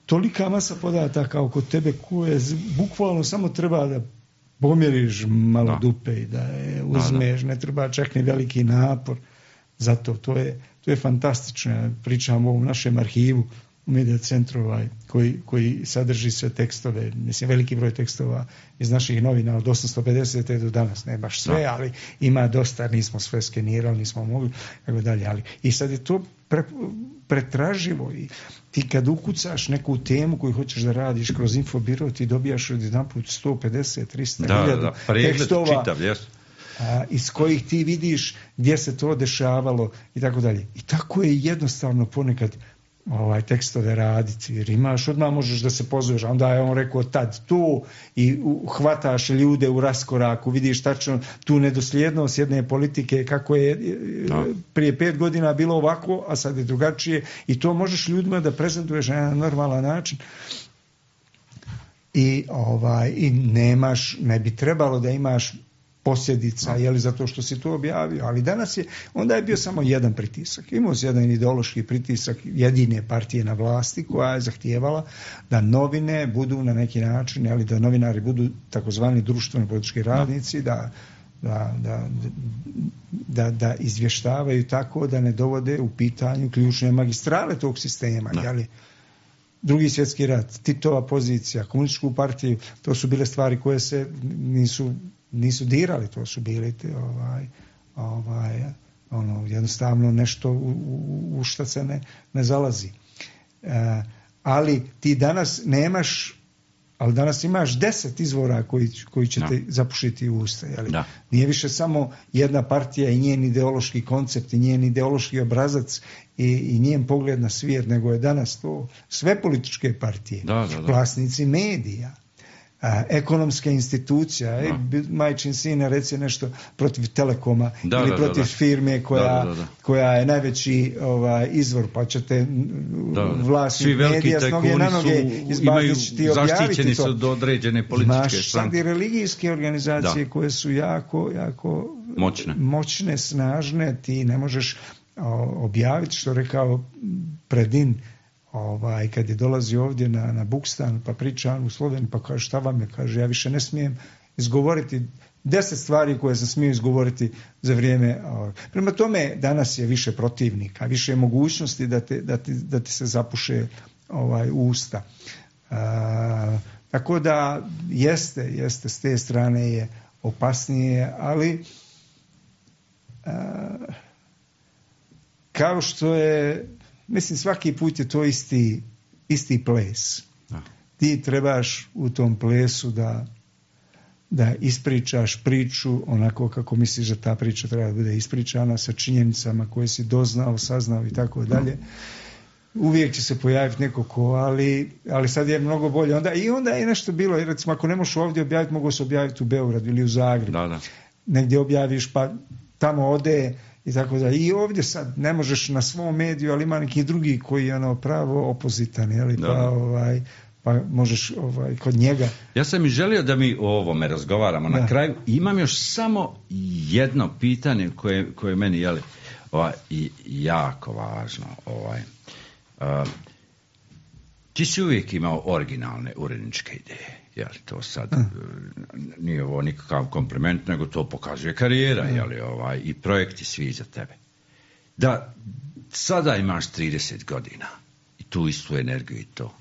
tolika masa podataka oko tebe koje bukvalno samo treba da pomjeriš malo dupe i da je uzmeš, ne treba čak ni veliki napor. Zato to je fantastično. Ja pričam o ovom našem arhivu u Media centru koji sadrži sve tekstove, mislim veliki broj tekstova iz naših novina od 850. do danas, ne baš sve, ali ima dosta, nismo sve skenirali, nismo mogli, tako dalje, ali i sad je to pretraživo i ti kad ukucaš neku temu koju hoćeš da radiš kroz infobiro, ti dobijaš od jedanput 150-300 hiljada tekstova čitav, iz kojih ti vidiš gdje se to dešavalo i tako dalje. I tako je jednostavno ponekad tekstove raditi, jer odmah možeš da se pozoveš, onda je on rekao tad tu i hvataš ljude u raskoraku, vidiš tačno tu nedosljednost jedne politike, kako je prije 5 godina bilo ovako, a sad je drugačije, i to možeš ljudima da prezentuješ na jedan normalan način. I ne bi trebalo da imaš posljedica, zato što si to objavio, ali danas onda je bio samo jedan pritisak. Imao se jedan ideološki pritisak jedine partije na vlasti koja je zahtijevala da novine budu na neki način, da novinari budu takozvani društveni politički radnici, da izvještavaju tako da ne dovode u pitanju ključne magistrale tog sistema. Drugi svjetski rat, Titova pozicija, komunističku partiju, to su bile stvari koje se nisu dirali, to su bili jednostavno nešto u što se ne zalazi. Ali ti danas nemaš, ali danas imaš 10 izvora koji će te zapušiti u usta. Nije više samo jedna partija i njen ideološki koncept i njen ideološki obrazac i njen pogled na svijet, nego je danas to sve političke partije, vlasnici medija, ekonomska institucija, majčin sine reci nešto protiv Telekoma ili protiv firme koja je najveći izvor, pa ćete vlasnik medija s noge na noge izbaciti ti objaviti to. Zaštićeni su do određene političke stranke. Imaš sad i religijske organizacije koje su jako moćne, snažne, ti ne možeš objaviti, što rekao Predin, kad je dolazio ovdje na Bukstan, pa priča u Sloveniji, pa kaže šta vam je, kaže ja više ne smijem izgovoriti 10 stvari koje sam smio izgovoriti za vrijeme. Prema tome danas je više protivnika, više mogućnosti da ti se zapuše usta. Tako da jeste s te strane je opasnije, ali kao što je, mislim, svaki put je to isti ples. Ti trebaš u tom plesu da ispričaš priču onako kako misliš da ta priča treba da bude ispričana, sa činjenicama koje si doznao, saznao i tako dalje. Uvijek će se pojaviti neko ali sad je mnogo bolje. Onda je nešto bilo, recimo ako ne možeš ovdje objaviti, mogu se objaviti u Beogradu ili u Zagrebu. Negdje objaviš pa tamo ode i tako da. I ovdje sad ne možeš na svom mediju, ali ima neki drugi koji je pravo opozitan, jeli, pa možeš kod njega. Ja sam i želio da mi o ovome razgovaramo na kraju. Imam još samo jedno pitanje koje je meni jako važno. Ti si uvijek imao originalne uredničke ideje. Jeli, to sad nije ovo nikakav kompliment, nego to pokazuje karijera, jeli, i projekti svi za tebe. Da sada imaš 30 godina i tu istu energiju i to.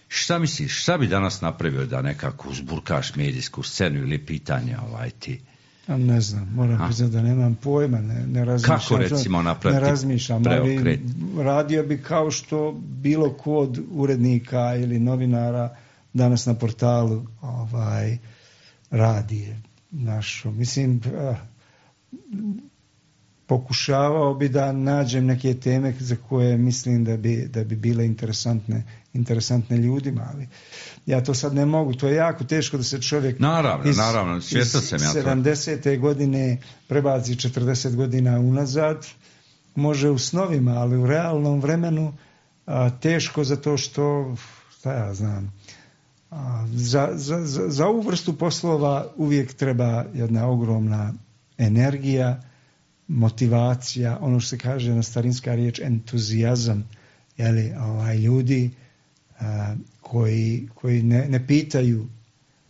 Šta misliš, šta bi danas napravio da nekako uzburkaš medijsku scenu ili pitanje ti? Ne znam, moram priznati da nemam pojma, ne razmišljam. Kako recimo napraviti preokret? Radio bi kao što bilo ko od urednika ili novinara danas na portalu radi našo. Mislim, pokušavao bi da nađem neke teme za koje mislim da bi bile interesantne ljudima, ali ja to sad ne mogu. To je jako teško da se čovjek naravno, svjestan sam ja to. 70. godine prebaci 40 godina unazad. Može u snovima, ali u realnom vremenu teško zato što, šta ja znam, za ovu vrstu poslova uvijek treba jedna ogromna energija, motivacija, ono što se kaže na starinska riječ entuzijazam, jeli, ljudi koji ne pitaju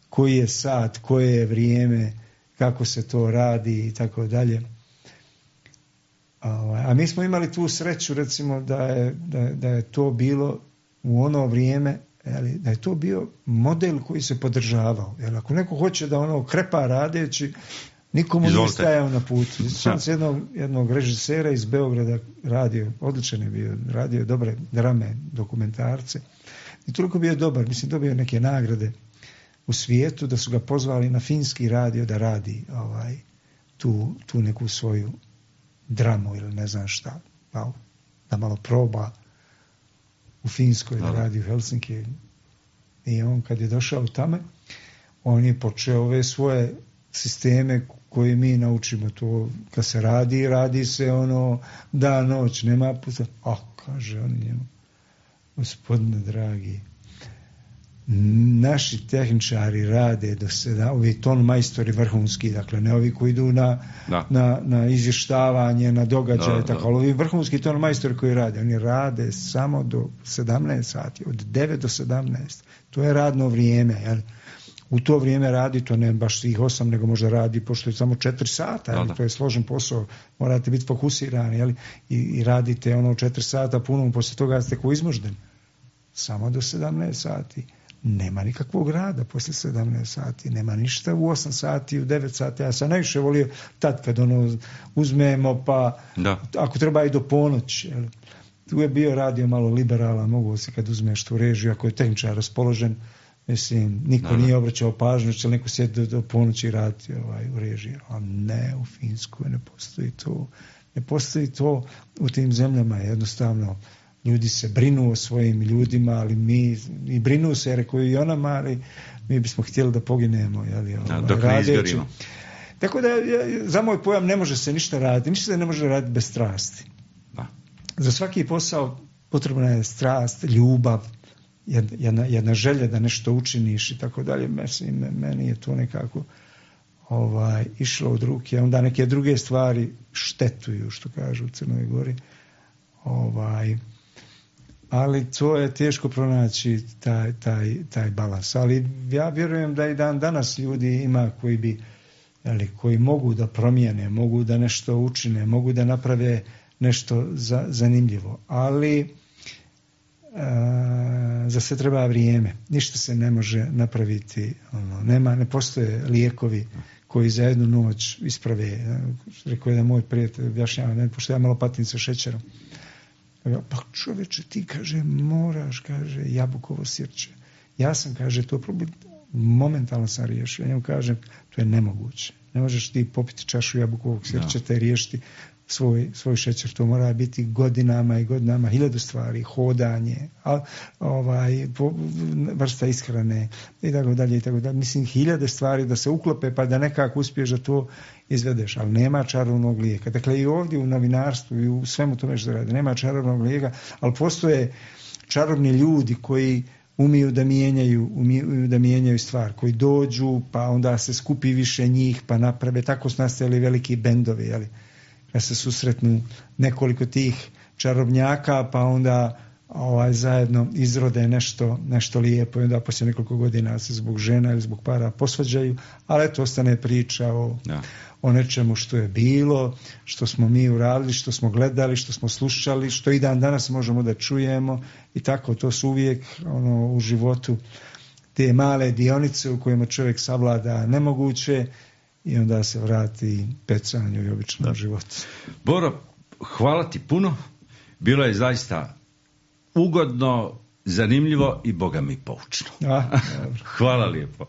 koji je sat, koje je vrijeme, kako se to radi i tako dalje. A mi smo imali tu sreću, recimo, da je to bilo u ono vrijeme, da je to bio model koji se podržavao. Jer ako neko hoće da krepa radeći, nikomu nije stajao na putu. Sjećam se jednog režisera iz Beograda, odličan je bio, radio dobre drame, dokumentarce. I toliko bio dobar, mislim, dobio neke nagrade u svijetu, da su ga pozvali na finski radio da radi tu neku svoju dramu ili ne znam šta, da malo proba u Finskoj, da radi u Helsinki. I on kad je došao tamo, on je počeo ove svoje sisteme koje mi naučimo. To kad se radi se dan, noć, nema puta. Kaže on njemu, gospodine dragi, naši tehničari rade do sada, ovi ton majstori vrhunski, dakle ne ovi koji idu na izvještavanje, na događaje, tako, ali ovi vrhunski ton majstori koji rade, oni rade samo do 17 sati, od 9 do 17. To je radno vrijeme, jel? U to vrijeme radi, to ne baš svih 8, nego možda radi, pošto je samo 4 sata, to je složen posao, morate biti fokusirani, jel? I radite 4 sata puno, poslije toga ste ko izmužden. Samo do 17 sati. Nema nikakvog rada poslije 17 sati, nema ništa u 8 sati, u 9 sati. Ja sam najviše volio tad kad uzmemo, pa ako treba i do ponoći. Jel? Tu je bio radio malo liberalan, mogu se kad uzmeš tu režiju, ako je tehničar raspoložen, mislim, niko nije obraćao pažnju, će neko sjeti do ponoći raditi u režiji. A ne, u Finskoj ne postoji to. Ne postoji to u tim zemljama, jednostavno. Ljudi se brinu o svojim ljudima, ali i brinu se, rekao i onama, ali mi bismo htjeli da poginemo. Dok ne izgorimo. Tako da, za moj pojam, ne može se ništa raditi. Ništa se ne može raditi bez strasti. Za svaki posao potrebna je strast, ljubav, jedna želja da nešto učiniš i tako dalje. Meni je to nekako išlo od ruke. Onda neke druge stvari štetuju, što kažu u Crnoj Gori. Ali to je teško pronaći taj balans. Ali ja vjerujem da i dan danas ljudi ima koji mogu da promijene, mogu da nešto učine, mogu da naprave nešto zanimljivo. Ali za sve treba vrijeme. Ništa se ne može napraviti. Ne postoje lijekovi koji za jednu noć isprave. Rekao je da moj prijatelj objašnjava, pošto ja malo patim sa šećerom. Pa čovječe, ti, kaže, moraš, kaže, jabukovo sirće. Ja sam, kaže, to problem, momentalno sam riješio. Ja njemu kažem, to je nemoguće. Ne možeš ti popiti čašu jabukovog sirća te riješiti svoj šećer. To mora biti godinama i godinama, 1000 stvari, hodanje, vrsta ishrane i tako dalje i tako dalje. Mislim, 1000 stvari da se uklope pa da nekako uspiješ da to izvedeš, ali nema čarobnog lijeka. Dakle, i ovdje u novinarstvu i u svemu tome što radi, nema čarobnog lijeka, ali postoje čarobni ljudi koji umiju da mijenjaju stvar, koji dođu, pa onda se skupi više njih, pa naprave, tako su nastajali veliki bendovi, jeli? Kad se susretnu nekoliko tih čarobnjaka, pa onda zajedno izrode nešto lijepo i onda poslije nekoliko godina se zbog žena ili zbog para posvađaju, ali eto ostane priča o nečemu što je bilo, što smo mi uradili, što smo gledali, što smo slušali, što i dan danas možemo da čujemo i tako, to su uvijek u životu te male dionice u kojima čovjek savlada nemoguće i onda se vrati pecanju i običnom životu. Boro, hvala ti puno, bilo je zaista ugodno, zanimljivo i Boga mi poučno. Hvala lijepo.